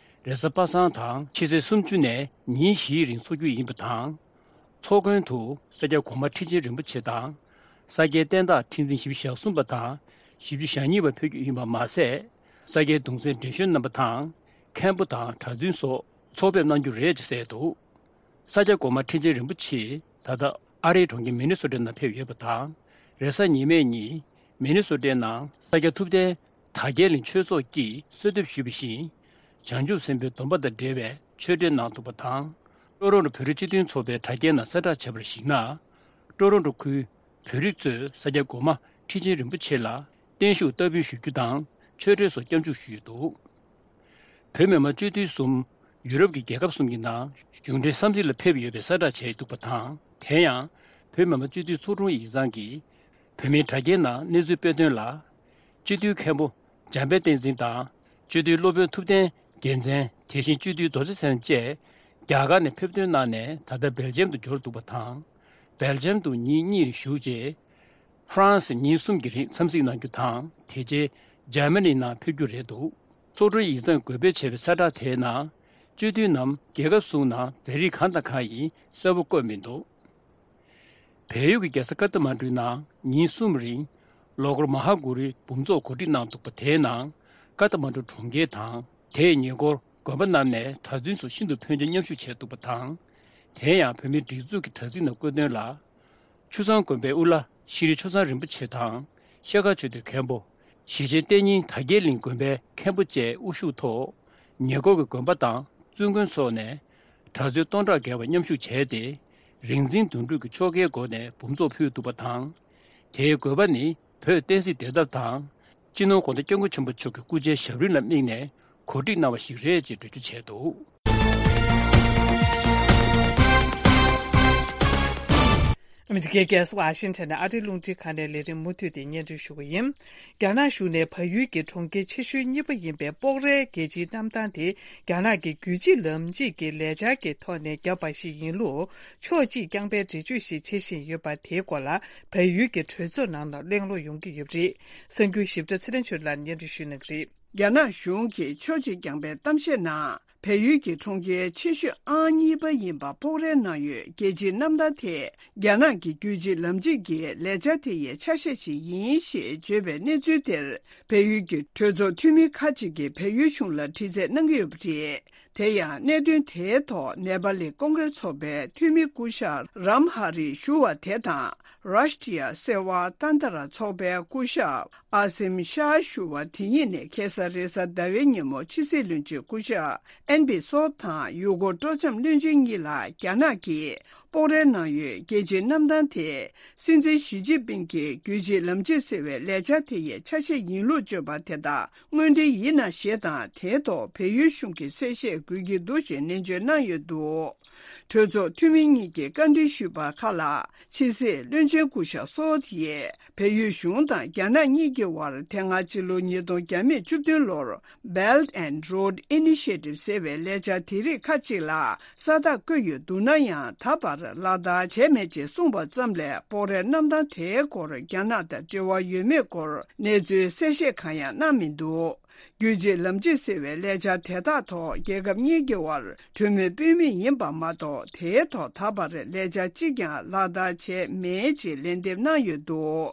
རེས་གཟའ་པ་སངས་དང་ཕྱི་ཚེས་སུམ་ཅུ་ནས་ཉིན་བཞིའི་རིང་འཚོགས་རྒྱུ་ཡིན་པ་དང་། ཚོགས་མགོན་དུ་ས་སྐྱ་གོང་མ་ཁྲི་ཆེན་རིན་པོ་ཆེ་དང་། ས་སྐྱའི་བསྟན་བདག་ཁྲི་འཛིན་བཞི་བཅུ་ཞེ་གསུམ་པ་དང་བཞི་བཅུ་ཞེ་གཉིས་པ་ཕེབས་རྒྱུ་ཡིན་པ་མ་ཟད། ས་སྐྱའི་གདུང་སྲས་བགྲེས་གཞོན་རྣམ་པ་དང་མཁན་པོ་དང་གྲྭ་བཙུན་སོགས་ཚོགས་ཕེབས་གནང་རྒྱུ་རེད་ཅེས་གསལ་འདུག་ས་སྐྱ་གོང་མ་ཁྲི་ཆེན་རིན་པོ་ཆེ་ད་ལྟ་ཨ་རིའི་གྲོང་ཁྱེར་མི་ནི་སོ་ཊའི་ནང་ཕེབས་ཡོད་པ་དང་། རེས་གཟའ་ཉི་མའི་ཉིན་མི་ནི་སོ་ཊའི་ནང་ས་སྐྱ་ཐུབ་བསྟན་དར་རྒྱས་གླིང་ཆོས་ཚོགས་ཀྱིས་གསོལ་འདེབས་ཞུས་པ་བཞིན། བྱང་ཆུབ་སེམས་དཔའི་སྡོམ་པ་དང་འབྲེལ་བའི་ཆོས་འབྲེལ་གནང་འདུག་པ་དང་། ཀྲོ་རོན་ཀྲོ་བོད་རིགས་སྤྱི་མཐུན་ཚོགས་པའི་དྲ་རྒྱའི་ནང་གསལ་བསྒྲགས་བྱས་པར་གཞིགས་ན། ཀྲོ་རོན་ཀྲོ་ཁུལ་བོད་རིགས་ཚོས་ས་སྐྱ་གོང་མ་ཁྲི་ཆེན་རིན་པོ་ཆེ་ལ་བརྟན་བཞུགས་བསྟར་འབུལ་ཞུ་རྒྱུ་དང་ཆོས་འབྲེལ་སོགས་སྐྱབས་འཇུག་ཞུས་ཡོད་འདུག་བོད་མི་མང་སྤྱི་འཐུས་གསུམ་ཡུ་རོབ་ཀྱི་རྒྱལ་ཁབ་གསུམ་གྱི་ནང་གཞུང་འབྲེལ་འཚམས་གཟིགས་ལ་ཕེབས་ཡོད་པའི་གསལ་བསྒྲགས་བྱས་འདུག་པ་དང་། དེ་ཡང་བོད་མི་མང་སྤྱི་འཐུས་ཚོགས་དྲུང་ཡིག་ཚང་གིས་བོད་མིའི་དྲ་རྒྱའི་ནང་གནས་ཚུལ་སྤེལ་དོན་ལ། སྤྱི་འཐུས་མཁན་པོ་འཇམ་དཔལ་བསྟན་འཛིན་དང་། སྤྱི་འཐུས་སློབ་དཔོན་ཐུབ་བསྟན་རྒྱལ་མཚན། དེ་བཞིན་སྤྱི་འཐུས་རྡོ་རྗེ་མཚན་བཅས་རྒྱ་གར་ནས་ཕེབས་ཐོན་གནང་ནས་ད་ལྟ་སྦེལ་ཇམ་དུ་འབྱོར་འདུག་པ་དང་། སྦེལ་ཇམ་དུ་ཉིན་གཉིས་བཞུགས་རྗེས། ཧྥ་རན་སི་ཉིན་གསུམ་གྱི་རིང་འཚམས་གཟིགས་གནང་རྒྱུ་དང་། དེ་རྗེས་འཇར་མ་ནི་ནང་ཕེབས་རྒྱུ་རེད་འདུག་ཚོགས་དྲུང་ཡིག་ཚང་འགོད་སྤེལ་བྱས་པའི་གསལ་བསྒྲགས་དེའི་ནང་། སྤྱི་འཐུས་རྣམས་རྒྱལ་ཁབ་གསུམ་ནང་རྫ་རིགས་གང་དང་གང་ཡིན་གསལ་པོ་བཀོད་མི་འདུག་བལ་ཡུལ་གྱི་རྒྱལ་ས་ཀ་ཐ་མན་གྲུའི་ནང་ཉིན་གསུམ་རིང་ལོ་འཁོར་མ་ཧཱ་གུ་རུའི་འབུམ་ཚོགས་གོ་སྒྲིག་གནང་འདུག་པ། དེའི་ནང་ཀ་ཐ་མན་གྲུ་གྲོང་ཁྱེར་དང་། དེའི་ཉེ་འཁོར་དགོན་པ་རྣམས་ནས་གྲྭ་བཙུན་སོགས་ཤིན་ཏུ་ཕོན་ཆེན་མཉམ་ཞུགས་བྱས་འདུག་པ་དང་། དེ་ཡང་བོད་མིའི་སྒྲིག་འཛུགས་ཀྱི་དྲ་ཚིགས་ནང་བཀོད་དོན་ལ། ཆུ་བཟང་དགོན་པའི་དབུ་བླ་ཤྲི་ཆོས་བཟང་རིན་པོ་ཆེ་དང་ཤར་ཁ་ཆོས་སྡེའི་མཁན་པོ། གཞིས་བྱེས་གཏན་ཉིན་དར་རྒྱས་གླིང་དགོན་པའི་མཁན་པོ་བཅས་དབུ་བཞུགས་ཐོག་ཉེ་འཁོར་གྱི་དགོན་པ་དང་བཙུན་དགོན་སོགས་ནས་གྲྭ་བཙུན་སྟོང་ཕྲག་བརྒལ་བ་མཉམ་ཞུགས་བྱས་ཏེ། རིག་འཛིན་དོན་གྲུབ་ཀྱིས་ཆོ་གའི་སྒོ་ནས་འབུམ་ཚོགས་ཕུལ་འདུག་པ་དང་། དེའི་དགོན་པ་ནི་བོད་བསྟན་སྲིད་བདེ་ཐབས་དང་། སྤྱི་ནོར་༧གོང་ས་༧སྐྱབས་མགོན་ཆེན་པོ་མཆོག་གི་སྐུ་ཕྱྭའི་ཞབས་རིམ་ལ་དམིགས་ནས་གོ་སྒྲིག་གནང་བ་ཞིག་རེད་ཅེས་འགྲེལ་བརྗོད་བྱས་འདུག་ཨ་མི་རི་ཀའི་རྒྱལ་ས་ཝ་ཤིང་ཊོན་ནས་ཨ་རིའི་རླུང་འཕྲིན་ཁང་ནས་ལས་རིམ་མུ་མཐུད་དེ་སྙན་སྒྲོན་ཞུ་གི་ཡིན། རྒྱ་ནག་གཞུང་ནས་བལ་ཡུལ་གྱི་གྲོང་ཁྱེར་ཆེ་ཤོས་གཉིས་པ་ཡིན་པའི་སྤོག་རའི་རྒྱལ་སྤྱིའི་གནམ་ཐང་དེ་རྒྱ་ནག་གི་རྒྱུད་གཅིག་ལམ་གཅིག་གི་ལས་འཆར་གྱི་ཐོག་ནས་བརྒྱབ་པ་ཞིག་ཡིན་ལུགས་ཕྱོགས་གཅིག་རྐྱང་པའི་འགྲེལ་བརྗོད་ཞིག་བྱེད་བཞིན་ཡོད་པ་དེའི་སྐོར་ལ་བལ་ཡུལ་གྱི་གྲོས་ཚོགས་ནང་ལ་གླེང་སློང་ཡོང་གི་ཡོད་པ་རེད། གསར་འགྱུར་ཞིབ་ཕྲ་ཚེ་རིང་ཆོས་ལགས་སྙན་སྒྲོན་ཞུ་གནང་གི་རེད། རྒྱ་ནག་གཞུང་གིས་ཕྱོགས་གཅིག་རྐྱང་པའི་གཏམ་བཤད་ནང་། བལ་ཡུལ་གྱི་གྲོང་ཁྱེར་ཆེ་ཤོས་ཨང་གཉིས་པ་ཡིན་པ་སྤོག་རའི་ནང་ཡོད་རྒྱལ་སྤྱིའི་གནམ་ཐང་དེ་རྒྱ་ནག་གི་རྒྱུད་གཅིག་ལམ་གཅིག་གི་ལས་འཆར་དེ་ཡི་ཆ་ཤས་ཤིག་ཡིན་ཞེས་བརྗོད་པའི་གནས་ཚུལ་དེར་བལ་ཡུལ་གྱི་གྲོས་ཚོགས་འཐུས་མི་ཁག་ཅིག་གིས་བལ་ཡུལ་གཞུང་ལ་དྲི་རྩད་གནང་གི་ཡོད་པ་རེད། དེ་ཡང་གནད་དོན་དེའི་ཐོག་ནེ་པ་ལི་ཀོང་ཀྲེས་ཚོགས་པའི་འཐུས་མི་སྐུ་ཞབས་རམ་ཧ་རི་ཞུ་བ་དེ་དང་། རཱཤ་ཏྲི་ཡ་སེ་ཝ་ཏན་ཏ་ར་ཚོགས་པའི་སྐུ་ཞབས་ཨ་སིམ་ཤཱ་ཞུ་བ་དེ་གཉིས་ནས་ཁ་སང་རེས་གཟའ་ཟླ་བའི་ཉིན་མོ་ཕྱི་སྲིད་བློན་ཆེན་སྐུ་ཞབས་ཨན་པི་སོབ་དང་ཡུ་གུར་སྤྲོ་འཆམ་བློན་ཆེན་གཉིས་ལ་རྒྱ་ནག་གིས་སྤོག་རའི་ནང་ཡོད་རྒྱལ་སྤྱིའི་གནམ་ཐང་དེ་སྲིད་འཛིན་ཞི་ཅིན་ཕིང་གིས་རྒྱུད་གཅིག་ལམ་གཅིག་ཟེར་བའི་ལས་འཆར་དེ་ཡི་ཆ་ཤས་ཡིན་ལུགས་བརྗོད་པ་དེ་དག་དངོས་འབྲེལ་ཡིན་ན་ཞེས་དང་། དེའི་ཐོག་བལ་ཡུལ་གཞུང་གིས་གསལ་བཤད་དགོས་ཀྱི་འདུག་ཞེས་ནན་བརྗོད་གནང་ཡོད་འདུག་གྲོས་ཚོགས་འཐུས་མི་གཉིས་ཀྱིས་བཀའ་འདྲི་ཞུས་པ་ཁག་ལ་ཕྱི་སྲིད་བློན་ཆེན་སྐུ་ཞབས་སོལ་ཡིས་བལ་ཡུལ་གཞུང་དང་རྒྱ་ནག་གཉིས་ཀྱི་དབར་དེ་སྔ་ཕྱི་ལོ་ཉིས་སྟོང་བརྒྱ་མེད་བཅུ་བདུན་ལོར་Belt and Road Initiative ཟེར་བའི་ལས་འཆར་དེ་རིགས་ཁག་ཅིག་ལ་ས་རྟགས་བཀོད་ཡོད་འདུག་ན་ཡང་ད་བར་ལག་བསྟར་བྱས་མེད་ཅེས་གསུངས་པ་ཙམ་ལས་སྤོག་རའི་གནམ་ཐང་དེའི་སྐོར་རྒྱ་ནག་དང་འབྲེལ་བ་ཡོད་མེད་སྐོར་གནས་ཚུལ་གསལ་བཤད་གང་ཡང་གནང་མི་འདུག་རྒྱུད་གཅིག་ལམ་གཅིག་ཟེར་བའི་ལས་འཆར་དེ་དག་ཐོག་རྒྱལ་ཁབ་གཉིས་ཀྱི་དབར་གྲོས་མོལ་སྤེལ་མུས་ཡིན་པ་མ་གཏོགས། དེའི་ཐོག་ད་བར་ལས་འཆར་གཅིག་ཀྱང་ལག་བསྟར་བྱས་མེད་ཅེས་ལན་འདེབས་གནང་ཡོད་འདུག་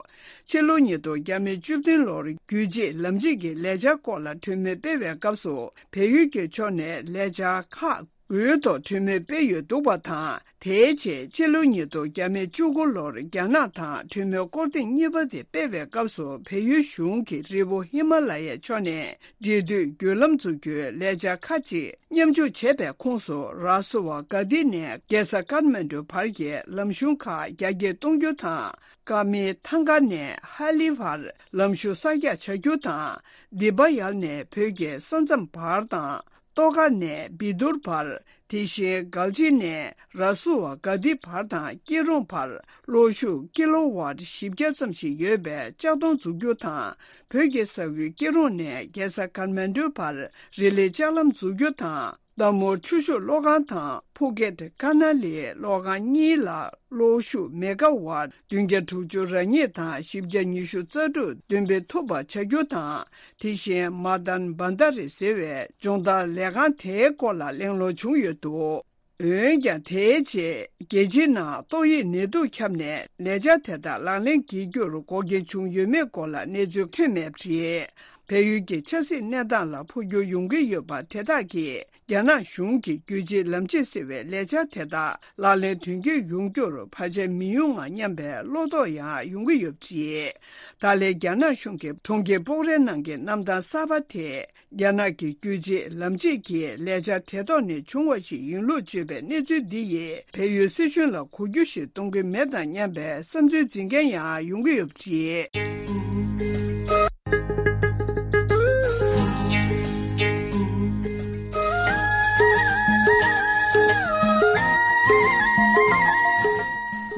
ཕྱི་ལོ་ཉིས་སྟོང་བརྒྱ་མེད་བཅུ་བདུན་ལོར་རྒྱུད་གཅིག་ལམ་གཅིག་གི་ལས་འཆར་སྐོར་ལ་གྲོས་མོལ་སྤེལ་བའི་སྐབས་སུ། བལ་ཡུལ་གྱི་ཕྱོགས་ནས་ལས་འཆར་ཁག་དགུའི་ཐོག་གྲོས་མོལ་སྤེལ་ཡོད་འདུག་པ་དང་། དེའི་རྗེས་ཕྱི་ལོ་ཉིས་སྟོང་བརྒྱ་མེད་བཅུ་དགུ་ལོར་རྒྱ་ནག་དང་གྲོས་མོལ་སྐོར་ཐེངས་གཉིས་པ་དེ་སྤེལ་བའི་སྐབས་སུ། བལ་ཡུལ་གཞུང་གིས་རི་བོ་ཧི་མ་ལ་ཡའི་ཕྱོགས་ནས་འབྲེལ་མཐུད་བརྒྱུད་ལམ་འཛུགས་རྒྱུའི་ལས་འཆར་ཁག་ཅིག་མཉམ་ཞུགས་བྱས་པའི་ཁོངས་སུ། ར་སུ་ཝ་ག་ཏི་ནས་རྒྱལ་ས་ཀཱཐ་མན་ཌུ་བར་གྱི་ལམ་གཞུང་ཁག་རྒྱ་སྐྱེད་གཏོང་རྒྱུ་དང་། ཀ་མི་ཐང་ཀ་ནས་ཧ་ལི་བར་ལམ་གཞུང་གསར་རྒྱག་བྱ་རྒྱུ་དང་། དི་པ་ཡལ་ནས་བོད་ཀྱི་ས་མཚམས་བར་དང་། ཏོ་ཀ་ནས་བི་དུར་བར། དེ་བཞིན་གལ་ཆེ་ནས་ར་སུ་ཝ་ག་ཏི་བར་དང་སྐྱིད་རོང་བར་གློག་ཤུགས་ཀི་ལོ་ཝཊ་བཞི་བརྒྱ་ཙམ་ཞིག་ཡོད་པའི་ལྕགས་མདོང་འཛུགས་རྒྱུ་དང་། བོད་ཀྱི་ས་ཁུལ་སྐྱིད་རོང་ནས་རྒྱལ་ས་ཀཱཐ་མན་ཌུ་བར་རི་ལི་ལྕགས་ལམ་འཛུགས་རྒྱུ་དང་། རྟ་མོར་ཆུ་ཤུགས་གློག་ཁང་དང་ཕུ་ཀེད་ཀ་ན་ལི་གློག་ཁང་གཉིས་ལ་གློག་ཤུགས་མེ་ག་ཝཊ་བདུན་བརྒྱ་དྲུག་ཅུ་རེ་གཉིས་དང་བཞི་བརྒྱ་ཉི་ཤུ་རྩ་དྲུག་འདོན་སྤེལ་ཐུབ་པ་བྱ་རྒྱུ་དང་། དེ་བཞིན་མ་དཱན་བྷན་དཱ་རི་ཟེར་བའི་སྦྱོང་བརྡར་ལས་ཁང་དེའི་སྐོར་ལ་གླེང་སློང་བྱུང་ཡོད་འདུག་འོན་ཀྱང་། དེའི་རྗེས་རྒྱལ་སྤྱིའི་ནང་ཏོག་དབྱིབས་ནད་དུག་ཁྱབ་ནས་ལས་འཆར་དེ་དག་ལག་ལེན་བགྱིད་རྒྱུར་འགོག་རྐྱེན་བྱུང་ཡོད་མེད་སྐོར་ལ་གནས་ཚུལ་ཐོན་མེད་པ་རེད། བལ་ཡུལ་གྱི་ཆབ་སྲིད་གནས་སྟངས་ལ་འཕོ་འགྱུར་ཡོང་གི་ཡོད་པ་དེ་དག་གིས། རྒྱ་ནག་གཞུང་གིས་རྒྱུད་གཅིག་ལམ་གཅིག་ཟེར་བའི་ལས་འཆར་དེ་དག་ལག་ལེན་དོན་འཁྱོལ་ཡོང་རྒྱུར་བར་ཆད་མི་ཡོང་ང་སྙམ་པའི་བློ་དོགས་ཡང་ཡོང་གི་ཡོད་པ་རེད། ད་ལན་རྒྱ་ནག་གཞུང་གིས་གྲོང་ཁྱེར་སྤོག་རའི་ནང་གི་གནམ་ཐང་གསར་པ་དེ། རྒྱ་ནག་གི་རྒྱུད་གཅིག་ལམ་གཅིག་གི་ལས་འཆར་དེ་ཐོག་ནས་བྱུང་བ་ཞིག་ཡིན་ལུགས་བརྗོད་པའི་གནས་ཚུལ་འདི་ཡིས། བལ་ཡུལ་སྲིད་གཞུང་ལ་གོ་རྒྱུ་ཞིག་གཏོང་གི་མེད་དམ་སྙམ་པའི་བསམ་ཚུལ་འཛིན་མཁན་ཡང་ཡོང་གི་ཡོད་པ་རེད།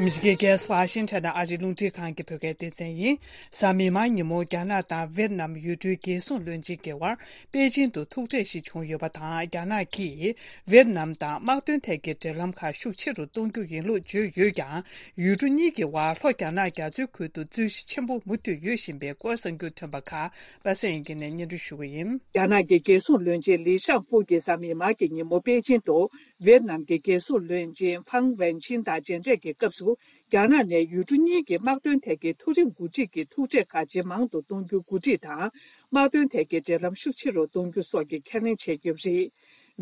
ཨ་མི་རི་ཀའི་རྒྱལ་ས་ཝ་ཤིང་ཊོན་ནས་ཨ་རིའི་རླུང་འཕྲིན་ཁང་གི་བོད་སྐད་སྡེ་ཚན་ཡིན། གཟའ་མིག་དམར་ཉིན་མོ་རྒྱ་ནག་དང་ཝེད་ནམ་ཡུལ་གྲུའི་རྒྱལ་སྲུང་བློན་ཆེན་གྱི་དབར་པེ་ཅིན་དུ་ཐུག་འཕྲད་ཞིག་བྱུང་ཡོད་པ་དང་། རྒྱ་ནག་གིས་ཝེད་ནམ་དང་དམག་དོན་ཐད་ཀྱི་འབྲེལ་ལམ་ཁག་ཤུགས་ཆེ་རུ་གཏོང་རྒྱུ་ཡིན་ལུགས་བརྗོད་ཡོད་ཀྱང་། ཡུལ་གྲུ་གཉིས་ཀྱི་དབར་ལྷོ་རྒྱ་ནག་རྒྱ་མཚོའི་ཁུལ་དུ་རྩོད་གཞི་ཆེན་པོ་མུ་མཐུད་ཡོད་བཞིན་པའི་སྐོར་གསར་འགྱུར་ཐོན་པ་ཁག་པ་སངས་དབྱངས་སྐྱིད་ནས་སྙན་སྒྲོན་ཞུ་གི་ཡིན། རྒྱ་ནག་གི་རྒྱལ་སྲུང་བློན་ཆེན་ལི་ཤང་ཧྥུ་གིས་གཟའ་མིག་དམར་གྱི་ཉིན་མོ་པེ་ཅིན་དུ་ཝེད་ནམ་གྱི་རྒྱལ་སྲུང་བློན་ཆེན་ཕང་ཝེན་ཆིན་དང་མཇལ་འཕྲད་ཀྱི་སྐབས་སུ། རྒྱ་ནག་ནས་ཡུལ་གྲུ་གཉིས་ཀྱི་དམག་དོན་ཐད་ཀྱི་མཐོ་རིམ་འགོ་ཁྲིད་ཀྱི་ཐུག་འཕྲད་ཁག་ཇེ་མང་དུ་གཏོང་རྒྱུའི་འགོ་ཁྲིད་དང་། དམག་དོན་ཐད་ཀྱི་འབྲེལ་ལམ་ཤུགས་ཆེ་རུ་གཏོང་རྒྱུ་སོགས་ཀྱི་ཁས་ལེན་བྱས་ཡོད་པ་རེད།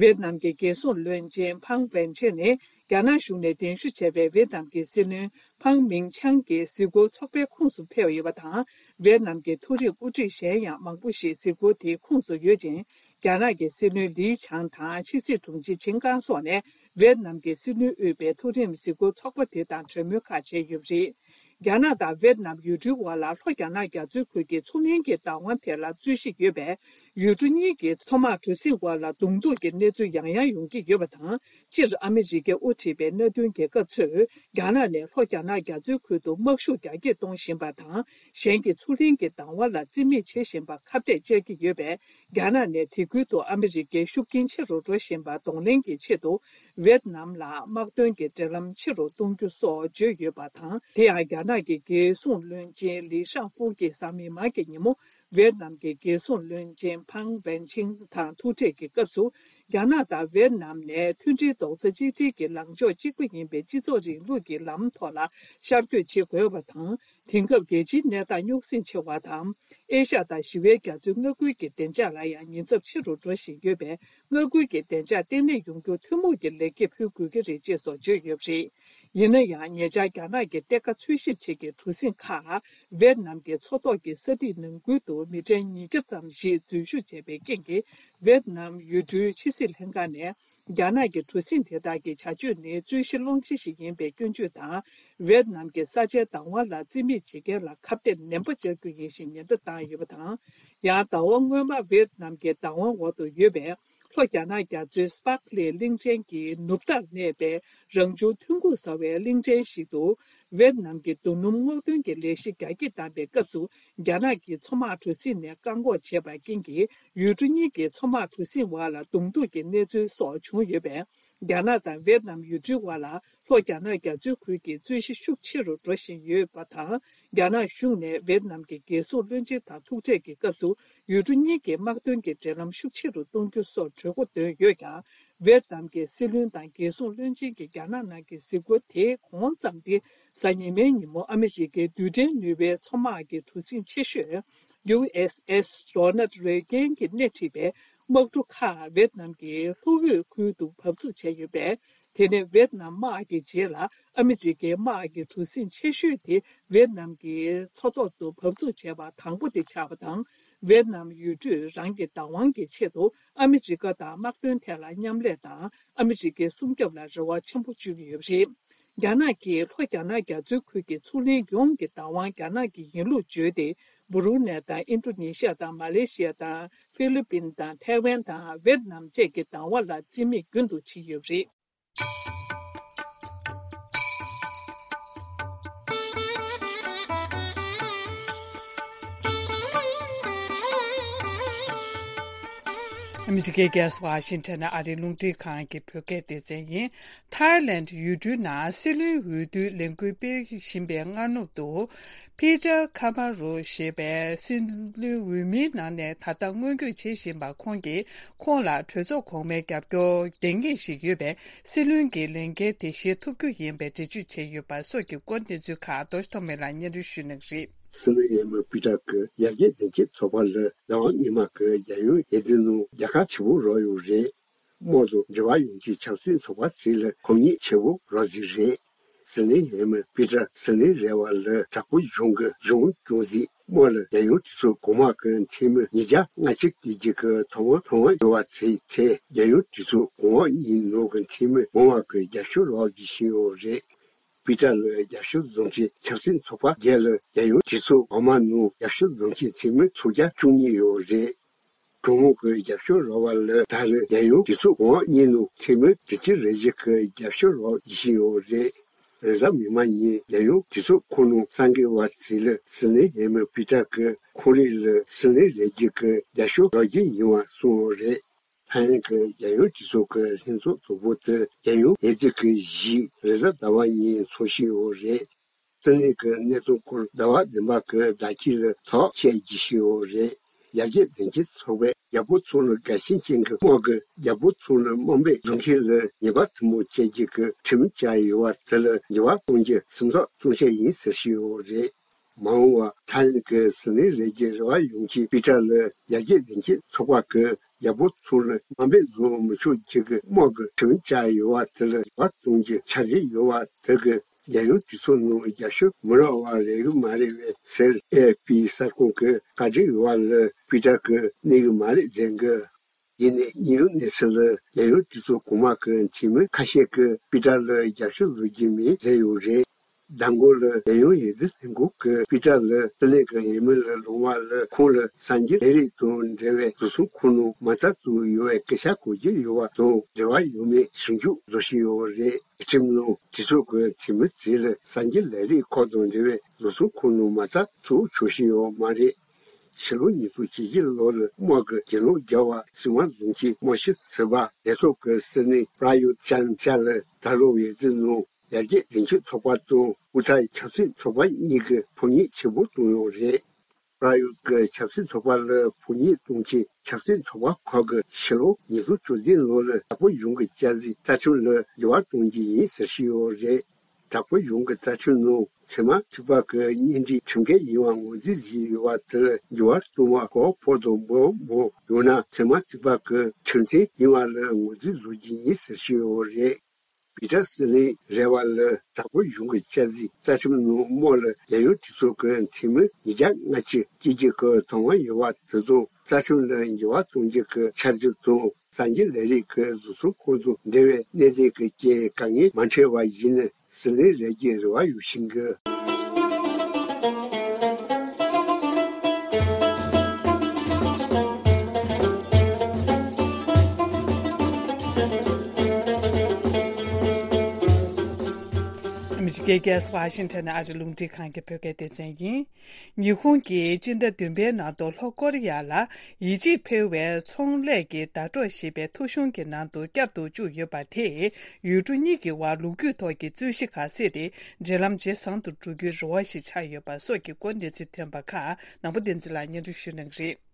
ཝེད་ནམ་གྱི་རྒྱལ་སྲུང་བློན་ཆེན་ཕང་ཝེན་ཆེན་ནི། རྒྱ་ནག་གཞུང་ནས་གདན་ཞུ་བྱས་པའི་ཝེད་ནམ་གྱི་སྲིད་བློན་ཕང་མིང་ཆང་གི་གཟིགས་སྐོར་ཚོགས་པའི་ཁོངས་སུ་ཕེབས་ཡོད་པ་དང་། ཝེད་ནམ་གྱི་མཐོ་རིམ་དབུ་ཁྲིད་གཞན་ཡང་མང་པོ་ཞིག་གཟིགས་སྐོར་དེའི་ཁོངས་སུ་ཡོད་ཅིང་། རྒྱ་ནག་གི་སྲིད་བློན་ལི་ཆང་དང་ཕྱི་སྲིད་དྲུང་ཆེ་ཆིན་ཀང་སོགས་ནས་ཝེད་ནམ་གྱི་སྲིད་བློན་དབུས་པའི་མཐོ་རིམ་གཟིགས་སྐོར་ཚོགས་པ་དེ་དང་གྲོས་མོལ་ཁག་བྱས་ཡོད་པ་རེད། རྒྱ་ནག་དང་ཝེད་ནམ་ཡུལ་གྲུའི་དབར་ལ་ལྷོ་རྒྱ་ནག་རྒྱ་མཚོའི་ཁུལ་གྱི་མཚོ་སྔོན་གྱི་བདག་དབང་ཐད་ལ་རྩོད་གཞི་ཡོད་པས། ཡུལ་གྲུ་གཉིས་ཀྱི་མཚོ་དམག་གྲུ་གཟིངས་དབར་ལ་གདོང་ཐུག་གི་གནས་ཚུལ་ཡང་ཡང་ཡོང་གི་ཡོད་པ་དང་། སྤྱིར་ཨ་མི་རི་ཀས་དབུ་ཁྲིད་པའི་མནའ་མཐུན་རྒྱལ་ཁབ་ཚོས་རྒྱ་ནག་ནས་ལྷོ་རྒྱ་ནག་རྒྱ་མཚོའི་ཁུལ་དུ་དམག་ཤུགས་རྒྱ་སྐྱེད་གཏོང་བཞིན་པ་དང་། གཞན་གྱི་མཚོ་གླིང་གི་བདག་དབང་ལ་རྩིས་མེད་བྱེད་བཞིན་པར་ཁ་གཏད་བཅག་གི་ཡོད་པས། རྒྱ་ནག་ནས་དེ་ཁུལ་དུ་ཨ་མི་རི་ཀའི་ཤུགས་རྐྱེན་ཆེ་རུ་འགྲོ་བཞིན་པ་གདོང་ལེན་གྱི་ཆེད་དུ། ཝེད་ནམ་ལ་དམག་དོན་གྱི་འབྲེལ་ལམ་ཆེ་རུ་གཏོང་རྒྱུ་སོགས་བརྗོད་ཡོད་པ་དང་། དེ་ཡང་རྒྱ་ནག་གི་རྒྱལ་སྲུང་བློན་ཆེན་ལི་ཤང་ཧྥུ་གྱིས་གཟའ་མིག་དམར་གྱི་ཉིན་མོ། ཝེད་ནམ་གྱི་རྒྱལ་སྲུང་བློན་ཆེན་ཕང་ཝེན་ཆིང་དང་ཐུག་འཕྲད་ཀྱི་སྐབས་སུ། རྒྱ་ནག་དང་ཝེད་ནམ་ནས་མཐུན་སྒྲིལ་རྡོག་རྩ་གཅིག་སྒྲིལ་གྱི་ལངས་ཕྱོགས་གཅིག་པ་ཡིན་པའི་སྤྱི་ཚོགས་རིང་ལུགས་ཀྱི་ལམ་ཐོག་ལ་ཤར་བསྐྱོད་བྱེད་དགོས་པ་དང་། དེང་སྐབས་རྒྱལ་སྤྱིའི་གནས་སྟངས་རྙོག་ཟིང་ཆེ་བ་དང་། ཨེ་ཤ་ཡ་དང་ཞི་བའི་རྒྱ་མཚོའི་མངའ་ཁུལ་གྱི་བདེ་འཇགས་ལ་ཡང་ཉེན་ཚབས་ཆེ་རུ་འགྲོ་བཞིན་ཡོད་པས། མངའ་ཁུལ་གྱི་བདེ་འཇགས་བརྟན་ལྷིང་ཡོང་རྒྱུར་ཐུན་མོང་གི་ལེགས་སྐྱེས་ཕུལ་དགོས་ཀྱི་རེད་ཅེས་སོགས་བརྗོད་ཡོད་པ་རེད། ཡིན་ན་ཡང་། ཉེ་ཆར་རྒྱ་ནག་གི་གཏེར་ཁ་འཚོལ་ཞིབ་བྱེད་མཁན་གྲུ་གཟིངས་ཁག་ཝེད་ནམ་གྱི་མཚོ་ཐོག་གི་ས་ཐིག་ནང་ཁུལ་དུ་མི་གྲངས་ཉིས་བརྒྱ་ཙམ་ཞིག་འཛུལ་ཞུགས་བྱས་པའི་རྐྱེན་གྱིས། ཝེད་ནམ་ཡུལ་གྲུའི་ཕྱི་སྲིད་ལྷན་ཁང་ནས། རྒྱ་ནག་གི་གྲུ་གཟིངས་དེ་དག་གི་བྱ་སྤྱོད་ནི་རྩོད་གཞི་སློང་གཞི་ཞིག་ཡིན་པའི་སྐྱོན་བརྗོད་དང་། ཝེད་ནམ་གྱི་ས་ཆའི་བདག་དབང་ལ་རྩིས་མེད་བྱེད་མཁན་ལ་ཁ་གཏད་ནན་པོ་བཅག་རྒྱུ་ཡིན་ཞེས་ཉེན་བརྡ་བཏང་ཡོད་པ་དང་། ཡང་ཟླ་བ་སྔོན་མ་ཝེད་ནམ་གྱི་བདག་དབང་འོག་ཏུ་ཡོད་པའི་ལྷོ་རྒྱ་ནག་རྒྱ་མཚོའི་སི་པག་ལི་གླིང་ཕྲན་གྱི་ནུབ་མཐར་གནས་པའི་རང་བྱུང་ཐོན་ཁུངས་ཟ་བའི་གླིང་ཕྲན་ཞིག་ཏུ། ཝེད་ནམ་གྱི་རྡོ་སྣུམ་སྔོག་འདོན་གྱི་ལས་གཞི་རྒྱ་སྐྱེད་བཏང་པའི་སྐབས་སུ། རྒྱ་ནག་གི་མཚོ་དམག་གྲུ་གཟིངས་ནས་བཀག་འགོག་བྱས་པའི་རྐྱེན་གྱིས། ཡུལ་གྲུ་གཉིས་ཀྱི་མཚོ་དམག་གྲུ་གཟིངས་དབར་ལ་གདོང་ཐུག་གི་གནས་ཚུལ་སོགས་བྱུང་ཡོད་པས། རྒྱ་ནག་དང་ཝེད་ནམ་ཡུལ་གྲུའི་དབར་ལ་ལྷོ་རྒྱ་ནག་རྒྱ་མཚོའི་ཁུལ་གྱི་རྩོད་གཞི་ཤུགས་ཆེ་རུ་འགྲོ་བཞིན་ཡོད་པ་དང་། རྒྱ་ནག་གཞུང་ནས་ཝེད་ནམ་གྱི་རྒྱལ་སྲུང་བློན་ཆེན་དང་ཐུག་འཕྲད་ཀྱི་སྐབས་སུ། ཡུལ་གྲུ་གཉིས་ཀྱི་དམག་དོན་གྱི་འབྲེལ་ལམ་ཤུགས་ཆེ་རུ་གཏོང་རྒྱུ་སོགས་གྲོས་འགོ་བཏོན་ཡོད་ཀྱང་། ཝེད་ནམ་གྱི་སྲིད་བློན་དང་རྒྱལ་སྲུང་བློན་ཆེན་གྱིས་རྒྱ་ནག་ནང་གི་གཟིགས་སྐོར་དེའི་གོང་ཙམ་སྟེ། གཟའ་ཉི་མའི་ཉིན་མོ་ཨ་མི་རི་ཀའི་རྡུལ་ཕྲན་ནུས་པའི་མཚོ་དམག་གི་གྲུ་གཟིངས་ཆེ་ཤོས་ཡུ་ཨེས་ཨེས་རོ་ནལ་རེ་གན་གྱིས་སྣེ་ཁྲིད་པའི་དམག་གྲུ་ཁག་ཝེད་ནམ་གྱི་ལྷོ་འོད་ཁུལ་དུ་བབས་ཚུགས་བྱས་ཡོད་པས། དེ་ནི་ཝེད་ནམ་དམག་གི་རྗེས་ལ་ཨ་མི་རི་ཀའི་དམག་གི་གྲུ་གཟིངས་ཆེ་ཤོས་དེ་ཝེད་ནམ་གྱི་མཚོ་ཐོག་ཏུ་བབས་ཚུགས་བྱས་པ་དང་པོ་དེ་ཆགས་པ་དང་། ཝེད་ནམ་ཡུལ་གྲུས་རང་གི་བདག་དབང་གི་ཆེད་དུ་ཨ་མི་རི་ཀ་དང་དམག་དོན་ཐད་ལ་མཉམ་ལས་དང་ཨ་མི་རི་ཀའི་སྲུང་སྐྱོབ་ལ་རེ་བ་ཆེན་པོ་བཅོལ་གྱི་ཡོད་པ་རེད། རྒྱ་ནག་གིས་ལྷོ་རྒྱ་ནག་རྒྱ་མཚོའི་ཁུལ་གྱི་མཚོ་གླིང་ཡོངས་ཀྱི་བདག་དབང་རྒྱ་ནག་གི་ཡིན་ལུགས་བརྗོད་དེ། སྦུ་རུ་ནེ་དང་ཨིན་ཌོ་ནེ་ཤི་ཡ་དང་མ་ལེ་ཤི་ཡ་དང་ཧྥི་ལི་པིན་དང་ཐའེ་ཝན་དང་ཝེད་ནམ་བཅས་ཀྱི་བདག་དབང་ལ་རྩིས་མེད་རྒྱུན་དུ་ཕྱིན་ཡོད་པ་རེད། ཨ་མི་རི་ཀའི་རྒྱལ་ས་ཝ་ཤིང་ཊོན་ནས་ཨ་རིའི་རླུང་འཕྲིན་ཁང་གི་བོད་སྐད་སྡེ་ཚན་ཡིན། ཐའི་ལེན་ཌི་ཡུལ་གྲུའི་ནང་སྲིད་བློན་འོས་བསྡུའི་ལས་འགུལ་སྤེལ་བཞིན་པའི་སྔ་ནུབ་ཏུ། པི་ཊར་ཁ་མ་རོ་ཞེས་པའི་སྲིད་བློན་འོས་མིའི་ནང་ནས་ད་ལྟ་སྔོན་སྐྱོད་བྱེད་བཞིན་པ་ཁོང་གིས། ཁོང་ལ་གྲོས་ཚོགས་གོང་མའི་རྒྱབ་སྐྱོར་ལྡང་ངེས་ཤིག་ཡོད་པས། སྲིད་བློན་གྱི་ལས་འགན་དེ་བཞེས་ཐུབ་རྒྱུ་ཡིན་པའི་འགྲེལ་བརྗོད་བྱས་ཡོད་པ་སོགས་ཀྱི་སྐོར་གནས་ཚུལ་ཁག་རྡོ་རྗེ་ཐོགས་མེད་ལགས་སྙན་སྒྲོན་ཞུ་གནང་གི་རེད། སྲིད་བློན་འོས་མི་པི་ཊར་གྱིས་ཡར་རྒྱས་གདན་འཁེལ་ཚོགས་པ་ལ་ཟླ་བ་སྔོན་མ་གི་རྒྱལ་ཡོངས་འོས་བསྡུ་ནང་རྒྱལ་ཁ་ཆེ་པོ་རག་ཡོད་རེད། དམག་དང་འབྲེལ་བ་ཡོད་མཁན་ཆབ་སྲིད་ཚོགས་པ་ཚོ་ལ་ཕམ་ཉེས་ཆེ་པོ་རག་རྩིས་རེད། སྲིད་བློན་འོས་མི་པི་ཊར་སྲིད་བློན་རེ་བ་ལ་དྲག་པོའི་གཞུང་གི་གཞུང་སྐྱོང་རྩིས་དམག་ལ་རྒྱལ་ཡོངས་གྲོས་ཚོགས་གོང་མ་གི་འཐུས་མི་ཉིས་བརྒྱ་ལྔ་བཅུ་གི་གཅིག་གི་ཐོབ་དབང་ཐོབ་དབང་ཡོད་པ་ཚོའི་ཐད་རྒྱལ་ཡོངས་གྲོས་ཚོགས་གོང་འོག་གཉིས་ནང་གི་འཐུས་མི་མང་བ་གི་རྒྱབ་སྐྱོར་རག་རྒྱུ་ཞིག་ཡོད་རེད། པི་ཊར་ལ་རྒྱབ་སྐྱོར་བཟོ་མཁན་ཆབ་སྲིད་ཚོགས་པ་བརྒྱད་ལ་རྒྱལ་ཡོངས་གྲོས་ཚོགས་འོག་མ་ནང་རྒྱབ་སྐྱོར་བཟོ་མཁན་འཐུས་མི་ཚོ་བརྒྱ་བཅུ་གཉིས་ཡོད་རེད། གྲོས་མོལ་གྱི་རྒྱབ་སྐྱོར་རག་པ་ལ་ད་རེས་རྒྱལ་ཡོངས་གྲོས་ཚོགས་གོང་འོག་གཉིས་ནང་འཐུས་མི་དྲུག་ཅུ་རེ་བཞི་གི་རྒྱབ་སྐྱོར་རག་བཞིན་ཡོད་རེད། རེས་གཟའ་མིག་དམར་ཉིན་རྒྱལ་ཡོངས་གྲོས་ཚོགས་ཁོངས་ནང་གསར་འགོད་པ་ཚོ་ལ་སྲིད་བློན་འོས་མི་པི་ཊར་གྱིས་ཁོང་རང་ལ་སྲིད་བློན་རེ་བརྒྱད་ཀྱི་རྒྱབ་སྐྱོར་རག་རྒྱུ་ཡིན་པ་གསུངས་ཡོད་རེད། ཐའི་ལེན་གྱི་རྒྱལ་ཡོངས་གྲོས་ཚོགས་ཀྱི་ལྷན་ཚོགས་དང་པོ་དེ་རྒྱལ་ཡོངས་འོས་བསྡུ་གི་གཞི་རེས་གཟའ་ཟླ་བ་ཉིན་འཚོགས་བཞིན་ཡོད་རེད། སྲིད་བློན་གྱི་གནས་ཚུལ་སྐོར་ཟླ་བ་བདུན་པ་གི་ཟླ་དཀྱིལ་ལ་ཐག་བཅད་རྒྱུ་ཞིག་ཡོད་རེད། ཡར་རྒྱས་གདན་འཁེལ་ཚོགས་པས་རྒྱལ་པོ་ཚོ་ལ་དགའ་ཞེན་ཅན་གྱི་དམག་གིས་རྒྱལ་པོ་ཚོ་ལ་དམའ་འབེབས་བཟོ་མཁན་ལ་ཉེས་པ་ཐུན་མོང་སྤྱད་རྒྱུ་གི་ཁྲིམས་བཅའ་ཡོད་པ་དེ་ལ་འགྱུར་བ་གཏོང་རྒྱུ་སེམས་ཐག་གཙང་བཅད་ཡིན་ཟེར་བཞིན་ཡོད་རེད། མ་འོངས་པར་ཐའི་ལེན་གྱི་སྲིད་བློན་རེ་བརྒྱད་རེ་བ་ཡོད་མཁན་པི་ཊར་ལ་ཡར་རྒྱས་གདན་འཁེལ་ཚོགས་པ་གིས་རྒྱལ་པོ་ཚོ་ལ་དམའ་འབེབས་བཟོ་མི་ཆོག་རྒྱུ་གི་དམག་གི་ཁྲིམས་བཅའ་ཡོད་པ་དེ་ལ་འགྱུར་བ་གཏོང་རྒྱུ་འཆར་གཞི་ཡོད་པ་དེ་གིས་རྒྱལ་ཡོངས་གྲོས་ཚོགས་ནང་རྒྱབ་སྐྱོར་མི་རག་པ་རེད་གི་མ་རེད་པས་ཟེར། ཨེ་ཨེཕ་པི་གསར་ཁང་གི་བཀའ་འདྲི་ཞུས་པ་ལ་པི་ཊར་གྱིས་གནས་གི་མ་རེད་ཟེར་གི། ཡིན་ནའི་དངོས་ཡོད་གནས་ཚུལ་ལ་རྒྱལ་ཡོངས་གྲོས་ཚོགས་གོང་མ་གི་འཐུས་མི་ཁ་ཤས་ཀྱིས་པི་ཊར་ལ་རྒྱབ་སྐྱོར་བཟོ་རྒྱུ་མིན་ཟེར་ཡོད་རེད། མདང་དགོང་ལ་རྒྱལ་ཡོངས་ཡིག་རྩིས་ལྷན་ཁང་གི་དཔེ་གྲངས་ལ་སྲིད་བློན་གྱི་འོས་མི་ལ་ལུང་བ་ལ་ཁོང་ལ་གསར་འགྱུར་ལས་རིགས་དང་འབྲེལ་བའི་བཟོ་ཚོང་ཁང་ནང་མ་རྩ་བཙུགས་ཡོད་པའི་སྐད་ཆ་གོ་རྒྱུ་ཡོད་པ་དང་འབྲེལ་བ་ཡོད་མེད་ཞིབ་འཇུག་བཟོ་བཞིན་ཡོད་པ་རེད། ཁྲིམས་ནང་གྲོས་ཚོགས་ཀྱི་འཐུས་མི་ཚོས་ལ་གསར་འགྱུར་ལས་རིགས་ཁག་དང་འབྲེལ་བའི་བཟོ་ཚོང་ཁང་ནང་མ་རྩ་བཙུགས་ཆོག་བཞིན་ཡོད་མ་རེད། ཕྱི་ལོ་ཉིས་སྟོང་བཅུ་བཞི་ལོ་ལ་དམག་གི་གྱེན་ལོག་བརྒྱབ་པ་སྲིད་དབང་བཟུང་བྱས་དམག་ཞི་ཟེར་བ་ལས་ཚོགས་ཀྱི་སྲིད་བློན་པྲ་ཡུད་ཅན་ཅཱ་ལ་ད་ལོ་འོས་བསྡུ་ནང་ཡར་རྒྱས་རྒྱུན་མཐུད་ཚོགས་པ་དང་ཨུ་ཐར་ཆབ་སྲིད་ཚོགས་པ་གཉིས་ཀྱིས་ཕམ་ཉེས་ཆེན་པོ་བཏང་ཡོད་རེད། པྲ་ཡུད་ཀྱི་ཆབ་སྲིད་ཚོགས་པ་ལ་ཕམ་ཉེས་གཏོང་ཆེད་ཆབ་སྲིད་ཚོགས་པ་ཁག་གིས་ཕྱི་ལོ་ཉིས་སྟོང་བཅུ་བདུན་ལོ་ལ་དྲག་པོ་གཞུང་གི་བསྐྱར་གཟིགས་རྩ་ཁྲིམས་ལ་འགྱུར་བ་གཏོང་རྒྱུ་ཡིན་ཟེར་བཞིན་ཡོད་རེད། དྲག་པོ་གཞུང་གི་རྩ་ཁྲིམས་ནང་ཚད་མ་གཅིག་པ་གི་གཉེན་སྒྲིག་ཁྲིམས་འགལ་ཡིན་པ་ངོས་འཛིན་བྱས་ཡོད་པ་དེ་ལ་འགྱུར་བ་གཏོང་བ་གོ་ཕོག་དང་འབོད་འབོད་ཡོད་ན་ཚད་མ་གཅིག་པ་གི་ཁྲིམས་མཐུན་ཡིན་པ་ལ་ངོས་འཛིན་བཟོ་རྒྱུ་ཡིན་ཟེར་བཞིན་ཡོད་རེད། བི་ཊ་སྲིད་བློན་རེ་བ་ལ་དྲག་པོ་གཞུང་གི་བསྐྱར་གཟིགས་རྩ་ཁྲིམས་ནང་དམག་ལ་རྒྱལ་ཡོངས་གྲོས་ཚོགས་ཀྱི་འཐུས་མི་ཉིས་བརྒྱ་ལྔ་བཅུ་བཅུ་གཅིག་གི་དོ་སྣང་ཡོད་པ་དེ་དང་རྩ་ཁྲིམས་ལ་འགྱུར་བ་གཏོང་རྒྱུ་གི་འཆར་གཞི་དང་གསར་འགྱུར་ལས་རིགས་ཀྱི་བཟོ་ཚོང་ཁང་དང་འབྲེལ་བའི་གནད་དོན་གྱི་རྐྱེན་དཀའ་ངལ་མ་འཕྲད་པ་ཡིན་ན་ཟུར་ལེན་རེ་རྒྱུའི་རེ་བ་ཡོད་བཞིན་གི། ཨ་མི་རི་ཀའི་རྒྱལ་ས་ཝ་ཤིང་ཊོན་ནས་ཨ་རི་རླུང་འཕྲིན་ཁང་གི་བོད་སྐད་སྡེ་ཚན་ཡིན། ཉི་ཧོང་གིས་སྤྱི་ཟླ་བདུན་པའི་ནང་དུ་ལྷོ་ཀོ་རི་ཡ་ལ་ཡིད་ཆེས་འཕེར་བའི་ཚོང་ལས་ཀྱི་ཟླ་གྲོགས་ཞེས་པའི་ཐོ་གཞུང་གི་ནང་དུ་བསྐྱར་དུ་བཅུག་ཡོད་པ་དེས་ཡུལ་གྲུ་གཉིས་ཀྱི་དབར་ལོ་རྒྱུས་ཐོག་གི་རྩོད་གཞི་ཁག་སེལ་ཏེ་འབྲེལ་ལམ་ཇེ་བཟང་དུ་འགྲོ་རྒྱུའི་རེ་བ་ཞིག་ཆགས་ཡོད་པ་སོགས་ཀྱི་སྐོར་གནས་ཚུལ་ཐོན་པ་ཁག་ནང་པ་བསྟན་འཛིན་ལགས་སྙན་སྒྲོན་ཞུ་གནང་གི་རེད།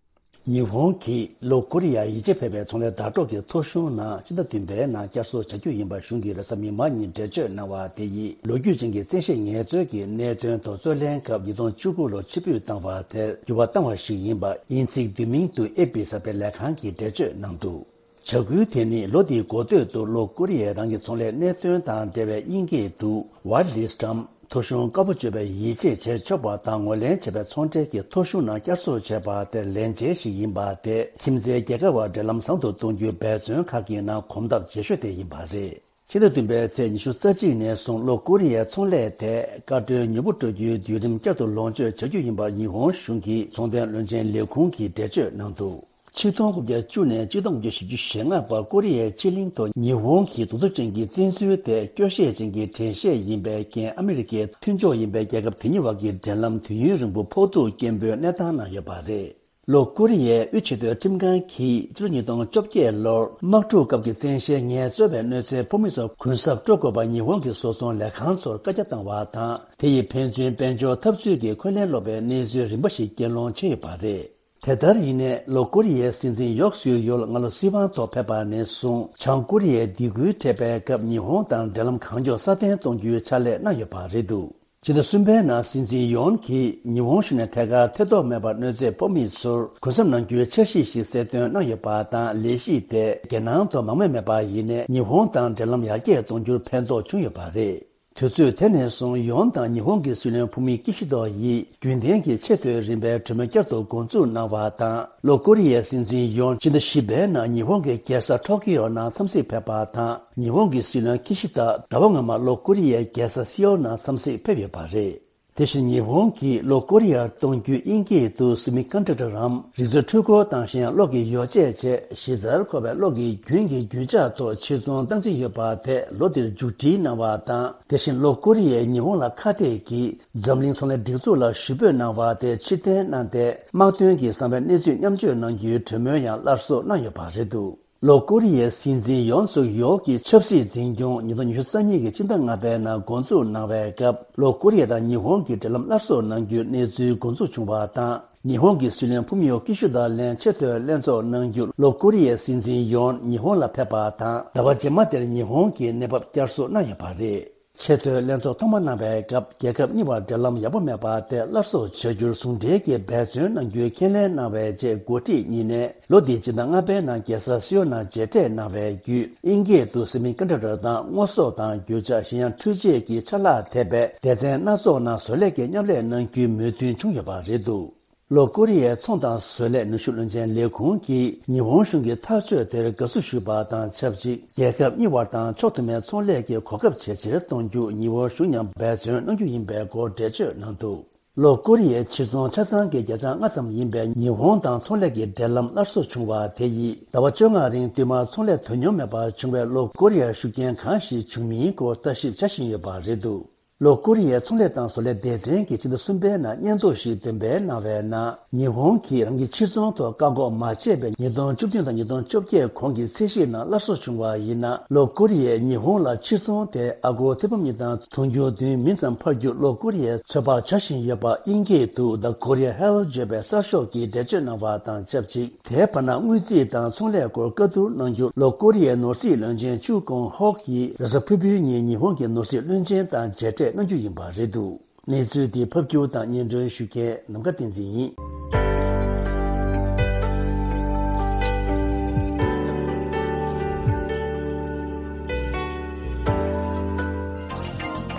ཉི་ཧོང་གིས་ལྷོ་ཀོ་རི་ཡར་ཡིད་ཆེས་འཕེར་བའི་ཚོང་ལས་ཟླ་གྲོགས་ཀྱི་ཐོ་གཞུང་ནང་སྤྱི་ཟླ་བདུན་པའི་ནང་བསྐྱར་གསོ་བྱ་རྒྱུ་ཡིན་པ་གཞུང་གིས་རེས་གཟའ་མིག་དམར་ཉིན་འགྲེལ་བརྗོད་གནང་བ་དེ་ཡིས་ལོ་རྒྱུས་ཅན་གྱི་བཙན་ཤེད་ངལ་རྩོལ་གྱི་གནད་དོན་ཐོག་རྩོད་ལེན་སྐབས་ཉིས་སྟོང་བཅུ་དགུ་ལོར་ཕྱིར་འབུད་བཏང་བ་དེར་འགྱུར་བ་བཏང་བ་ཞིག་ཡིན་པ་དབྱིན་ཚིག་བསྡུས་མིང་དུ་ཨེ་པི་གསར་སྤེལ་ལས་ཁང་གིས་འགྲེལ་བརྗོད་གནང་འདུག་བྱ་འགུལ་དེ་ནི་ལོ་འདིའི་འགོ་སྟོད་དུ་ལྷོ་ཀོ་རི་ཡས་རང་གི་ཚོང་ལས་གནད་དོན་དང་འབྲེལ་བའི་དབྱིན་སྐད་དུ་Whitelist་འམ་ཐོ་གཞུང་དཀར་པོ་སྤྱོད་པའི་ཡིད་ཆེས་བྱེད་ཆོག་པ་དང་ངོས་ལེན་བྱས་པའི་ཚོང་འབྲེལ་གྱི་ཐོ་གཞུང་ནང་བསྐྱར་གསོ་བྱས་པ་དེར་ལན་འཇལ་ཞིག་ཡིན་པ་དེ་ཁྱིམ་མཚེས་རྒྱལ་ཁབ་བར་འབྲེལ་ལམ་བཟང་དུ་གཏོང་རྒྱུའི་འབད་བརྩོན་ཁག་གི་ནང་གོམ་སྟབས་རྗེས་ཤོས་དེ་ཡིན་པ་རེད། ཕྱི་ཟླ་བདུན་པའི་ཚེས་ཉི་ཤུ་རྩ་གཅིག་ནས་བཟུང་ལྷོ་ཀོ་རི་ཡའི་ཚོང་ལས་ཐད་བཀའ་འཁྲོལ་ཉུང་པོ་སྤྲོད་རྒྱུའི་བརྒྱུད་རིམ་བསྐྱར་དུ་ལོངས་སྤྱོད་བྱ་རྒྱུ་ཡིན་པར་ཉི་ཧོང་གཞུང་གི་ཚོང་དོན་བློན་ཆེན་ལས་ཁུངས་ཀྱིས་འགྲེལ་བརྗོད་གནང་འདུག་ཆིག་སྟོང་དགུ་བརྒྱ་བཅུ་ནས་ཆིག་སྟོང་དགུ་བརྒྱ་བཞི་བཅུ་ཞེ་ལྔ་བར་ཀོ་རི་ཡའི་ཕྱེད་གླིང་ཐོག་ཉི་ཧོང་གི་གདུག་རྩུབ་ཅན་གྱི་བཙན་འཛུལ་དེ་སྐྱོ་ཤས་ཅན་གྱི་དྲན་ཤེས་ཡིན་པའི་རྐྱེན་ཨ་མི་རི་ཀའི་མཐུན་ཕྱོགས་ཡིན་པའི་རྒྱལ་ཁབ་དེ་གཉིས་བར་གྱི་འབྲེལ་ལམ་དུས་ཡུན་རིང་པོ་ཕོག་ཐུག་སྐྱེན་པོའི་གནས་སྟངས་ནང་ཡོད་པ་རེད། ལྷོ་ཀོ་རི་ཡའི་དབུས་ཆེས་མཐོའི་ཁྲིམས་ཁང་གིས་ཕྱི་ལོ་ཉིས་སྟོང་བཅོ་བརྒྱད་ལོར་དམག་འཁྲུག་སྐབས་ཀྱི་བཙན་ཤེད་ངལ་རྩོལ་བའི་གནོད་འཚེའི་ཕོགས་མི་ཚོར་གུན་གསབ་སྤྲོད་དགོས་པ་ཉི་ཧོང་གི་བཟོ་ཚོང་ལས་ཁང་ཚོར་བཀའ་རྒྱ་བཏང་བ་དང་། དེ་ཡིས་ཕན་ཚུན་དཔལ་འབྱོར་འཐབ་རྩོད་ཀྱི་འཁོན་ལན་སློག་པའི་གནས་ཚུལ་རིམ་པ་ཞིག་རྐྱེན་སློང་བྱས་ཡོད་པ་རེད། དེ་ལྟར་ཡིན་ནའི་ལྷོ་ཀོ་རི་ཡའི་སྲིད་འཛིན་ཡོག་སུའུ་ཡོལ་སྔ་ལོ་སྲིད་དབང་ཐོག་ཕེབས་པ་ནས་བཟུང་བྱང་ཀོ་རི་ཡའི་སྡིགས་སྐུལ་འཕྲད་པའི་སྐབས་ཉི་ཧོང་དང་འབྲེལ་ལམ་གང་མགྱོགས་སྲ་བརྟན་གཏོང་རྒྱུའི་ཕྱག་ལས་གནང་ཡོད་པ་རེད་འདུག་ཕྱི་ཟླ་གསུམ་པའི་ནང་སྲིད་འཛིན་ཡོན་གྱིས་ཉི་ཧོང་གཞུང་ནས་ཐད་ཀར་ཐེ་གཏོགས་མེད་པར་གནོད་འཚེ་ཕོག་མི་ཚོར་གུན་གསབ་གནང་རྒྱུའི་འཆར་གཞི་ཞིག་གསལ་སྟོན་གནང་ཡོད་པ་དང་། ལས་གཞི་དེས་རྒྱལ་ནང་དུ་མང་མོས་མེད་པ་ཡིན་ནའི་ཉི་ཧོང་དང་འབྲེལ་ལམ་ཡར་རྒྱས་གཏོང་རྒྱུར་ཕན་ཐོགས་བྱུང་ཡོད་པ་རེད། དུས་ཚོད་དེ་ནས་བཟུང་ཡོན་དང་ཉི་ཧོང་གི་སྲིད་བློན་ཕུ་མི་ཀི་ཤི་དོ་ཡིས་རྒྱུན་ལྡན་གྱི་ཆེས་མཐོའི་རིམ་པའི་གྲོས་མོལ་བསྐྱར་དུ་འགོ་འཛུགས་གནང་བ་དང་། ལྷོ་ཀོ་རི་ཡའི་སྲིད་འཛིན་ཡོན་ཕྱི་ཟླ་བཞི་པའི་ནང་ཉི་ཧོང་གི་རྒྱལ་ས་ཊོ་ཀི་ཡོ་ནང་འཚམས་གཟིགས་ཕེབས་པ་དང་། ཉི་ཧོང་གི་སྲིད་བློན་ཀི་ཤི་ད་ཟླ་བ་སྔོན་མ་ལྷོ་ཀོ་རི་ཡའི་རྒྱལ་ས་སེའོལ་ནང་འཚམས་གཟིགས་ཕེབས་ཡོད་པ་རེད། དེ་བཞིན་ཉི་ཧོང་གིས་ལྷོ་ཀོ་རི་ཡར་གཏོང་རྒྱུའི་དབྱིན་སྐད་དུ་སི་མི་ཀོན་ཌག་ཊར་རམ། རིག་མཛོད་འཕྲུལ་འཁོར་དང་གཞན་ཡང་གློག་གི་ཡོ་བྱད་བཅས་གཞི་རྩར་མཁོ་བའི་གློག་གི་རྒྱུན་གྱི་རྒྱུ་ཆ་ཐོག་ཕྱིར་ཚོང་སྟངས་འཛིན་ཡོད་པ་དེ་ལོ་འདིར་མཇུག་སྒྲིལ་གནང་བ་དང་། དེ་བཞིན་ལྷོ་ཀོ་རི་ཡས་ཉི་ཧོང་ལ་ཁ་གཏད་ཀྱིས་འཛམ་གླིང་ཚོང་ལས་སྒྲིག་འཛུགས་ལ་ཞུ་འབོད་གནང་བ་དེ་ཕྱིར་འཐེན་གནང་སྟེ། དམག་དོན་གྱི་བཟང་བའི་གནས་ཚུལ་མཉམ་སྤྱོད་གནང་རྒྱུའི་གྲོས་མོལ་ཡང་སླར་གསོ་གནང་ཡོད་པ་རེད་འདུག་ལྷོ་ཀོ་རི་ཡའི་སྲིད་འཛིན་ཡོན་སུག་ཡོལ་གྱི་ཆབ་སྲིད་འཛིན་སྐྱོང་ཉིས་སྟོང་ཉི་ཤུ་རྩ་གཉིས་ཀྱི་སྤྱི་ཟླ་ལྔ་པའི་ནང་འགོ་འཛུགས་གནང་བའི་སྐབས། ལྷོ་ཀོ་རི་ཡ་དང་ཉི་ཧོང་གི་འབྲེལ་ལམ་སླར་གསོ་གནང་རྒྱུའི་གནས་ཚུལ་འགོ་འཛུགས་བྱུང་བ་དང་། ཉི་ཧོང་གི་སྲིད་བློན་ཕུ་མི་ཡོ་ཀི་ཤུ་དང་ལན་ཆེས་མཐོའི་ལྷན་ཚོགས་གནང་རྒྱུར་ལྷོ་ཀོ་རི་ཡའི་སྲིད་འཛིན་ཡོན་ཉི་ཧོང་ལ་ཕེབས་པ་དང་། ཟླ་བ་རྗེས་མ་དེར་ཉི་ཧོང་གིས་གནས་བབ་བསྐྱར་གསོ་གནང་ཡོད་པ་རེད། ཆེས་མཐོའི་ལྷན་ཚོགས་ཐོག་མ་གནང་བའི་སྐབས། རྒྱལ་ཁབ་གཉིས་བར་འབྲེལ་ལམ་ཡག་པོ་མེད་པ་དེ་སླར་གསོ་བྱ་རྒྱུར་ཟུང་འབྲེལ་གྱིས་འབད་བརྩོན་གནང་རྒྱུའི་ཁས་ལེན་གནང་བའི་རྗེས། འགོ་ཁྲིད་གཉིས་ནས་ལོ་འདིའི་སྤྱི་ཟླ་ལྔ་པའི་ནང་རྒྱལ་ས་སེའོལ་ནང་མཇལ་འཕྲད་གནང་བའི་བརྒྱུད། དབྱིན་སྐད་དུ་སི་མི་ཀོན་ཌག་ཊར་དང་དངོས་ཟོག་དང་རྒྱུ་ཆ། གཞན་ཡང་འཕྲུལ་ཆས་ཀྱི་ཆ་ལག་ཐེ་བའི་སྡེ་ཚན་སྣ་ཚོགས་ནང་བཟོ་ལས་ཀྱི་མཉམ་ལས་གནང་རྒྱུའི་མོས་མཐུན་བྱུང་ཡོད་པ་རེད་འདུག་ལྷོ་ཀོ་རི་ཡའི་ཚོང་དང་བཟོ་ལས་ནུས་ཤུགས་བློན་ཆེན་ལས་ཁུངས་ཀྱིས་ཉི་ཧོང་གཞུང་གི་ཐག་གཅོད་དེར་དགའ་བསུ་ཞུས་པ་དང་ཆབས་ཅིག་རྒྱལ་ཁབ་གཉིས་བར་དང་ཕྱོགས་མཐུན་མའི་ཚོང་ལས་ཀྱི་གོ་སྐབས་ཇེ་ཆེར་གཏོང་རྒྱུ་ཉི་ཧོང་གཞུང་མཉམ་འབད་བརྩོན་གནང་རྒྱུ་ཡིན་པའི་སྐོར་འགྲེལ་བརྗོད་གནང་འདུག་ལྷོ་ཀོ་རི་ཡའི་ཕྱིར་ཚོང་ཆ་ཚང་གི་བརྒྱ་ཆ་ལྔ་ཙམ་ཡིན་པའི་ཉི་ཧོང་དང་ཚོང་ལས་ཀྱི་འབྲེལ་ལམ་སླར་གསོ་བྱུང་བ་དེ་ཡིས་ཟླ་བ་བཅོ་ལྔ་རིང་བསྟུད་མར་ཚོང་ལས་དོ་སྙོམས་མེད་པར་བྱུང་བས་ལྷོ་ཀོ་རི་ཡར་ཤུགས་རྐྱེན་གང་ཞིག་བྱུང་མིན་སྐོར་ལྟ་ཞིབ་བྱ་བཞིན་ཡོད་པ་རེད་འདུག་ལྷོ་ཀོ་རི་ཡའི་ཚོང་ལས་དང་བཟོ་ལས་སྡེ་ཚན་གྱིས་ཕྱི་ཟླ་གསུམ་པའི་ནང་སྙན་ཐོ་ཞིག་འདོན་སྤེལ་གནང་བའི་ནང་ཉི་ཧོང་གིས་རང་གི་ཕྱིར་ཚོང་ཐོག་བཀག་འགོག་མ་བྱས་པའི་ཉིས་སྟོང་བཅུ་བདུན་དང་ཉིས་སྟོང་བཅོ་བརྒྱད་གོང་གི་ཚད་གཞིའི་ནང་སླར་གསོ་བྱུང་བ་ཡིན་ན། ལྷོ་ཀོ་རི་ཡས་ཉི་ཧོང་ལ་ཕྱིར་ཚོང་དེ་ཨ་སྒོར་ཐེར་འབུམ་གཉིས་དང་དུང་ཕྱུར་བདུན་མིན་ཙམ་འཕར་རྒྱུ་ལྷོ་ཀོ་རི་ཡས་ཚོད་དཔག་བྱ་བཞིན་ཡོད་པ་དབྱིན་སྐད་དུ་The Korea Health བརྗོད་པའི་གསར་ཤོག་གིས་འགྲེལ་བརྗོད་གནང་བ་དང་ཆབས་ཅིག་དེའི་བར་ན་དངུལ་རྩིས་དང་ཚོང་ལས་སྐོར་བཀའ་བསྡུར་གནང་རྒྱུར་ལྷོ་ཀོ་རི་ཡའི་ནོར་སྲིད་བློན་ཆེན་ཅུ་ཀོང་ཧོག་གིས་རེས་གཟའ་ཕུར་བུའི་ཉིན་ཉི་ཧོང་གི་ནོར་སྲིད་བློན་ཆེན་དང་མཇལ་འཕྲད་གནང་རྒྱུ་ཡིན་པ་རེད་འདུག་གནས་ཚུལ་འདི་ཕབ་སྒྱུར་དང་སྙན་སྒྲོན་ཞུ་མཁན་ནམ་མཁའ་བསྟན་འཛིན་ཡིན།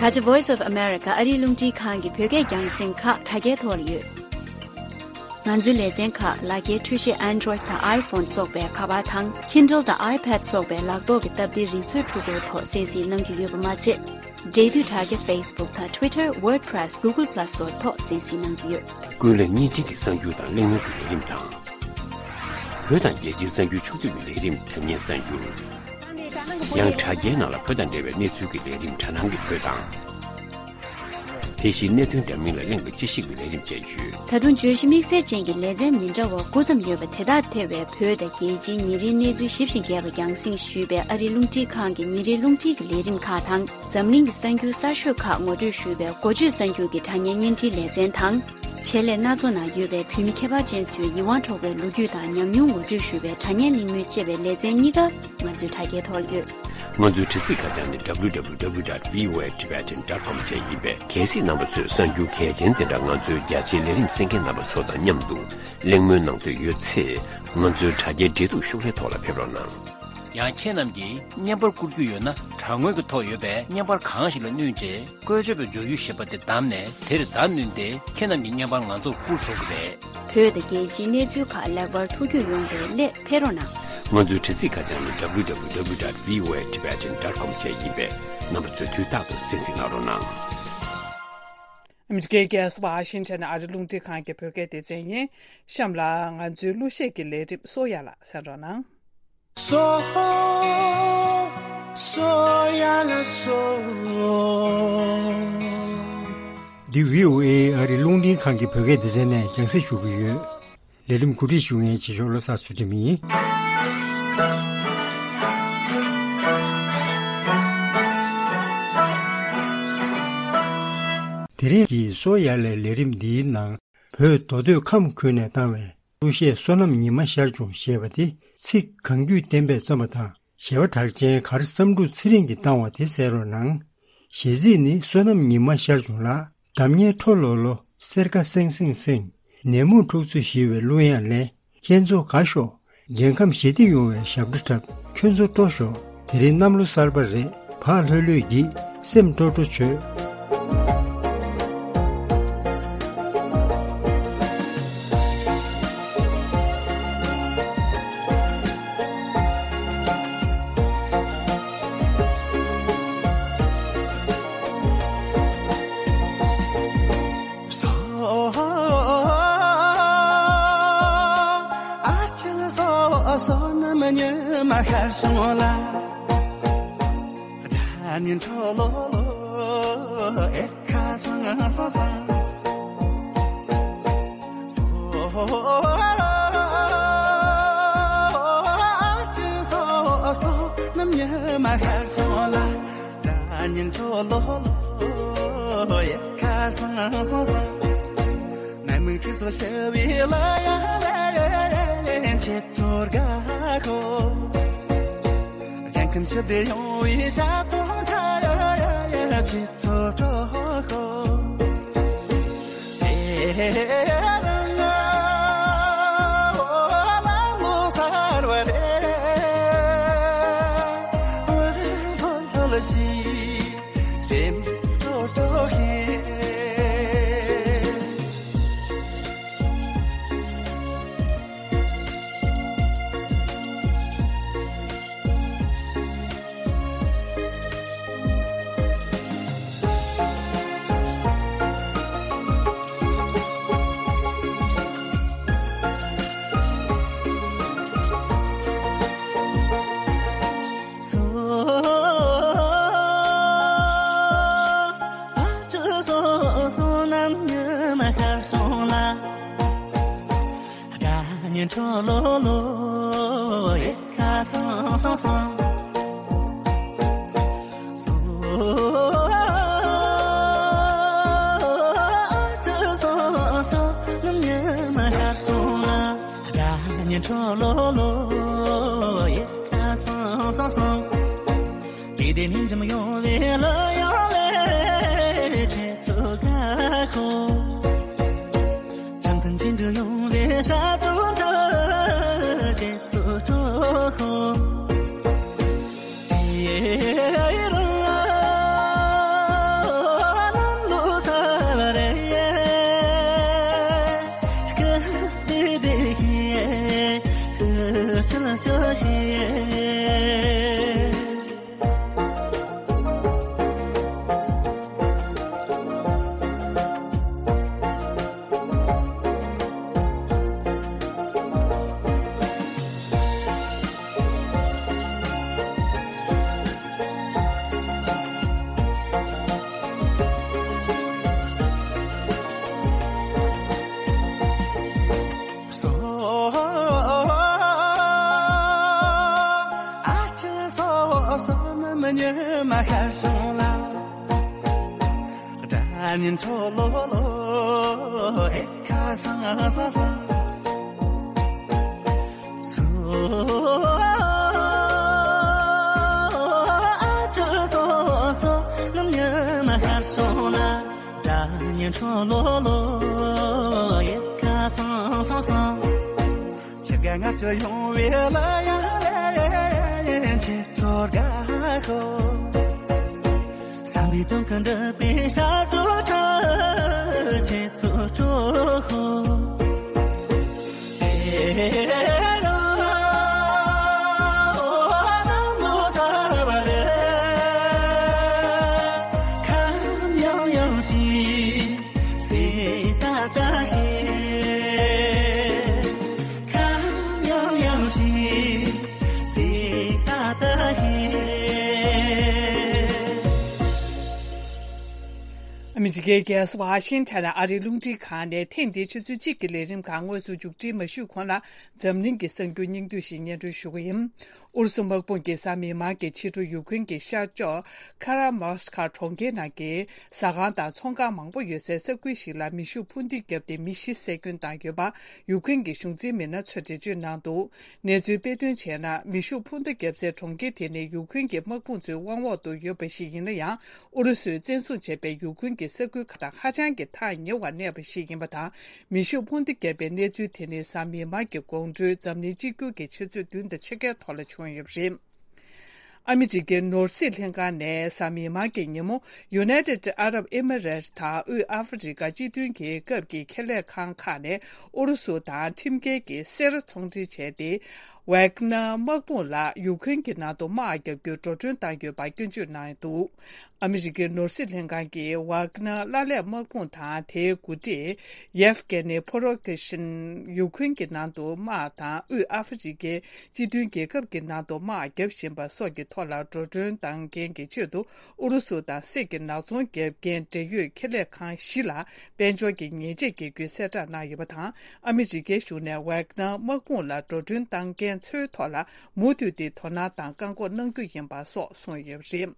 ད་ཆ་Voice of America ཨ་རིའི་རླུང་འཕྲིན་ཁང་གི་བོད་སྐད་རྒྱང་སྲིང་ཁག་དྲ་རྒྱའི་ཐོག་ལ་ཡོད། ང་ཚོའི་ལེ་ཚན་ཁག་ལག་འཁྱེར་འཕྲུལ་ཆས་Android་དང་iPhone་སོགས་པའི་ཁ་པར་དང་Kindle་དང་iPad་སོགས་པའི་ལག་ཐོག་གི་སྟབས་བདེའི་རིག་མཛོད་འཕྲུལ་འཁོར་ཐོག་གསན་གཟིགས་གནང་རྒྱུ་ཡོད་པ་མ་ཚད། འབྲེལ་མཐུད་དྲ་རྒྱ་Facebook་དང་Twitter, WordPress, Google Plus་སོགས་ཐོག་གསན་གཟིགས་གནང་རྒྱུ་ཡོད། ཀུན་གླེང་བརྙན་འཕྲིན་གྱི་གསར་འགྱུར་དང་གླེང་མོལ་གྱི་ལས་རིམ་དང་། བོད་དང་རྒྱལ་སྤྱིའི་གསར་འགྱུར་ཕྱོགས་བསྡུས་ཀྱི་ལས་རིམ་དྲ་བརྙན་གསར་འགྱུར། ཡང་དྲ་རྒྱའི་ནང་ལ་བོད་དང་འབྲེལ་བའི་གནས་ཚུལ་གྱི་ལས་རིམ་དྲ་སྣང་གི་བོད་དང་། དེ་བཞིན་གནད་དོན་འདྲ་མིན་ལ་གླེང་བའི་དཔྱད་ཞིབ་ཀྱི་ལས་རིམ་བཅས་ཡོད། ད་དུང་བརྗོད་གཞི་དམིགས་བསལ་ཅན་གྱི་ལེ་ཚན་མི་འདྲ་བ་དགུ་ཙམ་ཡོད་པ་དེ་དག་ཐེ་བའི་བོད་དང་རྒྱལ་སྤྱིའི་ཉིན་རེའི་གནས་ཚུལ་ཞིབ་ཅིང་རྒྱས་པ་རྒྱང་སྲིང་ཞུས་པའི་ཨ་རིའི་རླུང་འཕྲིན་ཁང་གི་ཉིན་རེའི་རླུང་འཕྲིན་གྱི་ལས་རིམ་ཁག་དང་། འཛམ་གླིང་གི་གསར་འགྱུར་གསར་ཤོས་ཁག་ངོ་སྤྲོད་ཞུས་པའི་འགོ་བརྗོད་གསར་འགྱུར་གྱི་དྲ་བརྙན་བརྙན་འཕྲིན་ལེ་ཚན་དང་། ཆེད་ལས་སྣ་ཚོགས་ནང་ཡོད་པའི་བོད་མི་ཁྱད་པར་ཅན་ཚོའི་ཡིད་དབང་འཕྲོག་པའི་ལོ་རྒྱུས་དང་ཉམས་མྱོང་ངོ་སྤྲོད་ཞུ་བའི་དྲ་བརྙན་གླེང་མོལ་ཅེས་པའི་ལེ་ཚན་གཉིས་ཀ་ང་ཚོའི་དྲ་རྒྱའི་ཐོག་ལ་ཡོད། ང་ཚོའི་དྲ་ཚིགས་ཁ་བྱང་ནི་W W W dot V O A Tibetan dot com བཅས་ཡིན་པས། གལ་སྲིད་རྣམ་པ་ཚོས་གསར་འགྱུར་གལ་ཆེན་དེ་འདྲ་ང་ཚོའི་རྒྱ་ཆེའི་ལས་རིམ་གསན་མཁན་རྣམ་པ་ཚོ་དང་མཉམ་དུ་གླེང་མོལ་གནང་འདོད་ཡོད་ཚེ། ང་ཚོའི་དྲ་རྒྱའི་འབྲེལ་གཏུག་ཤོག་ལྷེ་ཐོག་ལ་ཕེབས་རོགས་གནང་། ཡང་ཁྱེད་རྣམས་ཀྱིས་བརྙན་པར་བསྐུར་རྒྱུ་ཡོད་ན། དྲ་ངོས་ཀྱི་ཐོག་ཡོད་པའི་བརྙན་པར་གང་ཞིག་ལ་བསྣུན་རྗེས། བཀོལ་སྤྱོད་པའི་འབྱོར་ཡུལ་ཞེས་པ་དེ་བདམས་ནས། དེར་བརྡ་བསྣུན་ཏེ། ཁྱེད་རྣམས་ཀྱི་བརྙན་པར་ང་ཚོར་བསྐུར་ཆོག་གི་རེད། བོད་དང་རྒྱལ་སྤྱིའི་གནས་ཚུལ་ཁག་ལེགས་པར་ཐུགས་རྒྱུས་ཡོང་བའི་སླད་ཕེབས་རོགས་གནང་། ང་ཚོའི་དྲ་ཚིགས་ཁ་བྱང་ནི་W W W dot V O A Tibetan dot com བཅས་ཡིན་པས། རྣམ་པ་ཚོས་དུས་རྟག་ཏུ་གསན་གཟིགས་གནང་རོགས་གནང་། ཨ་མི་རི་ཀའི་རྒྱལ་ས་ཝ་ཤིང་ཊོན་ནས་ཨ་རི་རླུང་འཕྲིན་ཁང་གི་བོད་སྐད་སྡེ་ཚན་ཡིན། གཤམ་ལ་ང་ཚོའི་གླུ་གཞས་ཀྱི་ལས་རིམ་གསོ་ཡ་ལ་གསན་རོགས་གནང་། སོ། སོ་ཡ་ལ་སོ། འདི་V O A ཨ་རི་རླུང་འཕྲིན་ཁང་གི་བོད་སྐད་སྡེ་ཚན་ནས་རྒྱང་སྲིང་ཞུ་གི་ཡོད། ལས་རིམ་གོ་སྒྲིག་ཞུ་མཁན་བྱེད་ཤོག་བློ་བཟང་ཚུལ་ཁྲིམས་ཡིན། དེ་རིང་གི་སོ་ཡ་ལའི་ལས་རིམ་འདིའི་ནང་། བོད་མདོ་སྟོད་ཁམས་ཁུལ་ནས་བཏང་བའི། གླུ་གཞས་བསོད་ནམས་ཉི་མ་ཤར་བྱུང་ཞེས་པ་དེ་ཚིག་གང་རྒྱུད་བསྟན་པས་བརྩམས་པ་དང་། གཞས་པ་གྲགས་ཅན་གར་བསམ་འགྲུབ་ཚེ་རིང་གིས་བཏང་བ་དེ་གསན་རོགས་གནང་། གཞས་ཚིག་ནི་བསོད་ནམས་ཉི་མ་ཤར་བྱུང་ལགས། འགྲམ་ཉལ་ཁྲོ་ལོ་ལོ། སེར་ཁ་སེང་སེང་སེང་། ནད་མུག་འཁྲུག་རྩོད་ཞི་བའི་གླུ་དབྱངས་ལེན། ཁྱེད་ཚོ་དགའ་ཤོག་རྒྱལ་ཁམས་ཞི་བདེ་ཡོང་བའི་ཞབས་བྲོ་འཁྲབ། ཁྱོད་ཚོ་སྤྲོ་ཤོག་དེ་རིང་གནམ་ལོ་གསར་པ་རེད། ཕག་ལྷོད་ལྷོད་ཀྱིས། སེམས་སྤྲོ་སྤྲོ་བྱོས། ཤར་སོང་ལ། སྒྲ་སྙན་འཕྲོ་ལོ་ལོ། ཡེ་ཁ་སང་སང་སང་། སོ་ཨ་ཅི་སོ་སོ། ནམ་ཉི་མ་ཤར་སོང་ལ། སྒྲ་སྙན་འཕྲོ་ལོ་ལོ། ཡེ་ཁ་སང་སང་སང་། ལས་དེ་ནི་འཇམ་ཡོང་བའི་ལ་ཡང་ལས་ཆེ་ཚོ་ག་ཁོ། བྱང་ཐང་ཅན་དུ་ཡོང་བའི་ཤ་དུ་འདྲ་ཆེ་ཚོ་གྲོ་ཁོ། ཡེ་རང་ལམ་ལུགས་ས་བ་རེ་ཡེ། ཀ་དེ་དེ་ཡེ་ཀ་ཆ་ལ་ཆ་ཤེ། སོ་ཨ་ཅི་སོ་སོ་ནམ་ཉི་མ་ཤར་སོང་ལ། སྒྲ་སྙན་འཕྲོ་ལོ་ལོ། ཨེ་ཁ་སང་སང་སང་། སོ་ཨ་ཅི་སོ་སོ་ནམ་ཉི་མ་ཤར་སོང་ལ། སྒྲ་སྙན་འཕྲོ་ལོ་ལོ། ཡེ་ཁ་སང་སང་སང་། ཁྱེད་ཀ་ང་ཚོ་ཡོང་བའི་ལ་ཡང་ལས་ཆེ་ཚོར་ག་ཁོ། བསམ་པའི་དོན་ཀུན་འགྲུབ་པའི་ཤར་དུ་ཁྲ་ཆེ་ཚོ་གྲོ་ཁོ། ཨེ་རང་ལོ་ས་བ་རེ། ཁམ་ཡང་ཡང་ཞིག་སེ་ཏ་ཏ་ཞེས། ཁམ་ཡང་ཡང་ཞིག་སེ་ཏ་ཏ་ཞེས། ཨ་མི་རི་ཀའི་རྒྱལ་ས་ཝ་ཤིང་ཊོན་ནས་ཨ་རིའི་རླུང་འཕྲིན་ཁང་ནས་ཐེངས་འདིའི་ཆུ་ཚོད་གཅིག་གི་ལས་རིམ་ཁག་དངོས་སུ་མཇུག་སྒྲིལ་མ་ཞུས་གོང་ལ། འཛམ་གླིང་གི་གསར་འགྱུར་སྙིང་བསྡུས་ཤིག་སྙན་སྒྲོན་ཞུ་གི་ཡིན། ཨུ་རུ་སུ་དམག་དཔུང་གིས་གཟའ་མིག་དམར་གྱི་ཕྱི་དྲོ་ཡུཀ་རེན་གྱི་ཤར་ཕྱོགས་ཁ་ར་མོ་སི་ཁ་གྲོང་ཁྱེར་ནང་གི་ཟ་ཁང་དང་ཚོང་ཁང་མང་པོ་ཡོད་སའི་ས་ཁུལ་ཞིག་ལ་མེ་ཤུགས་འཕུར་མདེལ་བརྒྱབ་སྟེ་མི་བཞི་བསད་སྐྱོན་བཏང་ཡོད་པ་ཡུཀ་རེན་གྱི་གཞུང་འཛིན་མི་སྣ་ཚོས་འགྲེལ་བརྗོད་གནང་འདུག་གནས་ཚུལ་སྤེལ་དོན་བྱས་ན། མེ་ཤུགས་འཕུར་མདའ་བརྒྱབ་སའི་གྲོང་ཁྱེར་དེ་ནི་ཡུཀ་རེན་གྱི་དམག་དཔུང་ཚོའི་དབང་འོག་ཏུ་ཡོད་པ་ཞིག་ཡིན་ན་ཡང་། ཨུ་རུ་སུས་བཙན་བཟུང་བྱས་པའི་ཡུཀ་རེན་གྱི་ས་ཁུལ་ཁག་དང་ཧ་ཅང་གི་ཐག་ཉེ་བར་གནས་པ་ཞིག་ཡིན་པ་དང་། མེ་ཤུགས་འཕུར་མདའ་བརྒྱབ་པའི་གནས་ཚུལ་དེ་ནི་གཟའ་མིག་དམར་གྱི་དགོང་དྲོའི་འཛམ་གླིང་གཅིག་གྱུར་གྱི་ཆུ་ཚོད་བདུན་དང་ཕྱེད་ཀའི་ཐོག་ལ་བྱུང་ཡོད་པ་རེད། ཨ་མི་རི་ཀའི་ནོར་སྲིད་ལྷན་ཁང་ནས་གཟའ་མིག་དམར་གྱི་ཉིན་མོ། United Arab Emirates དང་དབུས་ཨ་ཧྥེ་རི་ཀ་སྤྱི་མཐུན་གྱི་སྐབས་ཀྱི་ཁེ་ལས་ཁང་ཁག་ནས་ཨུ་རུ་སུ་དང་ཁྲིམས་འགལ་གྱི་གསེར་ཚོང་འབྲེལ་བྱས་ཏེ། ཝེག་ནར་དམག་དཔུང་ལ་ཡུཀ་རེན་གྱི་ནང་དུ་དམག་རྒྱག་རྒྱུར་འགྲོ་གྲོན་བཏང་ཡོད་པར་སྐྱོན་བརྗོད་གནང་འདུག་ཨ་མི་རི་ཀའི་ནོར་སྲིད་ལྷན་ཁང་གིས་ཝག་ནར་ཀླ་ཀླད་དམག་དཔུང་དང་དེའི་འགོ་ཁྲིད་ཡེབ་གེ་ནི་ཕོ་རོ་ཁེ་ཤིན་ཡུ་ཁུན་གྱི་ནང་དུ་དམག་དང་དབུས་ཨ་ཧྥེ་རི་ཀའི་སྤྱི་མཐུན་རྒྱལ་ཁབ་ཀྱི་ནང་དུ་དམག་བརྒྱབ་བཞིན་པ་སོགས་ཀྱི་ཐོག་ལ་འགྲོ་གྲོན་གཏོང་མཁན་གྱི་ཆེད་དུ་ཨུ་རུ་སུ་དང་སྲིད་ཀྱི་ནག་ཚོང་བརྒྱབ་མཁན་འབྲེལ་ཡོད་ཁེ་ལས་ཁང་བཞི་ལ་དཔལ་འབྱོར་གྱི་ཉེས་ཆད་འགེལ་རྒྱུའི་གསལ་བསྒྲགས་གནང་ཡོད་པ་དང་། ཨ་མི་རི་ཀའི་གཞུང་ནས་ཝག་ནར་དམག་དཔུང་ལ་འགྲོ་གྲོན་གཏོང་མཁན་ཚོའི་ཐོག་ལ་མུ་མཐུད་དེ་དོ་སྣང་དང་བཀག་འགོག་གནང་རྒྱུ་ཡིན་པ་སོགས་གསུངས་ཡོད་པ་རེད།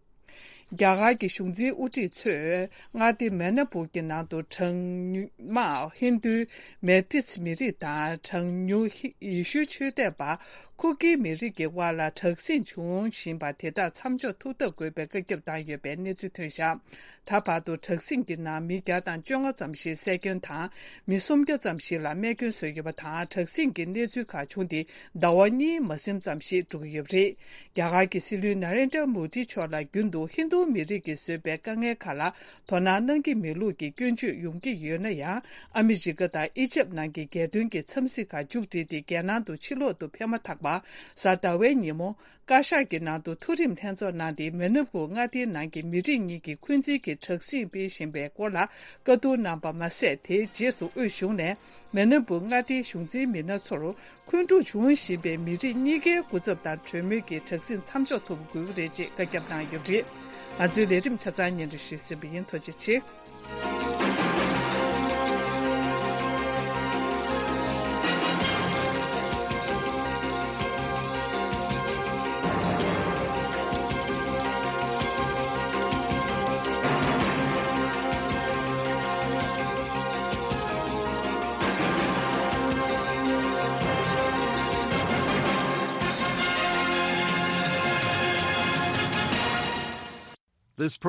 རྒྱ་གར་གྱི་གཞུང་འཛིན་དབུ་ཁྲིད་ཚོས་མངའ་སྡེ་མེ་ན་པུར་གྱི་ནང་དུ་གྲངས་ཉུང་དམག་ཧིན་རྡུའི་མེ་ཏིས་མི་རིགས་དང་གྲངས་ཉུང་ཧི་ཡེ་ཤུའི་ཆོས་དད་པ་ཁུ་ཀི་མི་རིགས་ཀྱི་དབར་ལ་དྲག་ཟིང་བྱུང་བཞིན་པ་དེ་དག་མཚམས་འཇོག་ཐུབ་ཐབས་དགོས་པའི་བཀའ་ཁྱབ་བཏང་ཡོད་པའི་གནས་ཚུལ་ཐོན་བཞག་ད་བར་དུ་དྲག་ཟིང་གི་ནང་མི་བརྒྱ་དང་བཅོ་ལྔ་ཙམ་ཞིག་བསད་སྐྱོན་དང་། མི་སུམ་བརྒྱ་ཙམ་ཞིག་ལ་རྨས་སྐྱོན་བཟོས་ཡོད་པ་དང་། དྲག་ཟིང་གི་གནས་ཚུལ་ཁག་བྱུང་སྟེ་ཟླ་བ་གཉིས་མ་ཟིན་ཙམ་ཞིག་འགྲོ་གི་ཡོད་པ་རེད། རྒྱ་གར་གྱི་སྲིད་བློན་ན་རེན་དྲ་མོ་དི་མཆོག་ལ་རྒྱུན་དུ་ཧིན་རྡུ་མི་རིགས་ཀྱིས་བཟོས་པའི་དཀའ་ངལ་ཁག་ལ་དོ་སྣང་གནང་གི་མེད་ལུགས་ཀྱི་སྐྱོན་བརྗོད་ཡོང་གི་ཡོད་ན་ཡང་། ཨ་མི་རི་ཀ་དང་ཨི་ཇེབ་ནང་གི་རྒྱལ་དོན་གྱི་འཚམས་གཟིགས་ཁག་མཇུག་སྒྲིལ་ཏེ་རྒྱལ་ནང་དུ་ཕྱིར་ལོག་ཏུ་ཕེབས་མ་ཐག་པ། གཟའ་ཟླ་བའི་ཉིན་མོ། བཀའ་ཤག་གི་ནང་དུ་མཐོ་རིམ་ལྷན་ཚོགས་གནང་སྟེ། མེ་ན་པུར་མངའ་སྡེའི་ནང་གི་མི་རིགས་གཉིས་ཀྱིས་འཁོན་འཛིན་གྱི་དྲག་ཟིང་སྤེལ་བཞིན་པའི་སྐོར་ལ་བཀའ་བསྡུར་གནང་པ་མ་ཟད། དེའི་རྗེས་སུ་དབུས་གཞུང་ནས་མེ་ན་པུར་མངའ་སྡེའི་གཞུང་འཛིན་མི་སྣ་ཚོར་འཁོན་འཁྲུག་འབྱུང་བཞིན་པའི་མི་རིགས་གཉིས་ཀའི་སྐུ་ཚབ་དང་གྲོས་མོལ་གྱིས་དྲག་ཟིང་མཚམས་འཇོག་ཐུབ་དགོས་ཀྱི་རེད་ཅེས་བཀའ་ཁྱབ་གནང་ཡོད་པ་རེད། ང་ཚོའི་ལས་རིམ་ཆ་ཚང་སྙན་སྒྲོན་ཞུས་ཟིན་པ་ཡིན། ཐུགས་རྗེ་ཆེ།